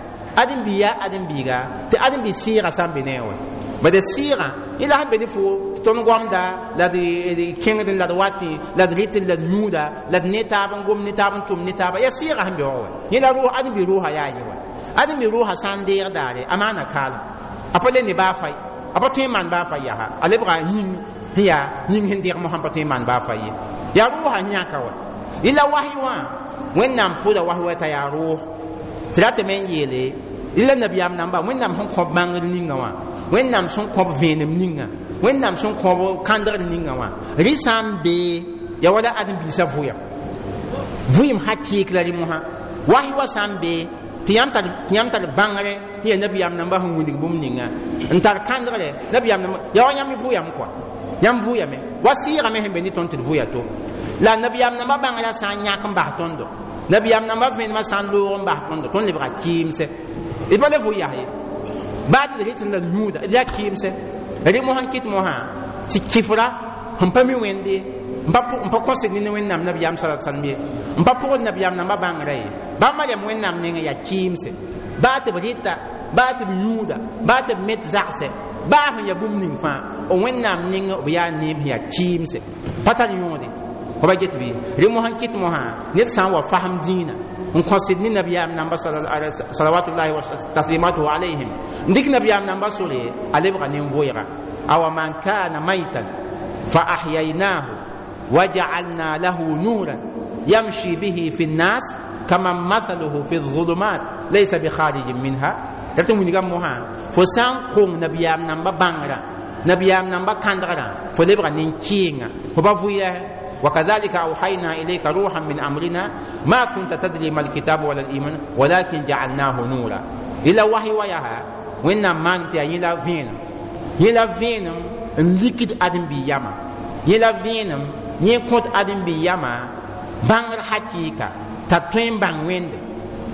ãdem-biig yaa ãdem-biiga tɩ ãdem-biig sɩɩgã sã n be ne wɛ bad sɩɩgã yẽ la sẽn be ne fo tɩ tõnd goamda la d kẽngd la d watẽ la d rɩtd la d yũuda la d ne taab n gom ne taab n tʋm ne taaba yaa sɩɩgã sẽn be wa wɛ yẽ la ãdem-biig rʋʋsã yaa ye wa ãdem-biig rʋʋsã sã n deeg daare a maana kaalem a pa le ne baa fay a pa tõe n maan baa fay yaa a lebga yĩng sẽn yaa yĩng sẽn deeg mosã pa tõe n maan baa fay ye yaa rʋʋsã yãka wa yẽ la wahyi wã wẽnnaam pʋda wahyi wa t'a yaa rʋʋs tɩ ra tɩ me n yeele la nabiyaam namba wẽnnaam sẽn kõb bãngr ninga wã wẽnnaam sẽn kõb vẽenem ninga wẽnnaam sẽn kõb kãndgr ninga wã rɩ sã n bee yaa wala ãdem-biisã vʋyam vʋɩem sã kɩɩk la rɩ mosã wahyi wa sã n bee tɩ yãmb tar bãngre sẽn yaa nabiyaam namba sẽn wilg bũmb ninga n tar kãndgre nabiyaam namba yaa wa yãmb vʋyam kɔa yãmb vʋyame wa sɩɩgame sẽn be ne tõnd tɩ d vʋya to la nabiyaam namba bãngrã sã n yãk n bas tõndo nabiyaam namba vẽenemã sã n loog n bas tõndo tõnd lebga kɩɩmse d pa le vʋ yas ye baa tɩ d rɩt n la d yũuda d yaa kɩɩmse rɩ mosã n kɩt mosã tɩ kɩfra sẽn pa mi wẽnde n pa kõsd ne wẽnnaam nabiyaam sa salm ye n pa pʋgd nabiyaam namba bãngrã ye ba mariam wẽnnaam nengẽ yaa kɩɩmse baa tɩ b rɩta baa tɩ b yũuda baa tɩ b met zagsɛ baa sẽn yaa bũmb ning fãa wẽnnaam nengẽ b yaa neem sẽn yaa kɩɩmse pa tar yõode fa ba get bɩ rẽ mosã n kɩt mosã ned sã n wa fasem dĩinã N kõsd ne nabiyaam namba salawatullahi wa taslimatuhu alayhim, n dɩk nabiyaam namba sore a lebga nin-vʋɩga. Awa man kana maitan fa ahyaynahu wa ja'alna lahu nuran yamshi bihi fi nnas kaman mathaluhu fi dhulumat laysa bi kharijin minha. La tɩ wilga mosã fo sã n kong nabiyaam namba bãngrã, nabiyaam namba kãndgrã, fo lebga nin-kɩɩnga, fo pa vʋɩ. وكذلك أوحينا إليك روحا من أمرنا ما كنت تدري ما الكتاب ولا الإيمان ولكن جعلناه نورا. إلى وحي وياها وإن ما أنت يلا فين يلا فين لكد أدم بياما يلا فين يكوت أدم بياما بانغر حقيقة تطوين بان ويند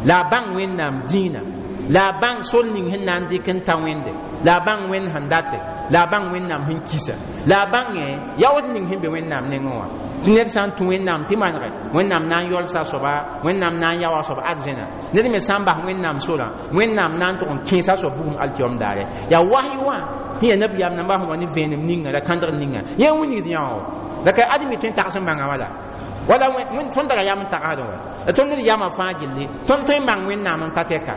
لا بان وين نام دينا لا بان سول نين هن نان دي كن تاويند لا بان وين هندات لا بان وين نام هن كيسا لا بان ياود نين هن بوين نام نينوا. Tɩ ned sã n tũ Wẽnnaam tɩ manege, Wẽnnaam na n yɔlsa a soaba, Wẽnnaam na n yao a soab arzẽna. Ned me sã n bas Wẽnnaam sorã, Wẽnnaam na n tʋg n kẽesa a soab bugum alkiom daare. Yaa wasy wã sẽn yaa nabiyaam nambã sẽn wa ne vẽenem ninga la kãndg ninga yẽ wilgd yã wã. La ka ãdem-bi tõe n tags n bãnga wala wala tõnd tara yam n tagsdẽ wã. La tõnd ned yamã fãa gilli tõnd tõe n bãng Wẽnnaam n ta tɛka.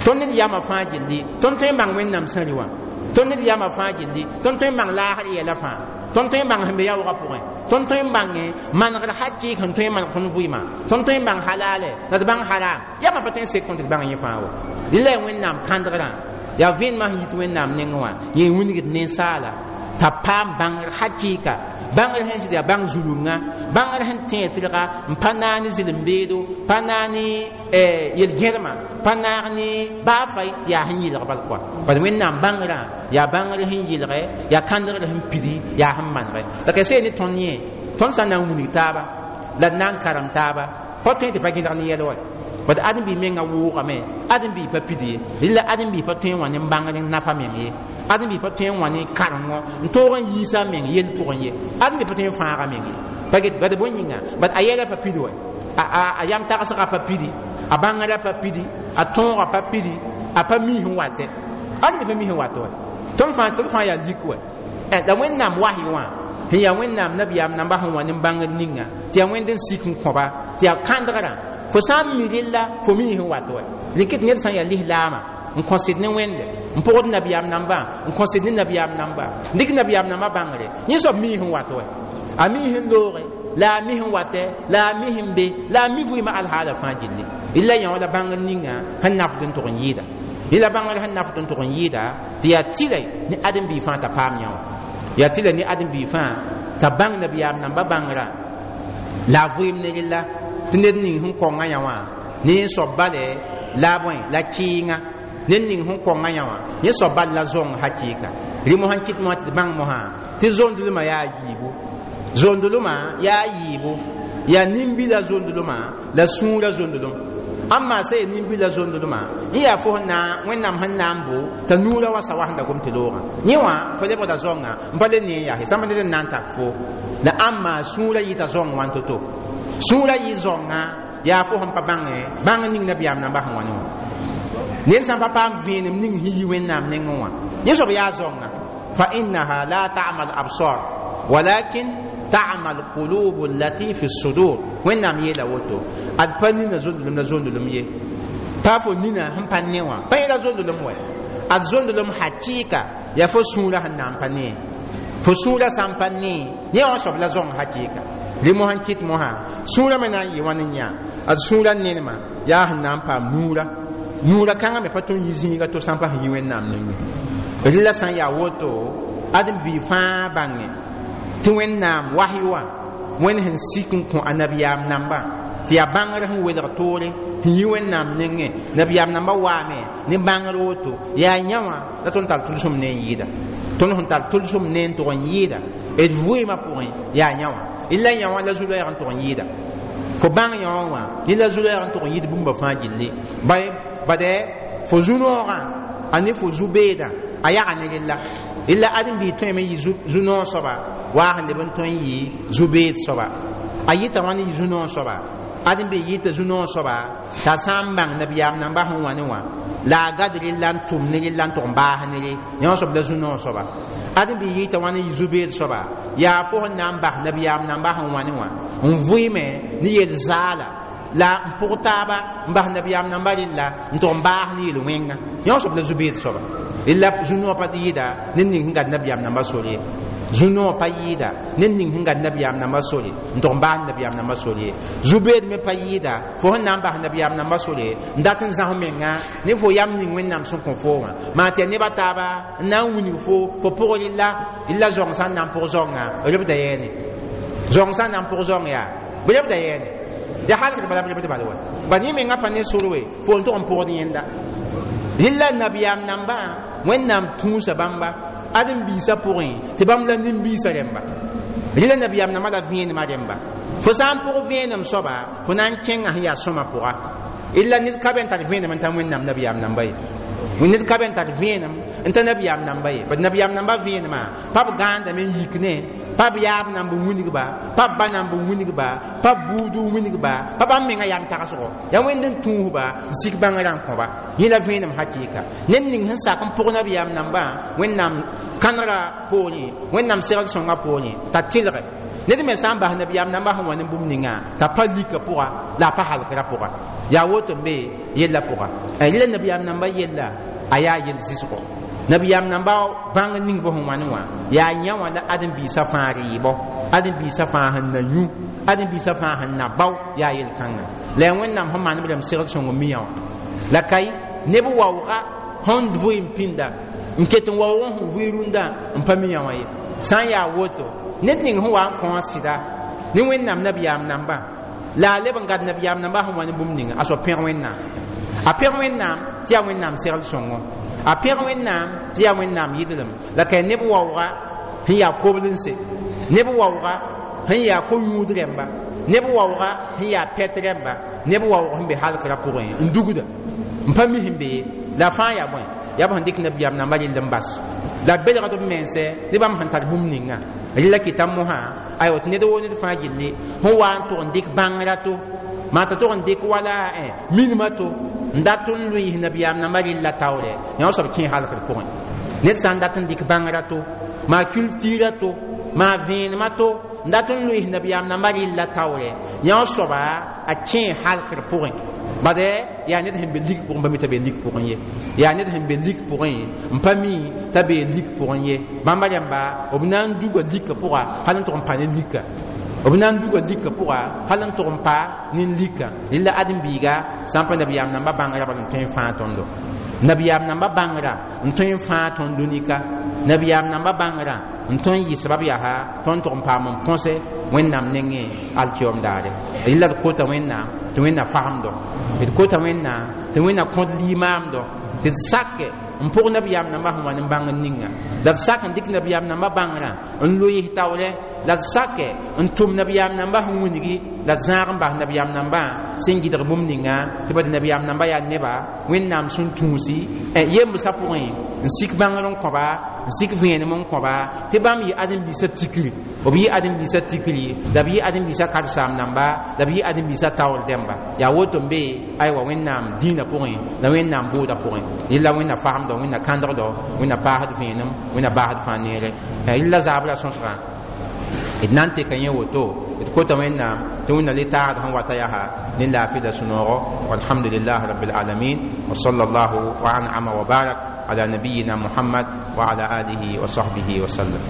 Tõnd ned yamã fãa gilli tõnd tõe n bãng Wẽnnaam sẽri wã. Tõnd ned yamã fãa gilli tõnd tõe n bãng laasr yɛla fãa. Tõnd tõe n bãng sẽn be yaoogã pʋgẽ. Tõnd tõe n bãnge manegr hakɩɩk sẽn tõe n maneg tõnd vɩɩmã. Tõnd tõe n bãng halale la d bãng haram. Yamã pa tõe n sek tõnd tɩ d bãng yẽ fãa wa. Rɩla yaa Wẽnnaam kãndgrã, yaa vẽenemã sẽn yit Wẽnnaam nengẽ wã yẽ wilgd ninsaala t'a paam bãngr hakɩɩka, bãngr sẽn zɩd yaa bãng zulunga, bãngr sẽn tẽeg tɩlga n pa naag ne zɩlem-beedo, pa naag ne yel-gẽdmã, pa naag ne baa fay tɩ yaa sẽn yɩlg bal kɔa. Bala Wẽnnaam bãngrã yaa bãngr sẽn yɩlge, yaa kãndgr sẽn pidi, yaa sẽn manege. La ka see ne tõnd yẽ, tõnd sã n na n wilg taaba la d na n karem taaba, pa tõe tɩ pa gẽdg ne yɛl wa. Bad ãdem-bi menga wʋʋgame, ãdem-bi pa pid ye, rɩla ãdem-bi pa tõe n wã ne bãngr n nafa meng ye, ãdem-bi pa tõe n wã ne karengo n toog n yiisa meng yell pʋgẽ ye, ãdem-bi pa tõe n fãaga meng ye. Pa get bad bõe yĩnga, bad a yɛla pa pid wa, a yam tagsgã pa pidi, a bãngrã pa pidi, a tõogã pa pidi, a pa mi sẽn watɛ. Ãdem-bi pa mi sẽn wat wa. Tõnd fãa yaa lik wa. La Wẽnnaam wasy wã sẽn yaa Wẽnnaam nabiyaam namba sẽn wa ne bãngr ninga tɩ yaa Wẽnd n sik n kõba tɩ yaa kãndgrã, fo sã n mi rella fo mi sẽn wat wa. Rɩk tɩ ned sã n yaa lislaamã n kõsd ne Wẽnde, n pʋgd nabiyaam nambã, n kõsd ne nabiyaam namba, n dɩk nabiyaam nambã bãngre, yẽ soab mi sẽn wat wa. A mi sẽn looge, la a mi sẽn watɛ, la a mi sẽn be, la a mi vɩɩmã alhaala fãa gilli. Rɩla yã wã la bãngr ninga sẽn nafd n tʋg n yɩɩda. Rɩla bãngr sẽn nafd n tʋg n yɩɩda tɩ yaa tɩlɛ ne ãdem-bi fãa t'a paam yã wã. Yaa tɩlɛ ne ãdem-bi fãa t'a bãng nabiyaam nambã bãngrã la a vɩɩm ne rɩla tɩ ned ning sẽn kõngã yã wã ne yẽ soab bale la bõe la kɩɩnga. Ned ning sẽn kõngã yã wã yẽ soab bal la zõng hakɩɩka. Rɩ mosã n kɩt mosã tɩ d bãng mosã tɩ zondlmã yaa yiibu, zondlmã yaa yiibu, yaa nin-bila zondlmã la sũurã zondlem. Amma sã yaa nin-bila zondlmã yẽ yaa fo sẽn na Wẽnnaam sẽn na n bo t'a nuurã wa sa wa sẽn da gom tɩ loogã yẽ wã fo lebgda zõnga n pa le ne n yaa sãmb ned n na n tak fo. La amma sũurã yɩta zõng wã to-to, sũurã yɩ zõnga yaa fo sẽn pa bãngẽ bãng ning nabiyaam nambã sẽn wa ne wã. Ned sã n pa paam vẽenem ning sẽn yi Wẽnnaam nengẽ wã yẽ soab yaa zõnga. Fa innaha la ta'ma al absar walakin ta'ma al qulub allati fi sudur. Wẽnnaam yeela woto ad pa nina zondlem la zondlem ye, pa fo nina sẽn pa ne wã pa yẽla zondlem wɛ. Ad zondlem hakɩɩka yaa fo sũurã sẽn na n pa ne, fo sũurã sã n pa ne yẽ wã soab la zõng hakɩɩka. Rɩ mosã n kɩt mosã sũurã me na n yɩ wãn n yã ad sũurã nenema yaa sẽn na n paam nuurã, nuurã kãngã me pa tõe n yi zĩiga to sã n pa sẽn yi Wẽnnaam nengẽ. Rɩla sã n yaa woto ãdem-bi fãa bãnge tɩ Wẽnnaam wasy wã Wẽnd sẽn sik n kõ a nabiyaam nambã tɩ yaa bãngr sẽn welg toore sẽn yi Wẽnnaam nengẽ. Nabiyaam nambã waame ne bãngr woto yaa yã wã la tõnd tar tʋlsem ne n yɩɩda, tõnd sẽn tar tʋlsem ne n tʋg n yɩɩda d vɩɩmã pʋgẽ yaa yã wã. Rɩla yã wã la zu-loɛɛg n tʋg n yɩɩda, fo bãng yã wã wã rɩla zu-loɛɛg n tʋg n yɩɩd bũmba fãa gilli. Bade fo zu-noogã a ne fo zu-beedã a yaga ne rɩla. Rɩla ãdem-bi tõeme yɩ zu-noog soaba waa sẽn leb n tõe n yɩ zu-beed soaba. A yɩta wãn yɩ zu-noog soaba? Ãdem-bi yɩta zu-noog soaba t'a sã n bãng nabiyaam nambã sẽn wa ne wã la a gad rɩla n tʋm ne rɩla n tʋg n baas ne re yã wã soab la zu-noog soaba. Ãdem-bi yɩta wãn n yɩ zu-beed soaba yaa fo sẽn na n bas nabiyaam nambã sẽn wa ne wã n vɩɩme ne yel-zaala La n pʋg taaba n bas nabiyaam namba rella n tʋg n baas ne yel-wẽnga yõ soab la zu-beed soaba rella zu-noog pa yɩɩda ned ning sẽn gat nabiyaam namba sor ye zu-noog pa yɩɩda ned ning sẽn gat nabiyaam namba sore n tʋg n baas nabiyaam namba sore ye zu-beed me pa yɩɩda fo sẽn na n bas nabiyaam namba sore n dat n zãs menga ne fo yam ning Wẽnnaam sẽn kõ fo wã maa tɩ ya neb a taaba n na n wilg fo fo pʋg rella rella zaong sã n na n pʋg zaongã rebda yɛɛne zaong sã n na n pʋg zaong yaa bɩ rebda yɛɛne ya halgd bala b rebd bal wa bad yẽ menga pa ne sor we fo n tʋg n pʋgd yẽnda rella nabiyaam nambã Wẽnnaam tũusa bãmba ãdem-biisã pʋgẽ tɩ bãmb la nin-biisã rẽmba rela nabiyaam nambã la vẽenemã rẽmba fo sã n pʋg vẽenem soaba fo na n kẽngã sẽn yaa sõma pʋga illa ned ka be n tar vẽenem n ta Wẽnnaam nabiyaam namba ye ned ka be n tar vẽenem n ta nabiyaam namba ye bad nabiyaam namba vẽenemã pa b gãandame n yik ne pa b yaab nan b wilgba pa b ba nan b wilgba pa b buud n wilgba pa bãmb menga yam tagsgo yaa Wẽnd n tũusba n sik bãngrã n kõba yẽ la vẽenem hakɩɩka ned ning sẽn sak n pʋg nabiyaam nambã Wẽnnaam kãnegra poorẽ Wẽnnaam segl sõngã poorẽ t'a tɩlge ned me sã n bas nabiyaam nambã sẽn wa ne bũmb ninga t'a pa lika pʋga la a pa halgrã pʋga yaa woto n be yella pʋga rela nabiyaam nambã yella a yaa yel zɩsgo nabiyaam namba bãng ning bõ sẽn wãne wã yaa yã wã la ãdem-biisã fãa rɩɩbɔ ãdem-biisã fãa sẽn na yũ ãdem-biisã fãa sẽn na bao yaa yel-kãnga la yaa Wẽnnaam sẽn maan b rãmb segl sõng n mi yã wã la ka neb waooga sẽn vʋɩ n pĩnda n ket n waoog n sẽn vʋɩ rũndã n pa mi yã wã ye sã n yaa woto ned ning sẽn wa n kõ a sɩda ne Wẽnnaam nabiyaam nambã la a leb n gad nabiyaam nambã sẽn wa ne bũmb ninga a soab pẽg Wẽnnaam a pẽg Wẽnnaam tɩ yaa Wẽnnaam segl sõngo a pẽg Wẽnnaam tɩ yaa Wẽnnaam yɩdlem la ka neb waooga sẽn yaa koblense neb waooga sẽn yaa ko-yũud rẽmba neb waooga sẽn yaa pɛt rẽmba neb waoog sẽn be halgrã pʋgẽ n dugda n pa mi sẽn be ye la fãa yaa bõe yaa b sẽn dɩk nabiyaam nambã rell n bas la b belgd b mense ne bãmb sẽn tar bũmb ninga rella kɩta mosã aywa tɩ ned woo ned fãa gilli sẽn wa n tʋg n dɩk bãngrã to maa t'a tʋg n dɩk wala minimã to n dat n lʋɩɩs nabiyaam nambã rella taoorɛ yã soab kẽ halgr pʋgẽ ned sã n dat n dɩk bãngrã to maa culture to maa vẽenemã to n dat n lʋɩɩs nabiyaam nambã rella taoorɛ yã soaba a kẽ halgr pʋgẽ bad yaa ned sẽn be lik pʋgẽ pa mi t'a be lik pʋgẽ ye yaa ned sẽn be lik pʋgẽ n pa mi t'a be lik pʋgẽ ye bãmba rẽmba b na n duga lika pʋga hal n tʋg n pa ne lika b na n duga lika pʋga hal n tʋg n pa ne lika rella ãdem-biiga sã n pa nabiyaam nambã bãngrã bal n tõe n fãa tõndo nabiyaam nambã bãngrã n tõe n fãa tõnd dũnika nabiyaam nambã bãngrã n tõe n yɩ sabab yaa tõnd tʋg n paam n põse Wẽnnaam nengẽ alkiom daare rella d kota Wẽnnaam tɩ Wẽnna fagemdo d kota Wẽnnaam tɩ Wẽnna kõd limaamdo tɩ d sake n pʋg nabiyaam nambã sẽn wa ne bãngr ninga la d sak n dɩk nabiyaam nambã bãngrã n loɩs taoorɛ la d sake n tʋm nabiyaam nambã sẽn wilgi la d zãag n bas nabiyaam nambã sẽn gɩdg bũmb ninga tɩ bad nabiyaam nambã yaa neba Wẽnnaam sẽn tũusi yembsã pʋgẽ n sik bãngr n kõba n sik vẽenem n kõba tɩ bãmb yɩ ãdem-biisã tikri b yɩ ãdem-biisã tikri la b yɩ ãdem-biisã karsaam namba la b yɩ ãdem-biisã taoor dẽmba yaa woto n be aywa Wẽnnaam dĩinã pʋgẽ la Wẽnnaam bʋʋda pʋgẽ rella Wẽnna fagemdɔ Wẽnna kãndgdɔ Wẽnna paasd vẽenem Wẽnna baasd fãa neere rella zaabra sõsgã d na n teka yẽ woto d kota Wẽnnaam tɩ Wẽnna le taagd sẽn wata yaa ne laafɩ la sũ-noogo walhamdulilah rabbil alamin wa sallallahu wa an'ama wa barak ala nabiyina Muhammad wa ala alihi wa sahbihi wa sallam.